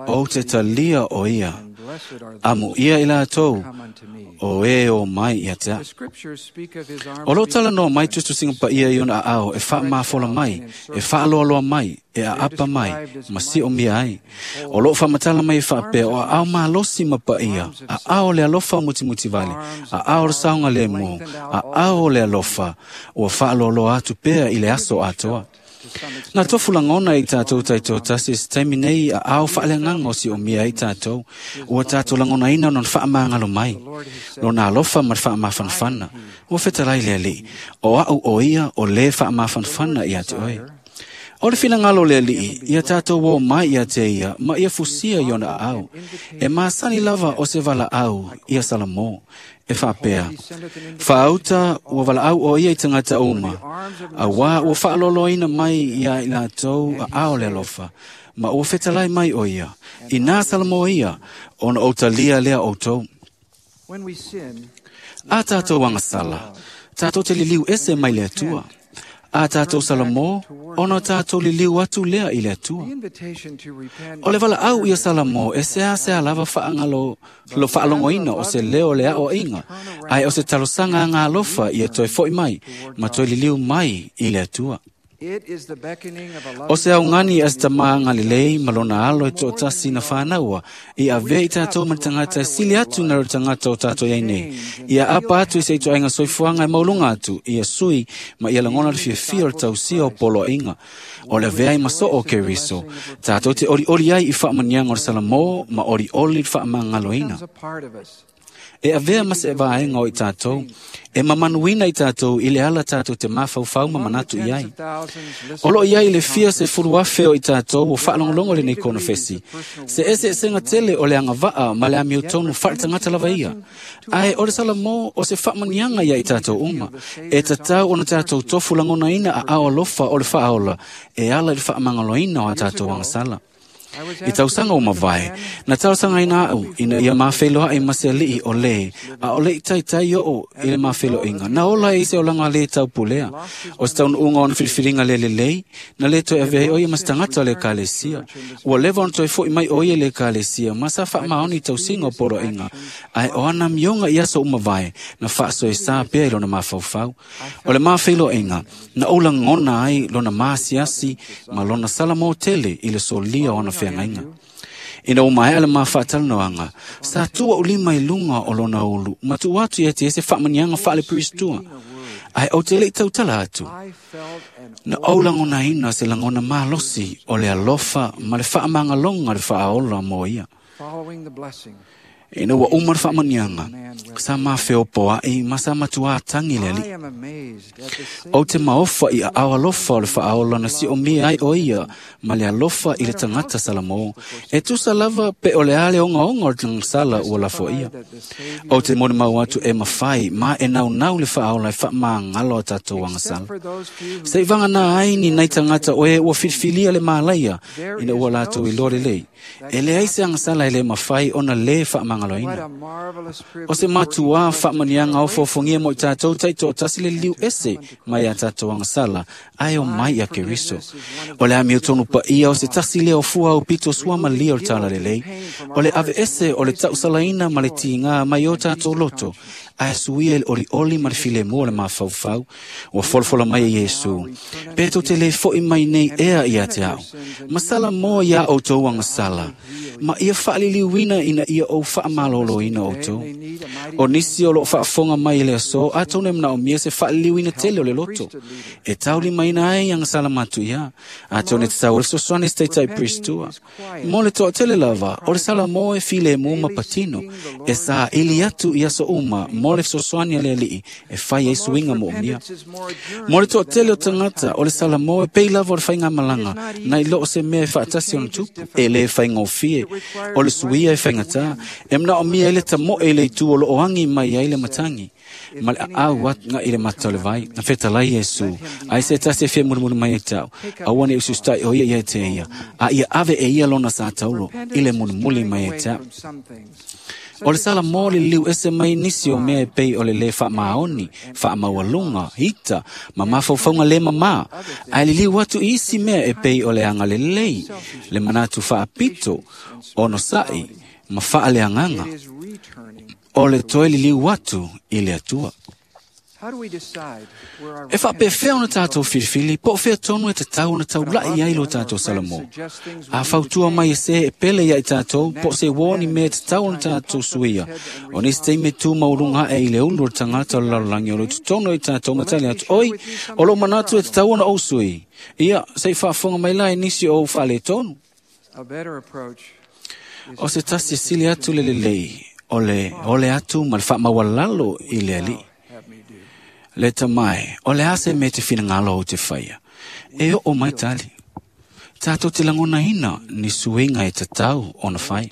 ou te talia o ia, blessed are amu ia i latou, come unto me. o e o mai ia te The a'u. scriptures speak of his arms O loo being talanoa mai tusitusiga paia i ona aao e faamafola mai, e faaloaloa mai, e aapa mai, ma siomia ai. O loo faamatala mai e faapea o aao malosi ma paia, aao o le alofa mutimutivale, aao o le saogalemu, aao o le alofa, ua faaloaloa atu pea i le aso atoa. Na tofu lagona i tātou taitoatasi se taimi nei a ao faaleagaga o siomia ai tātou, ua tātou lagonaina ona faamagalo mai, lona alofa ma le faamafanafana. Ua fetalai le Alii, o a'u o ia o lē faamafanafana ia te oe. O le finagalo o le Alii, ia tātou o mai ia te ia, ma ia fusia i ona aao. E masani lava o se valaau ia Salamo, e faapea, faauta ua valaau o ia i tagata uma, auā ua faaloloina mai ia i latou aao le alofa, ma ua fetalai mai o ia, inā Salamo ia, ona ou talia lea outou. A tātou agasala, tātou te liliu ese mai le Atua. A tātou Salamo, ona tātou liliu atu lea i le Atua. O le valaau ia Salamo, e sea sea lava faangalo lo faalogoina o se leo le aoaiga, ae o se talosaga aga alofa ia toe fo'i mai, ma toe liliu mai i le Atua. O se augani a se tamā agalelei ma lona alo e to'atasi na fānaua, ia avea i tātou ma le tagata e sili atu na le tagata o tātou iai nei. Ia apa atu i se itoaiga soifuaga e mauluga atu, ia sui ma ia lagona le fiafia o le tausia o poloaiga. O le avea ai ma soo o Keriso, tātou te olioli ai i faamaniaga o le Salamo ma olioli le faamagaloina. E avea ma se vaega o i tātou, e mamanuina i tātou i le ala tātou te mafaufau ma manatu i ai. O lo iai le fia se fulu afe o i tātou o faalogologo lenei konofesi. Se ese esenga tele o le agavaa ma le amiotonu faaletagata lava ia. Ae o le Salamo o se faamaniaga ia i tātou uma. E tatau ona tātou tofu lagonaina aao alofa o le faaola e ala i le faamagaloina o a tātou agasala. I tausaga o mavae, na talosagaina a'u ina ia mafeiloa'i ma se ali'i o lē, a o le'i taitai o'o i le mafelo'iga. Na ola ai se olaga lē taupulea, o se taunu'uga ona filifiliga le lelei, na lē toe avea ai o ia ma se tagata o le ekalesia. Ua leva ona toe fo'i mai o ia i le ekalesia, ma sa faamaoni i tausiga o poloaiga, ae o ana amioga i aso uma vae, na faasoesā pea i lona mafaufau. O le mafeiloaiga, na ou lagona ai lona masiasi ma lona salamo tele i le solia o ana feagaiga. Ina ua maea le mafaatalanoaga, sa tua ulima i luga o lona ulu, ma tuu atu ia te e se faamaniaga faalepiristua. Ae ou te le'i tautala atu. Na ou lagonaina se lagona malosi o le alofa ma le faamagaloga le faaola mo ia. Ina ua uma le faamaniaga, sa mafeopoa'i ma sa matuā tagi le Alii. Ou te maofa i aao alofa o le faaola na siomia ai o ia ma le alofa i le tagata Salamo, e tusa lava pe o le a le ogaoga o le tagasala ua lafoia. Ou te molimau atu e mafai ma e naunau le faaola e faamagalo a tatou agasala. Se'i vaganā ai ni nai tagata o e ua filifilia le malaia ina ua latou iloa lelei. E leai se agasala e lē mafai ona lē faamagaloina. O se matuā faamaniaga ofofogia mo i tātou taitoatasi le liliu ese mai a tātou agasala, ae o mai ia Keriso. O le amiotonu paia o se tasi lea o fua au pito suamalia o le talalelei. O le ave ese o le tausalaina ma le tigā mai o tātou loto, ae suia i le olioli ma le filemu o le mafaufau. Ua folafola mai e Iesu, pe tou te lē fo'i mai nei ea ia te a'u. Ma Salamo iā outou agasala, ma ia faaliliuina ina ia ou faamalōlōina outou. O nisi o loo faafofoga mai i le aso, atonu e manaomia se faaliliuina tele o le loto. E taulimaina ai agasala matuia, atonu e tatau ai le fesoasoani se taitai pristua. Mo le toatele lava, o le Salamo e filemu ma patino, e saili atu i aso uma mo le fesoasoani a le Alii e fai ai suiga moomia. Mo le toatele o tagata, o le Salamo e pei lava o le faigamalaga, nai loo se mea e faatasi ona tupu, e lē faigofie. O le suia e faigatā, e manaomia ai le tamo'e i le itu o loo agi mai ai le matagi, ma le aau aga'i le mata o le vai. Na fetalai Iesu, ai se tasi e fia mulimuli mai ai ta'u, aua ne usiusita'i o ia ia te ia, a ia ave e ia lona sa taulo i le mulimuli mai ai ta'u. O le Salamo le liliu ese mai nisi o mea e pei o le lē faamaoni, faamaualuga, ita, ma mafaufauga lē mamā, ae liliu atu i isi mea e pei o le agalelei, le manatu faapito, onosa'i, ma faaleagaga. O le toe liliu atu i le Atua. E faapefea ona tatou filifili, po o fea tonu e tatau ona taula'i ai lo tatou salamo. A fautua mai e se e pele ia i tatou, po o se uō ni mea e tatau ona tatou suia. O nisi taimi e tu maualuga aʻe i le ulu o le tagata o le lalolagi o lo o i totonu o i tatou ma tali atu, oi, o lou manatu e tatau ona ou sui. Ia, seʻi faafofoga mai la e nisi o ou faaletonu. O se tasi e sili atu le lelei, o le ole atu ma le faamaualalo i le Alii. Le tamae, o le a se mea te finagalo ou te faia. E oo mai tali. Tatou te lagonaina ni suiga e tatau ona fai.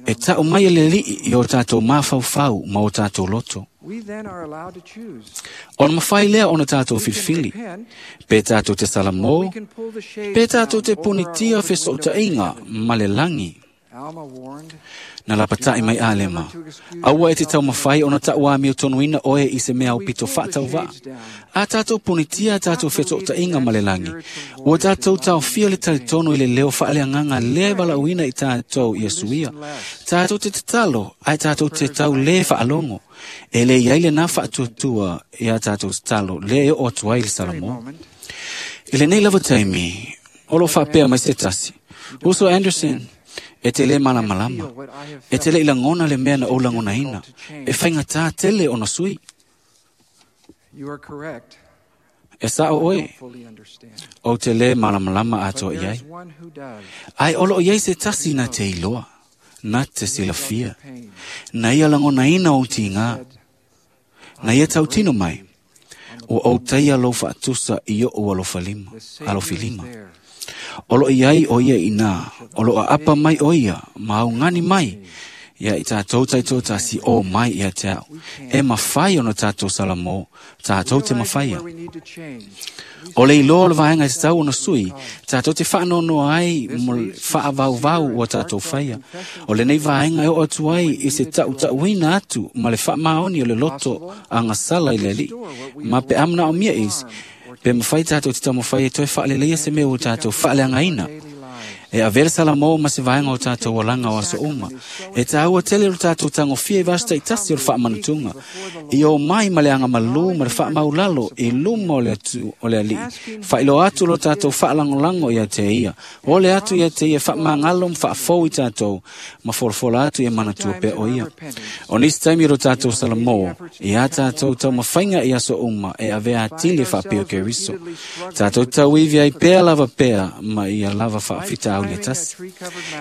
E taʻu mai e le Alii i o tatou mafaufau ma o tatou loto. Ona mafai lea ona tatou filifili. Pe tatou te salamo, pe tatou te punitia fesoʻotaʻiga ma le lagi. Na lapataʻi mai Alema, aua e te taumafai ona taʻuamio tonuina oe i se mea aupito faatauvaʻa. A tatou punitia a tatou fesoʻotaʻiga ma le lagi, ua tatou taofia le talitonu i le leo faaleagaga lea e valaauina i tatou ia suia. Tatou te tatalo, ae tatou te tau lē faalogo. E lē iai lenā faatuatua ia tatou tatalo lea e oo atu ai le Salamo. I lenei lava taimi, o loo faapea mai se tasi, Uso Anderson, e te lē malamalama, e te leʻi lagona le mea na ou lagonaina, e faigatā tele ona sui. E saʻo oe, ou te lē malamalama atoa i ai. Ae o loo iai se tasi na te iloa, na te silafia, na ia lagonaina ou tigā, na ia tautino mai, ua ou taia lou faatusa i oʻu alofalima, alofilima. O loo iai o ia inā, o loo aapa mai o ia, ma augani mai, ia i tatou taitoatasi o mai ia te au. E mafai ona tatou salamo, tatou te mafaia. O le iloa o le vaega e tatau ona sui, tatou te faanoanoa ai mo le faavauvau ua tatou faia. O lenei vaega e oo atu ai i se taʻutaʻuina atu ma le faamaoni o le loto agasala i le Alii. Ma pe a manaomia isi, pe mafai tatou te taumafai e toe faaleleia se mea ua tatou faaleagaina. E avea le salamo ma se vaega o tatou olaga o aso uma. E tāua tele o le tatou tagofia i vaaso taʻitasi o le faamanatuga. I o mai ma le agamalū ma le faamaulalo i luma o le atu o le Alii. Faailoa atu lo tatou faalagolago ia te ia. O le atu ia te ia faamagalo ma faafou i tatou, ma folafola atu ia manatua pea o ia. O nisi taimi o lo tatou salamo, ia tatou taumafaiga i aso uma e avea atili e faapea o Keriso. Tatou tauivi ai pea lava pea ma ia lava faafitauli le tasi.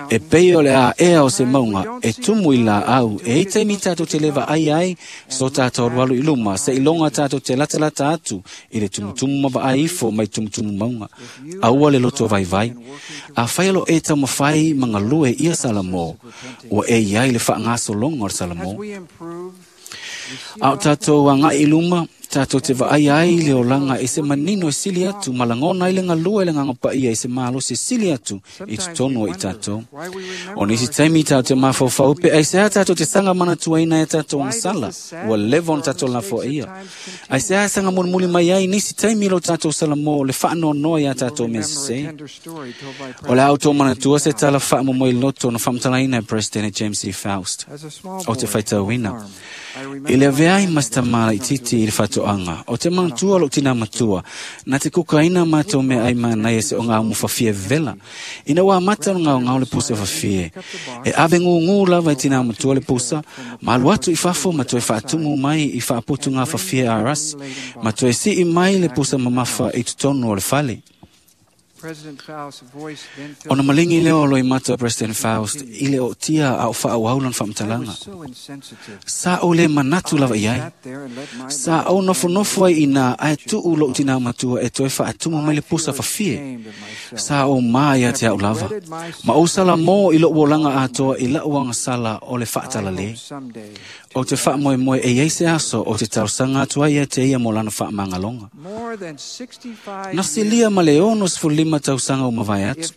E pei o le aʻea o se mauga e tumu i laau, e ai taimi tatou te le vaai ai so tatou alualu i luma, seiloga tatou te latalata atu i le tumutumu ma vaai ifo mai tumutumu mauga. Aua le loto vaivai. Afai o loo e taumafai ma galue ia Salamo, ua e iai le faagasologa o le Salamo. A o tatou agaʻi i luma, tatou te vaai ai le olaga i se manino e sili atu, ma lagona ai le galue le Agaga Paia i se malosi e sili atu i totonu o i tatou. O nisi taimi tatou te mafaufau pe aisea tatou te saga manatuaina e tatou agasala, ua leva ona tatou lafoaia. Aisea e saga mulimuli mai ai nisi taimi lo tatou salamo o le faanoanoa iā tatou mea sesē. O le a outou manatua se tala faamomoe loto na faamatalaina e President James E. Faust. O te faitauina. I le avea ai ma se tamā laitiiti i le faatoaga, o te manatua lou tinā matua, na te kukaina matou meaai manaia se ogaumu fafie vevela. Ina ua amata ona gaogao le pusa fafie. E ave gugū lava e tinā matua le pusa, ma alu atu i fafo ma toe faatumu mai i faaputuga fafie arasi, ma toe sii mai le pusa mamafa i totonu o le fale. Ona maligi lea o loimata o President Faust i le ootia a o faaauau lona faamatalaga. Sa ou lē manatu lava i ai. Sa ou nofonofo ai inā ae tuu lou tinā matua e toe faatumu mai le pusa fafie. Sa ou mā ia te au lava. Ma ou salamō i lou olaga atoa i laʻu agasala o le faatalalē. O te faamoemoe e iai se aso o te talosaga atu ai ia te ia mo lana faamagaloga. Na silia ma le ono sefululima tausaga ua mavae atu.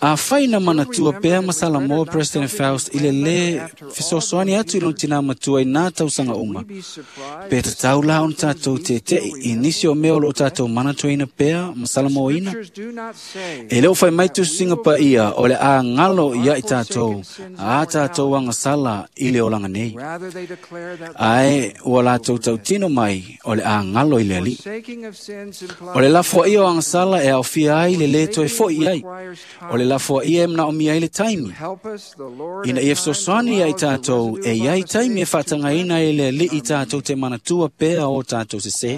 A fai na manatua pea ma Salamoa President Faust i le lē fesoasoani atu i lona tinā matua i nā tausaga uma. Pe tatau la ona tatou tete'i i nisi o mea o loo tatou manatuaina pea ma salamoaina. E le o fai mai tusiga paia o le a galo ia i tatou a tatou agasala i le olaga nei. Ae ua latou tautino mai o le a galo i le Alii. O le lafoaia o agasala e aofia ai le lē toe fo'i ai. O le lafoaia e manaomia ai le taimi. Ina ia fesoasoani ia i tatou e iai taimi e faatagaina ai le Alii tatou te manatua pea o tatou sesē.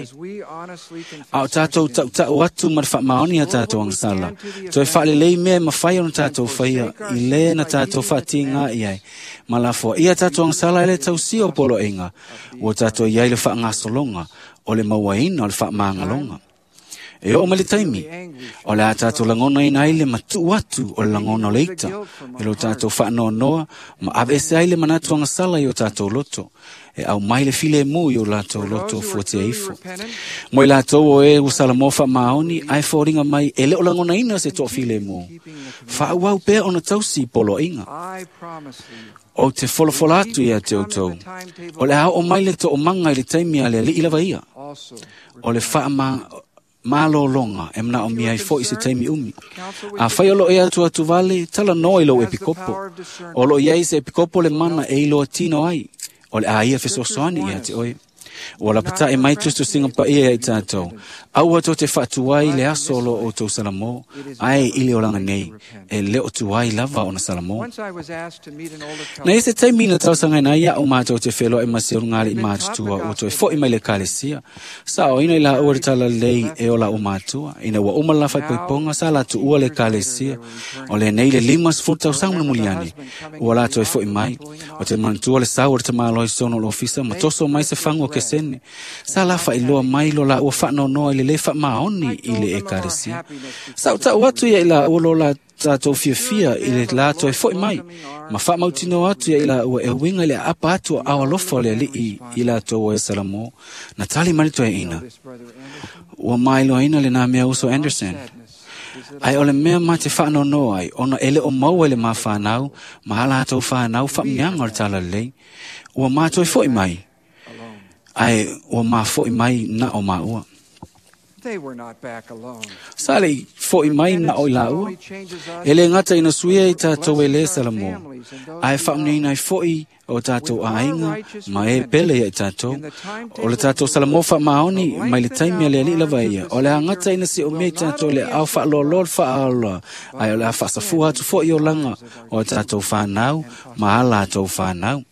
A o tatou tautau atu ma le faamaoni a tatou agasala, toe faalelei mea e mafai ona tatou faia i lē na tatou faatiga i ai. Ma lafoaia tatou agasala e le tausia o poloaiga, ua tatou iai le faagasologa o le mauaina o le faamagaloga. E oo mai le taimi, o le a tatou lagonaina ai le matuu atu o le lagona o le ita, e lo tatou faanoanoa ma aveese ai le manatu agasala i o tatou loto, e au mai le filemu i o latou loto fuatia ifo. Mo i latou o e ua Salamoa faamaoni, ae foliga mai e le o lagonaina se toafilemu. Faauau pea ona tausi poloaiga. Ou te folafola atu ia te outou, o le a oo mai le toomaga i le taimi a le Alii lava ia. O le faama malologa e manaomia ai fo'i se taimi umi. Afai o loo e atu atu vale, talanoa i lou epikopo. O loo iai se epikopo le mana e iloa tino ai, o le a ia fesoasoani ia te oe. Ua lapata'i mai tusitusiga paia ia i tatou, aua tou te faatuai le aso o loo outou Salamo, ae i le olaga nei, e le o tuai lava ona Salamo. Na i se taimi na talosagaina ai a'u matou te feloai ma se ulugalii matutua ua toe fo'i mai le ekalesia. Saoina i laua le talalelei e o la'u matua, ina ua uma le lafaipoipoga sa latuua le ekalesia. O lenei le lima sefulu tausaga mulimuli ane, ua la toe fo'i mai. O te manatua le sau o le tamāloa i totonu o le ofisa ma toso mai se fagu o kesene. Sa la faailoa mai lo laua faanoanoa i le lē faamaoni i le ekalesia. Sa utaʻu atu ia i laua lo la tatou fiafia i le la toe fo'i mai, ma faamautinoa atu ia i laua e uiga i le aapa atu o ao alofa o le Alii i latou o e Salamo. Na tali mai le toeaina, ua mailoaina lenā mea uso Anderson. Ae o le mea ma te faanoanoa ai, ona e le o maua i le mafanau ma a latou fanau faamuniaga o le talalelei. Ua matoe fo'i mai, ae ua mafo'i mai na o maua. Sa le fo'i mai na o i laua. E le gata ina suia i tatou e lē Salamo, ae faamuniaina ai fo'i o tatou aiga ma e pele ia i tatou. O le tatou Salamo faamaoni mai le taimi a le Alii lava ia, o le agata ina siomia i tatou le ao faaloalo le faaaloa, ae o le a faasafua atu fo'i olaga o tatou fanau ma a latou fanau.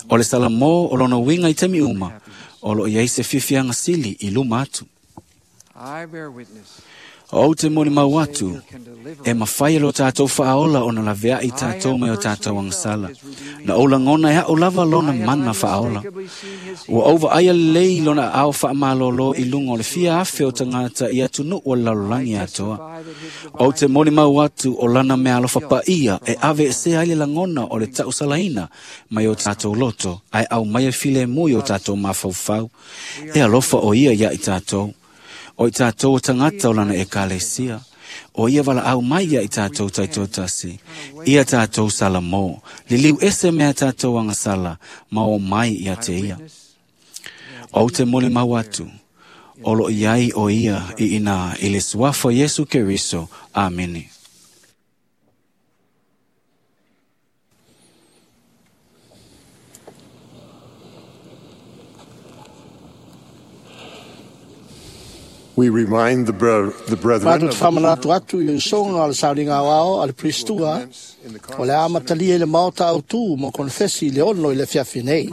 O le Salamo o lona uiga i taimi uma, o loo iai se fiafiaga sili i luma atu. Ou te molimau atu, e mafai e lo tatou faaola ona laveai tatou mai o tatou agasala. Na ou lagona e a'u lava lona mana faaola. Ua ou vaaia lelei lona ao faamalōlō i luga o le fia afe o tagata i atunuu o le lalolagi atoa. Ou te molimau atu o lana mea alofa paia e aveesea ai le lagona o le tausalaina mai o tatou loto, ae aumaia filemu i o tatou mafaufau. E alofa o ia ia i tatou. O i tatou o tagata o lana ekalesia. O ia valaau mai ia i tatou taitoatasi. Ia tatou Salamo. Liliu ese mea tatou agasala, ma o mai ia te ia. Ou te molimau atu, o loo iai o ia i ina i le suafa o Iesu Keriso. Amene. We remind the, bre- the brethren Matou of te faamanatu atu i le usoga o le sauniga aoao a le Priestua, o le a amatalia i le maota autū mo konefesi i le ono i le afiafi nei.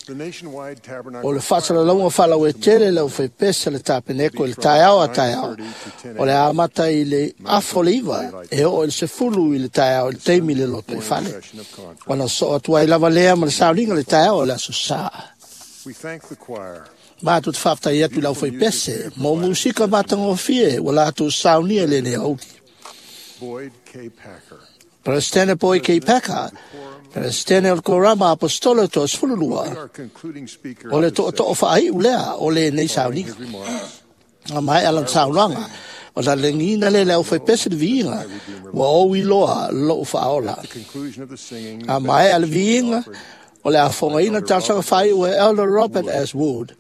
the nationwide tabernacle O le faasalalauga faalauetele le aufaipese a le tapeneko i le taeao a taeao, o le a amata i le afa o le iva e oo i le sefulu i le taeao i le taimi i le loto i fale. Ona soo atu ai lava lea ma le sauniga le taeao o le aso sā. We thank the choir. Matou te faafetai atu i le aufaipese mo musika matagofie ua latou saunia i lenei aoauli. Boyd K. Packer. Peresetene Boyd K. Packer, Peresetene o le Korama Apostolo Toasefululua, Our concluding speaker o le tootoo faaiu lea o lenei following sauniga. his remarks A maea lana saunoaga, ona legiina lea e le aufaipese le viiga, ua ou iloa lo'u faaola. A maea le viiga, o le a fogaina talosaga faaiu e Elder Robert S. Wood,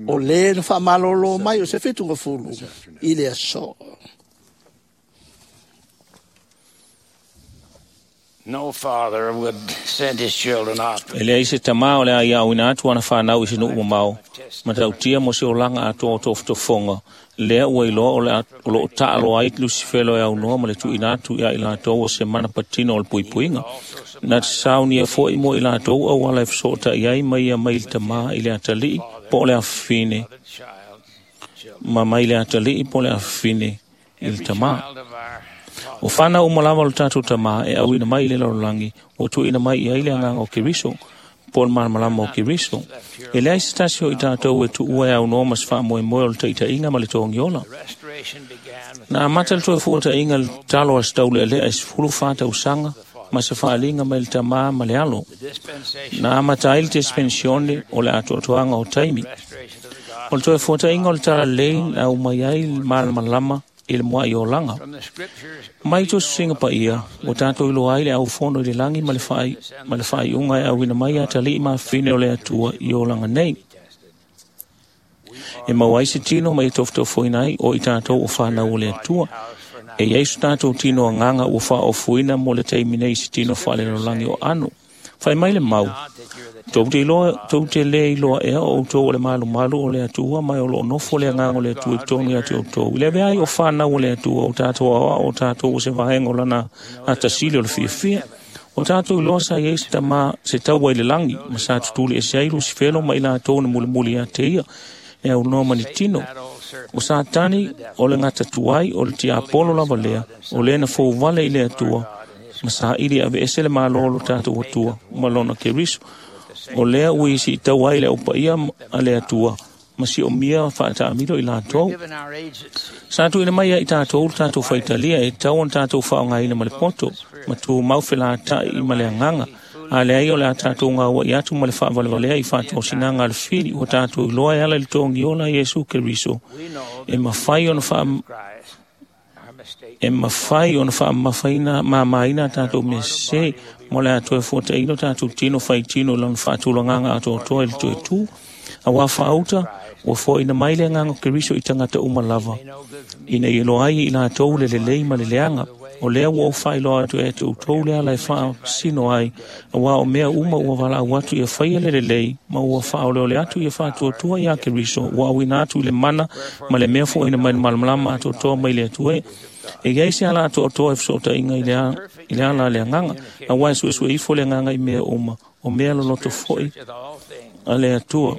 o lē na faamalōlō mai o se fitugafulu i le aso. No father would send his children off. E leai se tamā o le a iauina atu ana whanau i se nuu mamao, ma tautia mo se olaga atoa o tofotofoga, lea ua iloa o le a- o loo taaloa ai Lusifelo e aunoa ma le tuuina atu ia i latou o se mana patino o le puipuiga. Na te saunia fo'i mo i latou auala e fesootai ai ma ia mai le tamā i le atalii po o le afafine, ma mai le atalii po o le afafine i le tamā. O whanau uma lava o le tātou tamā e auina mai i le lalolagi, ua tuuina mai i ai le agaga o Keriso, po o le malamalama o Keriso. E leai se tasi o i tātou e tuua e aunoa ma se faamoemoe o le taitaiga ma le togiola. Na amata le toe fuataʻiga le talo a se taulealea i sefulu fa tausaga ma se faaliga mai le tamā ma le alo. Na amata ai le dispensione o le atoatoaga o taimi. O le toe fuataʻiga o le talalelei na aumai ai le malamalama i le muaʻi olaga. Mai tusitusiga paia, ua tatou iloa ai le aufono i le lagi ma le faai ma le faaiuga e auina mai atalii ma afafine o le Atua i olaga nei. E maua ai se tino ma ia tofotofoina ai o i tatou o whanau o le Atua. E iai so tatou tino agaga ua faaofuina mo le taimi nei i se tino faalelolagi o ano. Fai mai le mau, tou te iloa, tou te lē iloa ea o outou o le malumalu o le Atua ma e o loo nofo le agaga o le Atua i totonu ia te outou. I le avea ai o whanau o le Atua o tatou aoao o tatou o se vaega o lana atasili o le fiafia. O tatou iloa sa iai se tamā se taua i le lagi, ma sa tutuli ese ai Lusifelo ma i latou na mulimuli ia te ia, e aunoa ma ni tino. O Satani o le gatatuai o le tiapolo lava lea, o lea na fouvale i le Atua, ma saili aveese le mālō o lo tatou Atua ma lona Keriso. O lea ua isi i tau ai le aupaia a le Atua, ma siomia faataamilo i latou. Sa tuuina mai ai i tatou le tatou faitalia e tatau ona tatou faaaogaina ma le poto, ma tumau felataʻi ma le agaga. A leai o le a tatou gauaʻi atu ma le faavalevalea i faatosinaga a le fili ua tatou iloa e ala i le togiola a Iesu Keriso, e mafai ona faa e mafai ona faamamafaina mamaina a tatou mea sesē mo le a toe fuataʻina o tatou tino faitino i lona faatulagaga atoatoa i le toe tu. Auā faauta, ua foaina mai le agaga o Keriso i tagata uma lava, ina ia iloa ai i latou le lelei ma le leaga. O lea ua ou faailoa atu e te outou le ala e faasino ai, auā o mea uma ua valaau atu ia faia le lelei, ma ua faaoleole atu ia faatuatua iā Keriso, ua auina atu i le mana ma le mea foaina mai le malamalama atoatoa mai le Atua e. E iai se ala atoatoa e fesootaʻiga i le a- i le ala a le agaga, auā e suesue ifo le agaga i mea uma, o mea loloto foʻi a le Atua.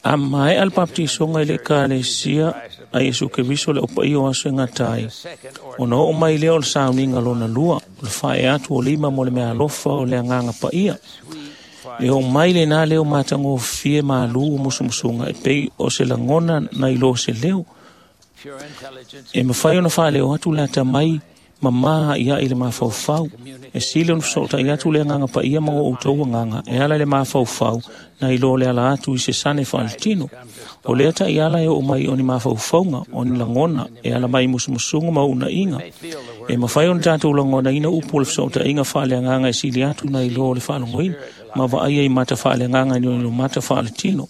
A maea le baptisoga i le ekalesia a Iesu Keriso le aupaia o aso e gata ai, ona oo mai lea o le sauniga lona lua, o le faaee atu o lima mo le meaalofa o le agaga paia. E oo mai lenā leo matagofie malū o musumusuga e pei o se lagona na ilo se leo. E mafai ona faaleo atu le atamai mamā ia i le mafaufau. E sili ona fesootai atu le agaga paia ma o outou agaga e ala i le mafaufau na ilo le ala atu i se sane faaletino. O lea taʻiala e oo mai o ni mafaufauga, o ni lagona, e ala mai i musumusuga ma uunaʻiga. E mafai ona tatou lagonaina upu o le fesootaʻiga faaleagaga e sili atu na ilo o le faalogoina, ma vaaia i mata faaleagaga i ni mata faaletino.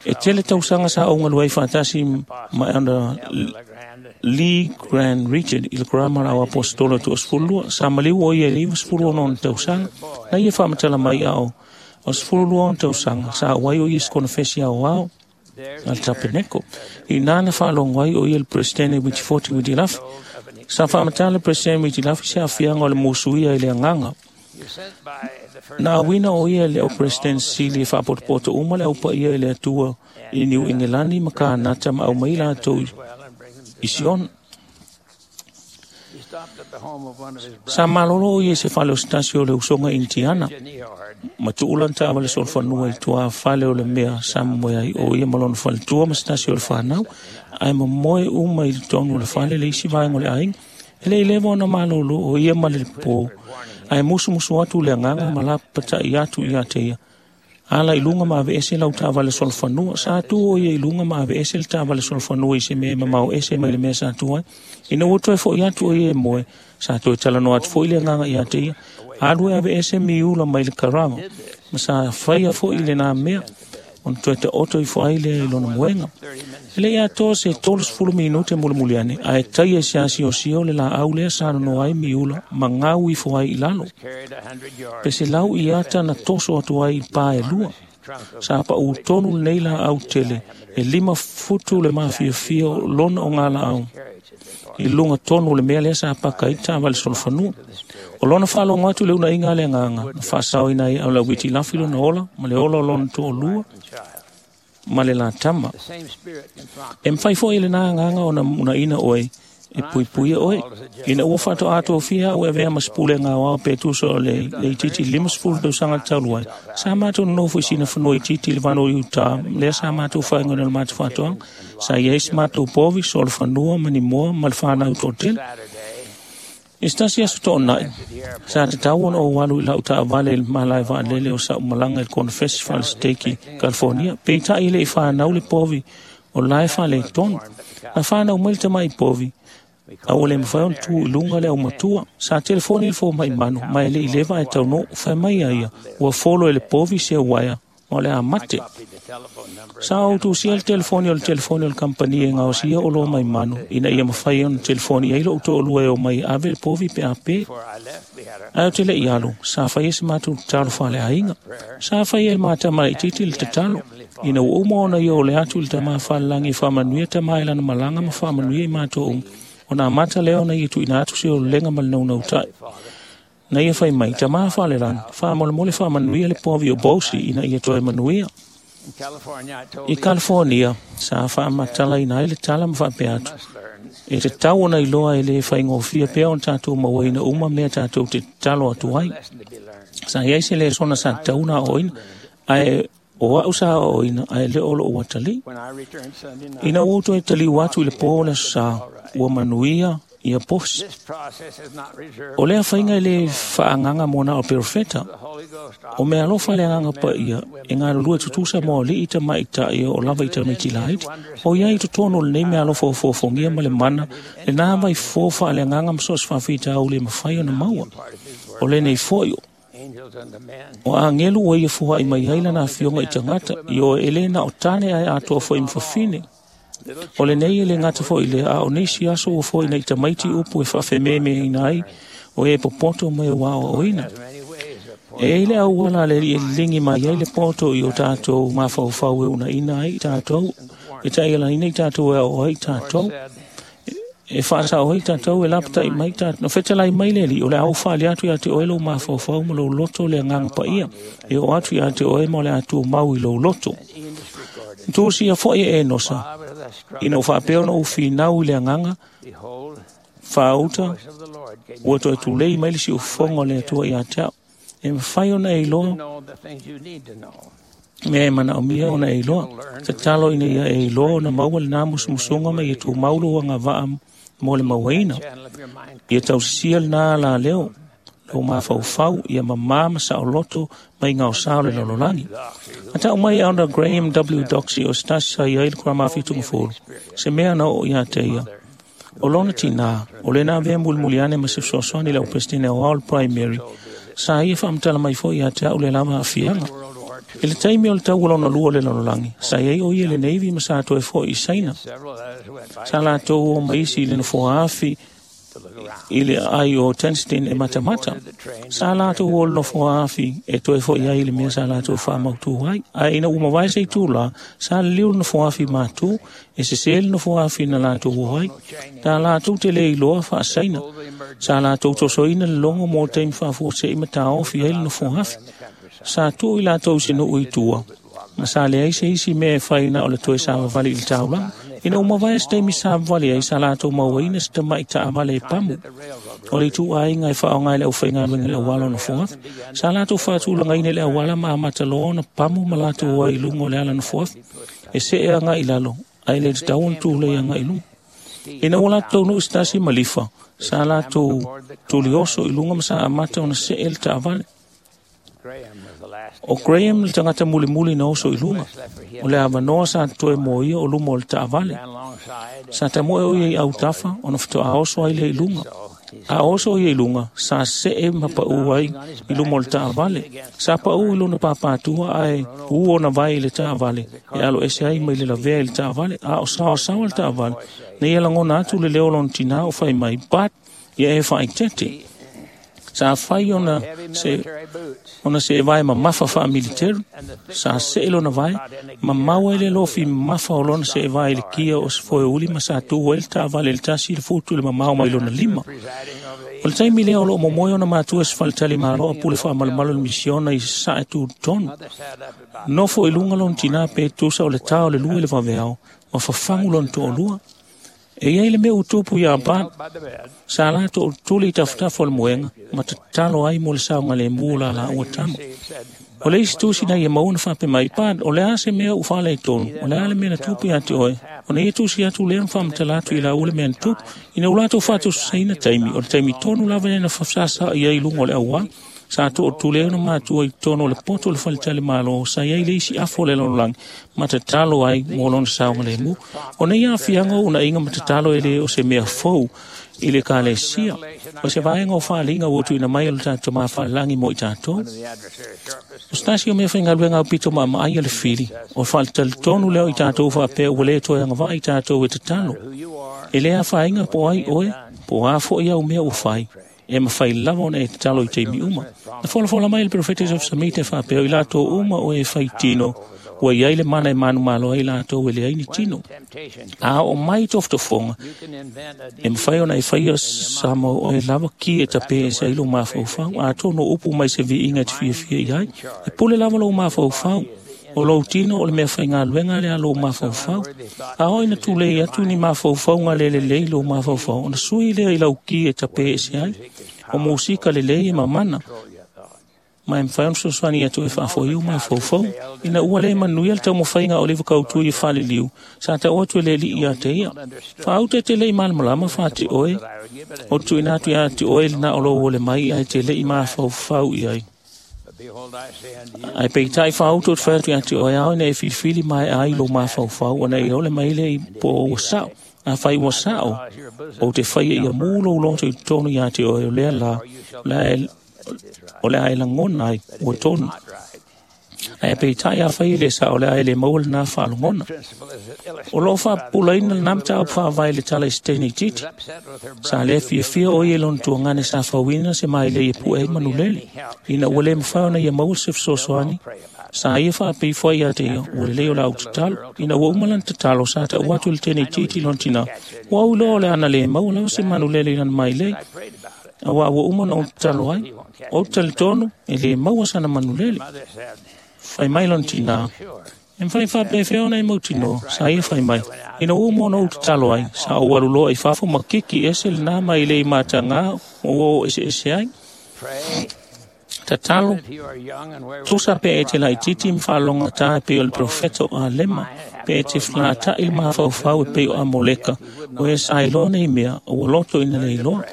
E tele tausaga sa ou galue ai faatasi ma Elder Lee Grand Richard i le Kurama o Apostola toasefululua. Sa maliu o ia i le ivasefulu ono ona tausaga. Na ia faamatala mai ao o sefululua ona tausaga sa auai o ia i se konofesi aoao a le Tapeneko. I nā na faalogo ai o ia le Presidente Witifoti Witilafi. Sa faamatala le Presidente Witilafi se aafiaga o le musuia i le agaga. Na auina o ia i le au President sili e faapotopoto uma le aupaia i le Atua i Niu Engelani ma Kanata ma aumai latou i Sion. Sa malolo o ia i se fale o se tasi o le usoga Indiana, ma tuu lana taavale solofanua i tuā fale o le mea sa momoe ai o ia ma lona faletua ma se tasi o le fanau, ae momoe uma i totonu o le fale le isi vaega o le aiga. E le i leva ona malolo o ia ma le pō, ae musumusu atu le agaga ma lapataʻi atu ia te ia. Ala i luga ma aveese lau taavale solofanua. Sa tu o ia i luga ma aveese le taavale solofanua i se mea e mamao ese mai le mea sa tu ai. Ina ua toe fo'i atu o ia e moe, sa toe talanoa atu fo'i le agaga ia te ia. Alu e aveese miula mai le karava, ma sa faia fo'i lenā mea, ona toe taoto ifo ai lea i lona moega. E le'i atoa se tolusefulu minute mulimuli ane, ae taia i se asiosio le laau lea sa nonoa ai miula ma gau ifo ai i lalo. Pe se lau i ata na toso atu ai i pā e lua. Sa paʻū tonu lenei laau tele e lima futu le mafiafia o lona o ngā laau i luga tonu o le mea lea sa paka ai taavale solofanua. O lona faalogo atu i le unaiga a le agaga na faasaoina ai au lauiti lafi lona ola ma le ola o lona toalua ma le latama. E mafai fo'i i lenā agaga ona unaina oe e puipuia oe. Ina ua faatoa tofia a'u e avea ma se pulega aoao pe tusa o le leititi limasefulu tausaga talu ai, sa matou nonofo i sina fanua itiiti i le vano i utā, lea sa matou faaigoina o le matou faatoaga. Sa i ai se matou povi, solofanua ma ni moa ma le fanau toatele. I se tasi aso to'ona'i, sa tatau ona ou alu i la'u taavale i le malae vaalele o sa'u malaga i le konofesi faaleseteki Kalifonia, peita'i e le'i fanau le povi o la e faaletonu. Na fanau mai le tama'i povi, a ua le mafai ona tu i luga le aumatua. Sa telefoni le foma'i manu, ma e le'i leva ae taunuu, fai mai a ia, ua folo e le povi se uaea, ma o le a mate. Sa ou tusia le telefoni o le telefoni o le kampani e gaosia oloa mai manu, ina ia mafai ona telefoni i ai lo'u to'alua e o mai e ave le povi pe a pē. Ae ou te le'i alu, sa faia se matou tatalo faaleaiga. Sa faia e le matama laitiiti le tatalo. Ina ua uma ona ia o le atu i le tamā falelagi e faamanuia tamā i lana malaga ma faamanuia i matou uma, ona amata lea ona ia tuuina atu se ololega ma le naunautai. Na ia fai mai, tamā falelagi, faamolemole faamanuia le povi o Bosi ina ia toe manuia. I Kalifonia, sa faamatalaina ai le tala ma faapea atu, e tatau ona iloa e lē faigofie pea ona tatou mauaina uma mea tatou te tatalo atu ai. Sa i ai se lesona sa tatau ona aoaoina, ae o a'u sa aoaoina ae lē o lo'u atalii. Ina ua ou toe taliu atu i le pō o le aso sā, ua manuia ia posi. O lea faiga e lē faaagaga mo na o perofeta. O mea alofa le agaga paia e galulue tutusa mo ali'i tamaita'i o lava i tamaiti laiti. O ia i totonu o lenei mea alofa ofoofogia ma le mana, lenā vaifofo faaleagaga ma so o se faafitauli e mafai ona maua. O lenei fo'i o agelu ua ia fua'i mai ai lana afioga i tagata, i oe e lē na o tane ae atoa fo'i ma fafine. O lenei e lē gata fo'i lea, a o nisi aso ua fo'i nei tamaiti upu e faafememeina ai o e popoto ma e ua aoaoina. E ai le auala a le alii e liligi mai ai le poto i o tatou mafaufau e unaina ai i tatou, e ta'ialaina i tatou e aoao ai i tatou, e faasa'o ai tatou e lapata'i mai tatou. Na fetalai mai le alii, o le a ou faali atu iā te oe lou mafaufau ma lou loto le agaga paia, e oo atu iā te oe ma o le a tumau i lou loto. Tusia fo'i e Enosa, ina ua faapea ona ou finau i le agaga faauta, ua toe tulei mai le siufofoga o le Atua iā te a'u, e mafai ona e iloa mea e manaomia ona e iloa. Tatalo ina ia e iloa ona maua lenā musumusuga ma ia tumau lou agava'a mo le mauaina. Ia tausisia lenā alaleo lou mafaufau, ia mamā ma saoloto mai gaosā o le lalolagi. Na ta'u mai Elder Graham W. Doxy o se tasi sa i ai le kuramafitugafulu, se mea na oo iā te ia. O lona tinā, o lena avea mulimuli ane ma se fesoasoani i le aupesetene aoao o le primary, sa ia faamatala mai fo'i iā te a'u le lava aafiaga. I le taimi o le tau o lona lua o le lalolagi, sa i ai o ia i le Navy ma sa toe fo'i i Saina. Sa latou o ma isi i le nofoa afi i le aai o Tenstin e matamata. Sa latou o le nofoa afi e toe fo'i ai i le mea sa latou faamautū ai. Ae ina ua mavae se itulā, sa liliu le nofoa afi matū, e sesē le nofoa afi na latou o ai. Ta latou te le iloa faasaina. Sa latou tosoina le logo mo taimi faafuase'i ma taofi ai le nofoa afi. Sa tuu i latou i se nuu i tua, ma sa leai se isi mea e fai na o le toe savavali i le taulaga. Ina ua mavae se taimi savavali ai, sa latou mauaina se tama'i taavale e pamu. O le ituaiga e faaaoga e le aufaigaluega i le auala o nofoafi. Sa latou faatulagaina i le auala ma amata loa ona pamu ma latou ai i luga o le ala nofoafi, e se'e aga'i i lalo, ae le tatau ona tulei aga'i i luga. Ina ua latou taunuu i se tasi malifa, sa latou tulioso i luga ma sa amata ona se'e le taavale. O Graham le tagata mulimuli na oso i luga. O le avanoa sa toe mo ia o luma o le taavale. Sa tamoe o ia i autafa ona faatoa oso ai lea i luga. A oso ia i luga, sa see ma paʻu ai i luma o le taavale. Sa paʻu i lona papātua ae u ona vae i le taavale e alo ese ai mai le lavea i le taavale. A o saosaoa le taavale, na ia lagona atu le leo o lona tinā o fai mai, But ia e faaitete. Sa fai ona se ona se vae mamafa faamiliteri, sa see lona vae, mamau ai le lofi mamafa o lona se vae i le kia o se foeuli ma sa tu ai le taavale i le tasi i le futu i le mamao mai lona lima. O le taimi lea o loo momoe ona matua se faletali malo a pule faamalumalu le misiona i sae tutonu. Nofo i luga lona tinā pe tusa o le tā o le lua i le vaveao, ma fafagu lona toalua. E iai le mea utupu iā Bart, sa latou tuli i tafatafa o le moega, ma tatalo ai mo le saogalemu o la laua tama. O le isi tusi na ia maua na faape mai, Bart, o le a se mea ua faaleitonu, o le a le mea na tupu iā te oe, ona ia tusi atu lea na faamatala atu i laua le mea na tupu, ina ua latou faatosasaina taimi, o le taimi tonu lava lea na fasasa'i ai i luga o le auala. Sa tootuli ai ona matua i totonu o le poto o le faletali malo, sa iai le isi afu o le lalolagi ma tatalo ai mo lona saogalemu. O nei aafiaga o unaiga ma tatalo e lē o se mea fou i le ekalesia, o se vaega o faaliga ua tuuina mai e lo tatou mafaalagi mo i tatou. O se tasi o mea faigaluega aupito maamaai a le fili, o faletalitonu lea o i tatou faapea ua lē toe agavaa i tatou e tatalo. E lē afaina po o ai oe, po o a foʻi au mea ua fai, e mafai lava ona e tatalo i taimi uma. Na folafola mai le Perofeta Joseph Smith e faapea o i latou uma o e fai tino, ua iai le mana e manumalo ai latou e leai ni tino. A oo mai tofotofoga, e mafai ona e faia sa mau oe lava ki e tapē ese ai lou mafaufau, atonu o upu mai se viiga e te fiafia i ai. E pule lava lou mafaufau, o lou tino o le mea faigaluega lea lou mafaufau. A oo ina tulei atu ni mafaufauga le lelei lou mafaufau, ona sui lea i lau ki e tapē ese ai. O musika lelei e mamana, ma e mafai ona fesoasoani atu e faafoiu mafaufau. Ina ua lē manuia le taumafaiga o le kautui e faleliu, sa taʻu atu e le alii iā te ia. Faauta e te leʻi malamalama faate oe, o te tuuina atu iā te oe lenā o lou ole mai ae te leʻi mafaufau i ai. Ae peitai faauta o te fai atu iā te oe ao ina e filifili maeʻa ai lou mafaufau, ona e ole mai lea i po o ua saʻo. Afai ua saʻo, ou te faia ia mū lou loto i totonu iā te oe o lea la, o le a e lagona ai ua tonu. Ae peitai afai e le saʻo, o le a e lē maua lenā faalogona. O loo faapupulaina lenā mataupu faavae i le tala i se teine itiiti. Sa lē fiafia o ia i lona tuagane sa fauina se mailei e puʻe ai manulele. Ina ua lē mafai ona ia maua se fesoasoani, sa ia faapeifo ai iā te ia, ua lelei o laʻu tatalo. Ina ua uma lana tatalo, sa taʻu atu i le teine itiiti i lona tinā, ua au iloa o le ana lē maua lava se manulele i lana mailei. Auā ua uma ona ou tatalo ai, ou te talitonu e lē maua sana manulele. Fai mai lona tinā, e mafai faapefea ona e mautinoa, sa ia fai mai. Ina ua uma ona ou tatalo ai, sa ou alu loa i fafo ma kiki ese lenā mailei matagā ma ua oo eseese ai. Tatalo, tusa pe e te laitiiti ma faalogatā e pei o le perofeta o Alema, pe e te felataʻi le mafaufau e pei o Amoleka, o e sa iloa nei mea, o ua loto ina le iloa.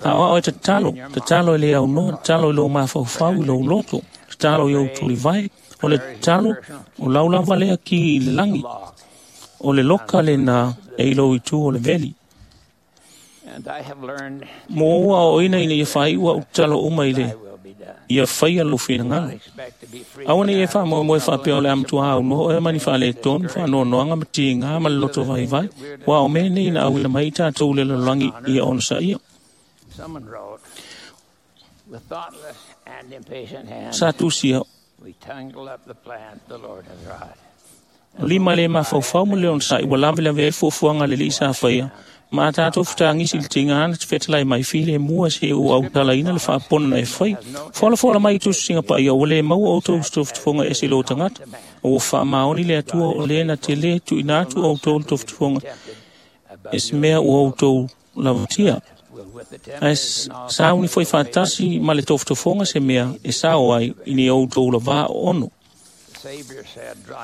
A o ao e tatalo, tatalo e le aunoa, tatalo i lou mafaufau i lou loto, tatalo i ou tulivae, o le tatalo, o lau lava lea ki i le lagi, o le loka lenā e i lou itu o le veli. Mo ua aoaoina ina ia faaiʻu aʻu tatalo uma i le ia faia lou finagalo. Aua nei e faamoemoe faapea o le a matuā aunoa oe ma ni faaletonu, faanoanoaga ma tigā ma le loto vaivai, ua o mea nei na auina mai i tatou i le lalolagi ia onosaʻia. Sa tusia, lima le mafaufau ma le onosaʻi ua lavelave ai fuafuaga a le alii sa faia, ma a tatou fetagisi i le tigā na te fetalai mai filemu se ua autalaina le faapona na e fai. Folafola mai i tusisiga paia ua lē maua outou se tofotofoga ese i lō tagata, o ua faamaoni le Atua o lē na te lē tuuina atu outou le tofotofoga e se mea ua outou lavatia. Ae sauni foi faatasi ma le tofotofoga se mea e sao ai i ni outou lavā ono.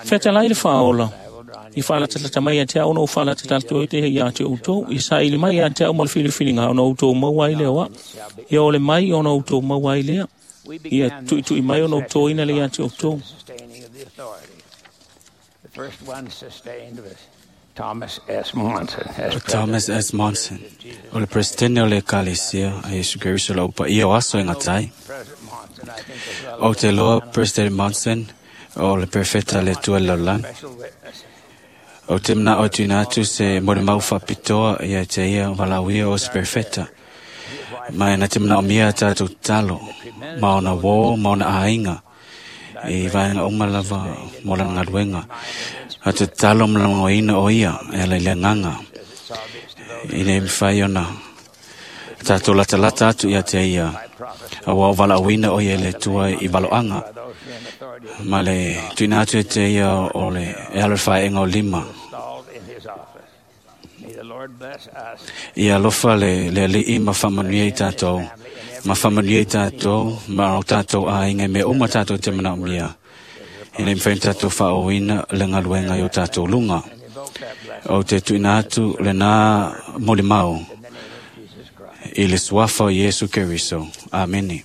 Fetalai le faaola, i faalatalata mai ia te au ona ou faalatalata ai lea iā te outou, i saili mai ia te au ma le filifiliga ona outou maua ai lea o au. Ia ole mai ona outou maua ai lea. Ia tu'itu'i mai ona outoina le iā te outou. O Thomas S. Monson, o le presidente o le Ekalesia a Iesu Keriso lau paia o aso e gatai. Ou te loa President Monson o le perfeta le Atua i le lalolagi. Ou te mana'o e tuuina atu se molimau faapitoa ia te ia valaauia o se perfeta. Ma e na te manaomia a tatou tatalo ma ona uō ma ona aiga i vaega uma lava mo lana galuega. A te tatalo ma lagolagoina o ia e ala i le agaga ina ia mafai ona tatou latalata atu ia te ia auā o valaauina o ia e le Atua i valoaga ma le tuuina atu e te ia o le e alo i le faeega o lima. Ia alofa le, le Alii ma faamanuia i tatou, ma faamanuia i tatou ma o tatou aiga i mea uma tatou te manaomia, ina ia mafai ona tatou faaauauina le galuega i o tatou luga. Ou te tuuina atu lenā molimau i le suafa o Iesu Keriso. Amene.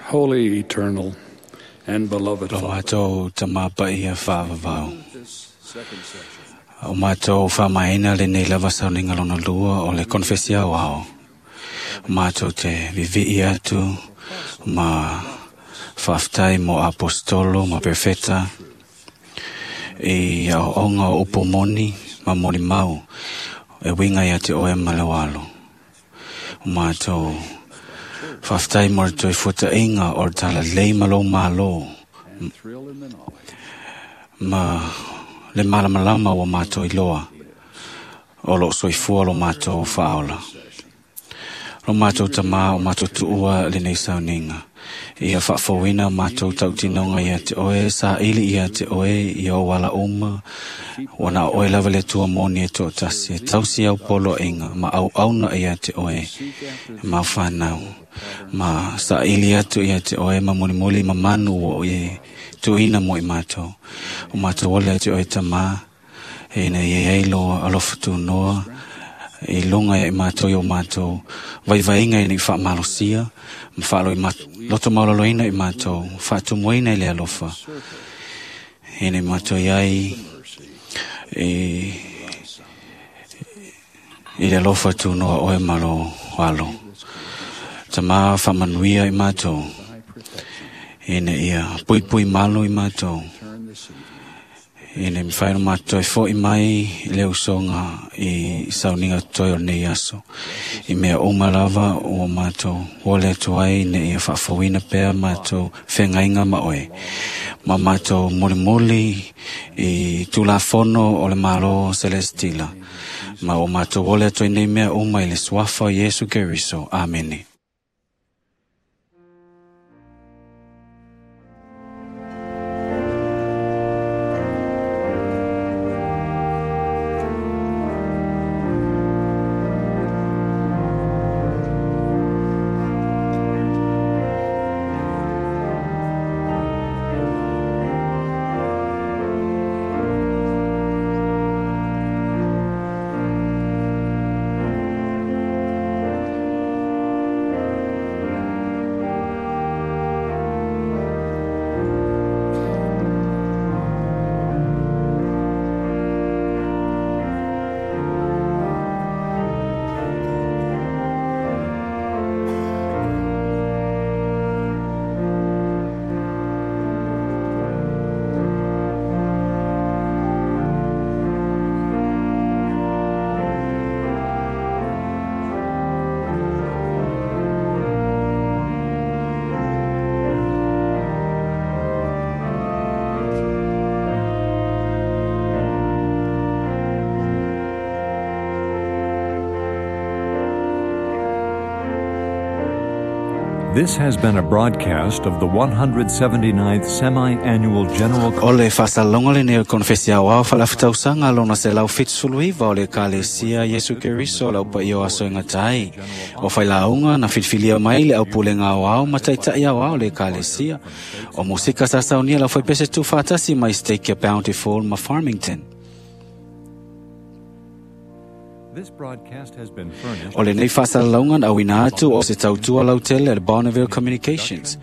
Holy, eternal, and beloved Lo Father. mātou tamapaia whaavavau. O mātou whaamaina le nei lava sauninga lona lua o le konfesia o ao. O mātou te vivi'i atu ma whaaftai mo apostolo ma perfeta i au onga o upo moni ma moni mau e winga ia te oe ma le walo. O mātou whaaftai mo toi futa inga o tala lei malo malo ma le malamalama o mātou iloa o lo soifua lo mātou whaola. Lo mātou tamā o mātou tuua le nei sauninga. Ia whaafawina mātou tautinonga ia te oe, sa ili ia te oe, ia o wala uma, wana oe lava le tua moni e tō tasi, e tausi au polo inga, ma au auna ia te oe, ma whanau, ma sa ili atu ia te oe, ma mulimuli ma manu o e tuina mo i mātou. O mātou wale te oe tamā, e nei e eilo alofa tu noa, i lunga i mātou i o mātou, vaivainga i nei whaamalosia, ma whaalo i mātou, loto maulaloina i mātou, whaatumuina i le alofa. E nei mātou iai, i, i le alofa tu noa oe malo alo. Tamā whaamanuia i mātou, e nei ia pui pui malo i mātou, e nei mwhaino mātou e fo i mai le usonga i sauninga toi o nei aso. I mea uma lava o mātou, wale atu ai ne ia whaafawina pea mātou whengainga ma oe. Ma mātou mulimuli i tulafono o le malo celestila. Ma o mātou wale atu ai nei mea uma i le suafa o Yesu Keriso. Amene. This has been a broadcast of the one hundred seventy-ninth Semi-Annual General O le whasalonga le neo konfesia o ao whalafutausanga lona se lau fitsuluiva o le kalesia Yesu Keriso lau pa iyo aso inga tai. O whailaunga na filfilia mai le au pulenga o ao mataitai au ao le kalesia. O musika sasaunia lau whaipese tu whatasi mai Stake Bountiful ma Farmington. This broadcast has been furnished O le nei whasalalaunga na awina atu o se tautua lautele le Bonneville Communications.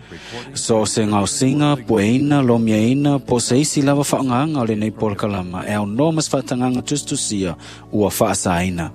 So o se ngausinga, pueina, lomiaina, po se isi lava whaanganga o le nei polokalama e au no mas whaatanganga tustusia ua whaasaina.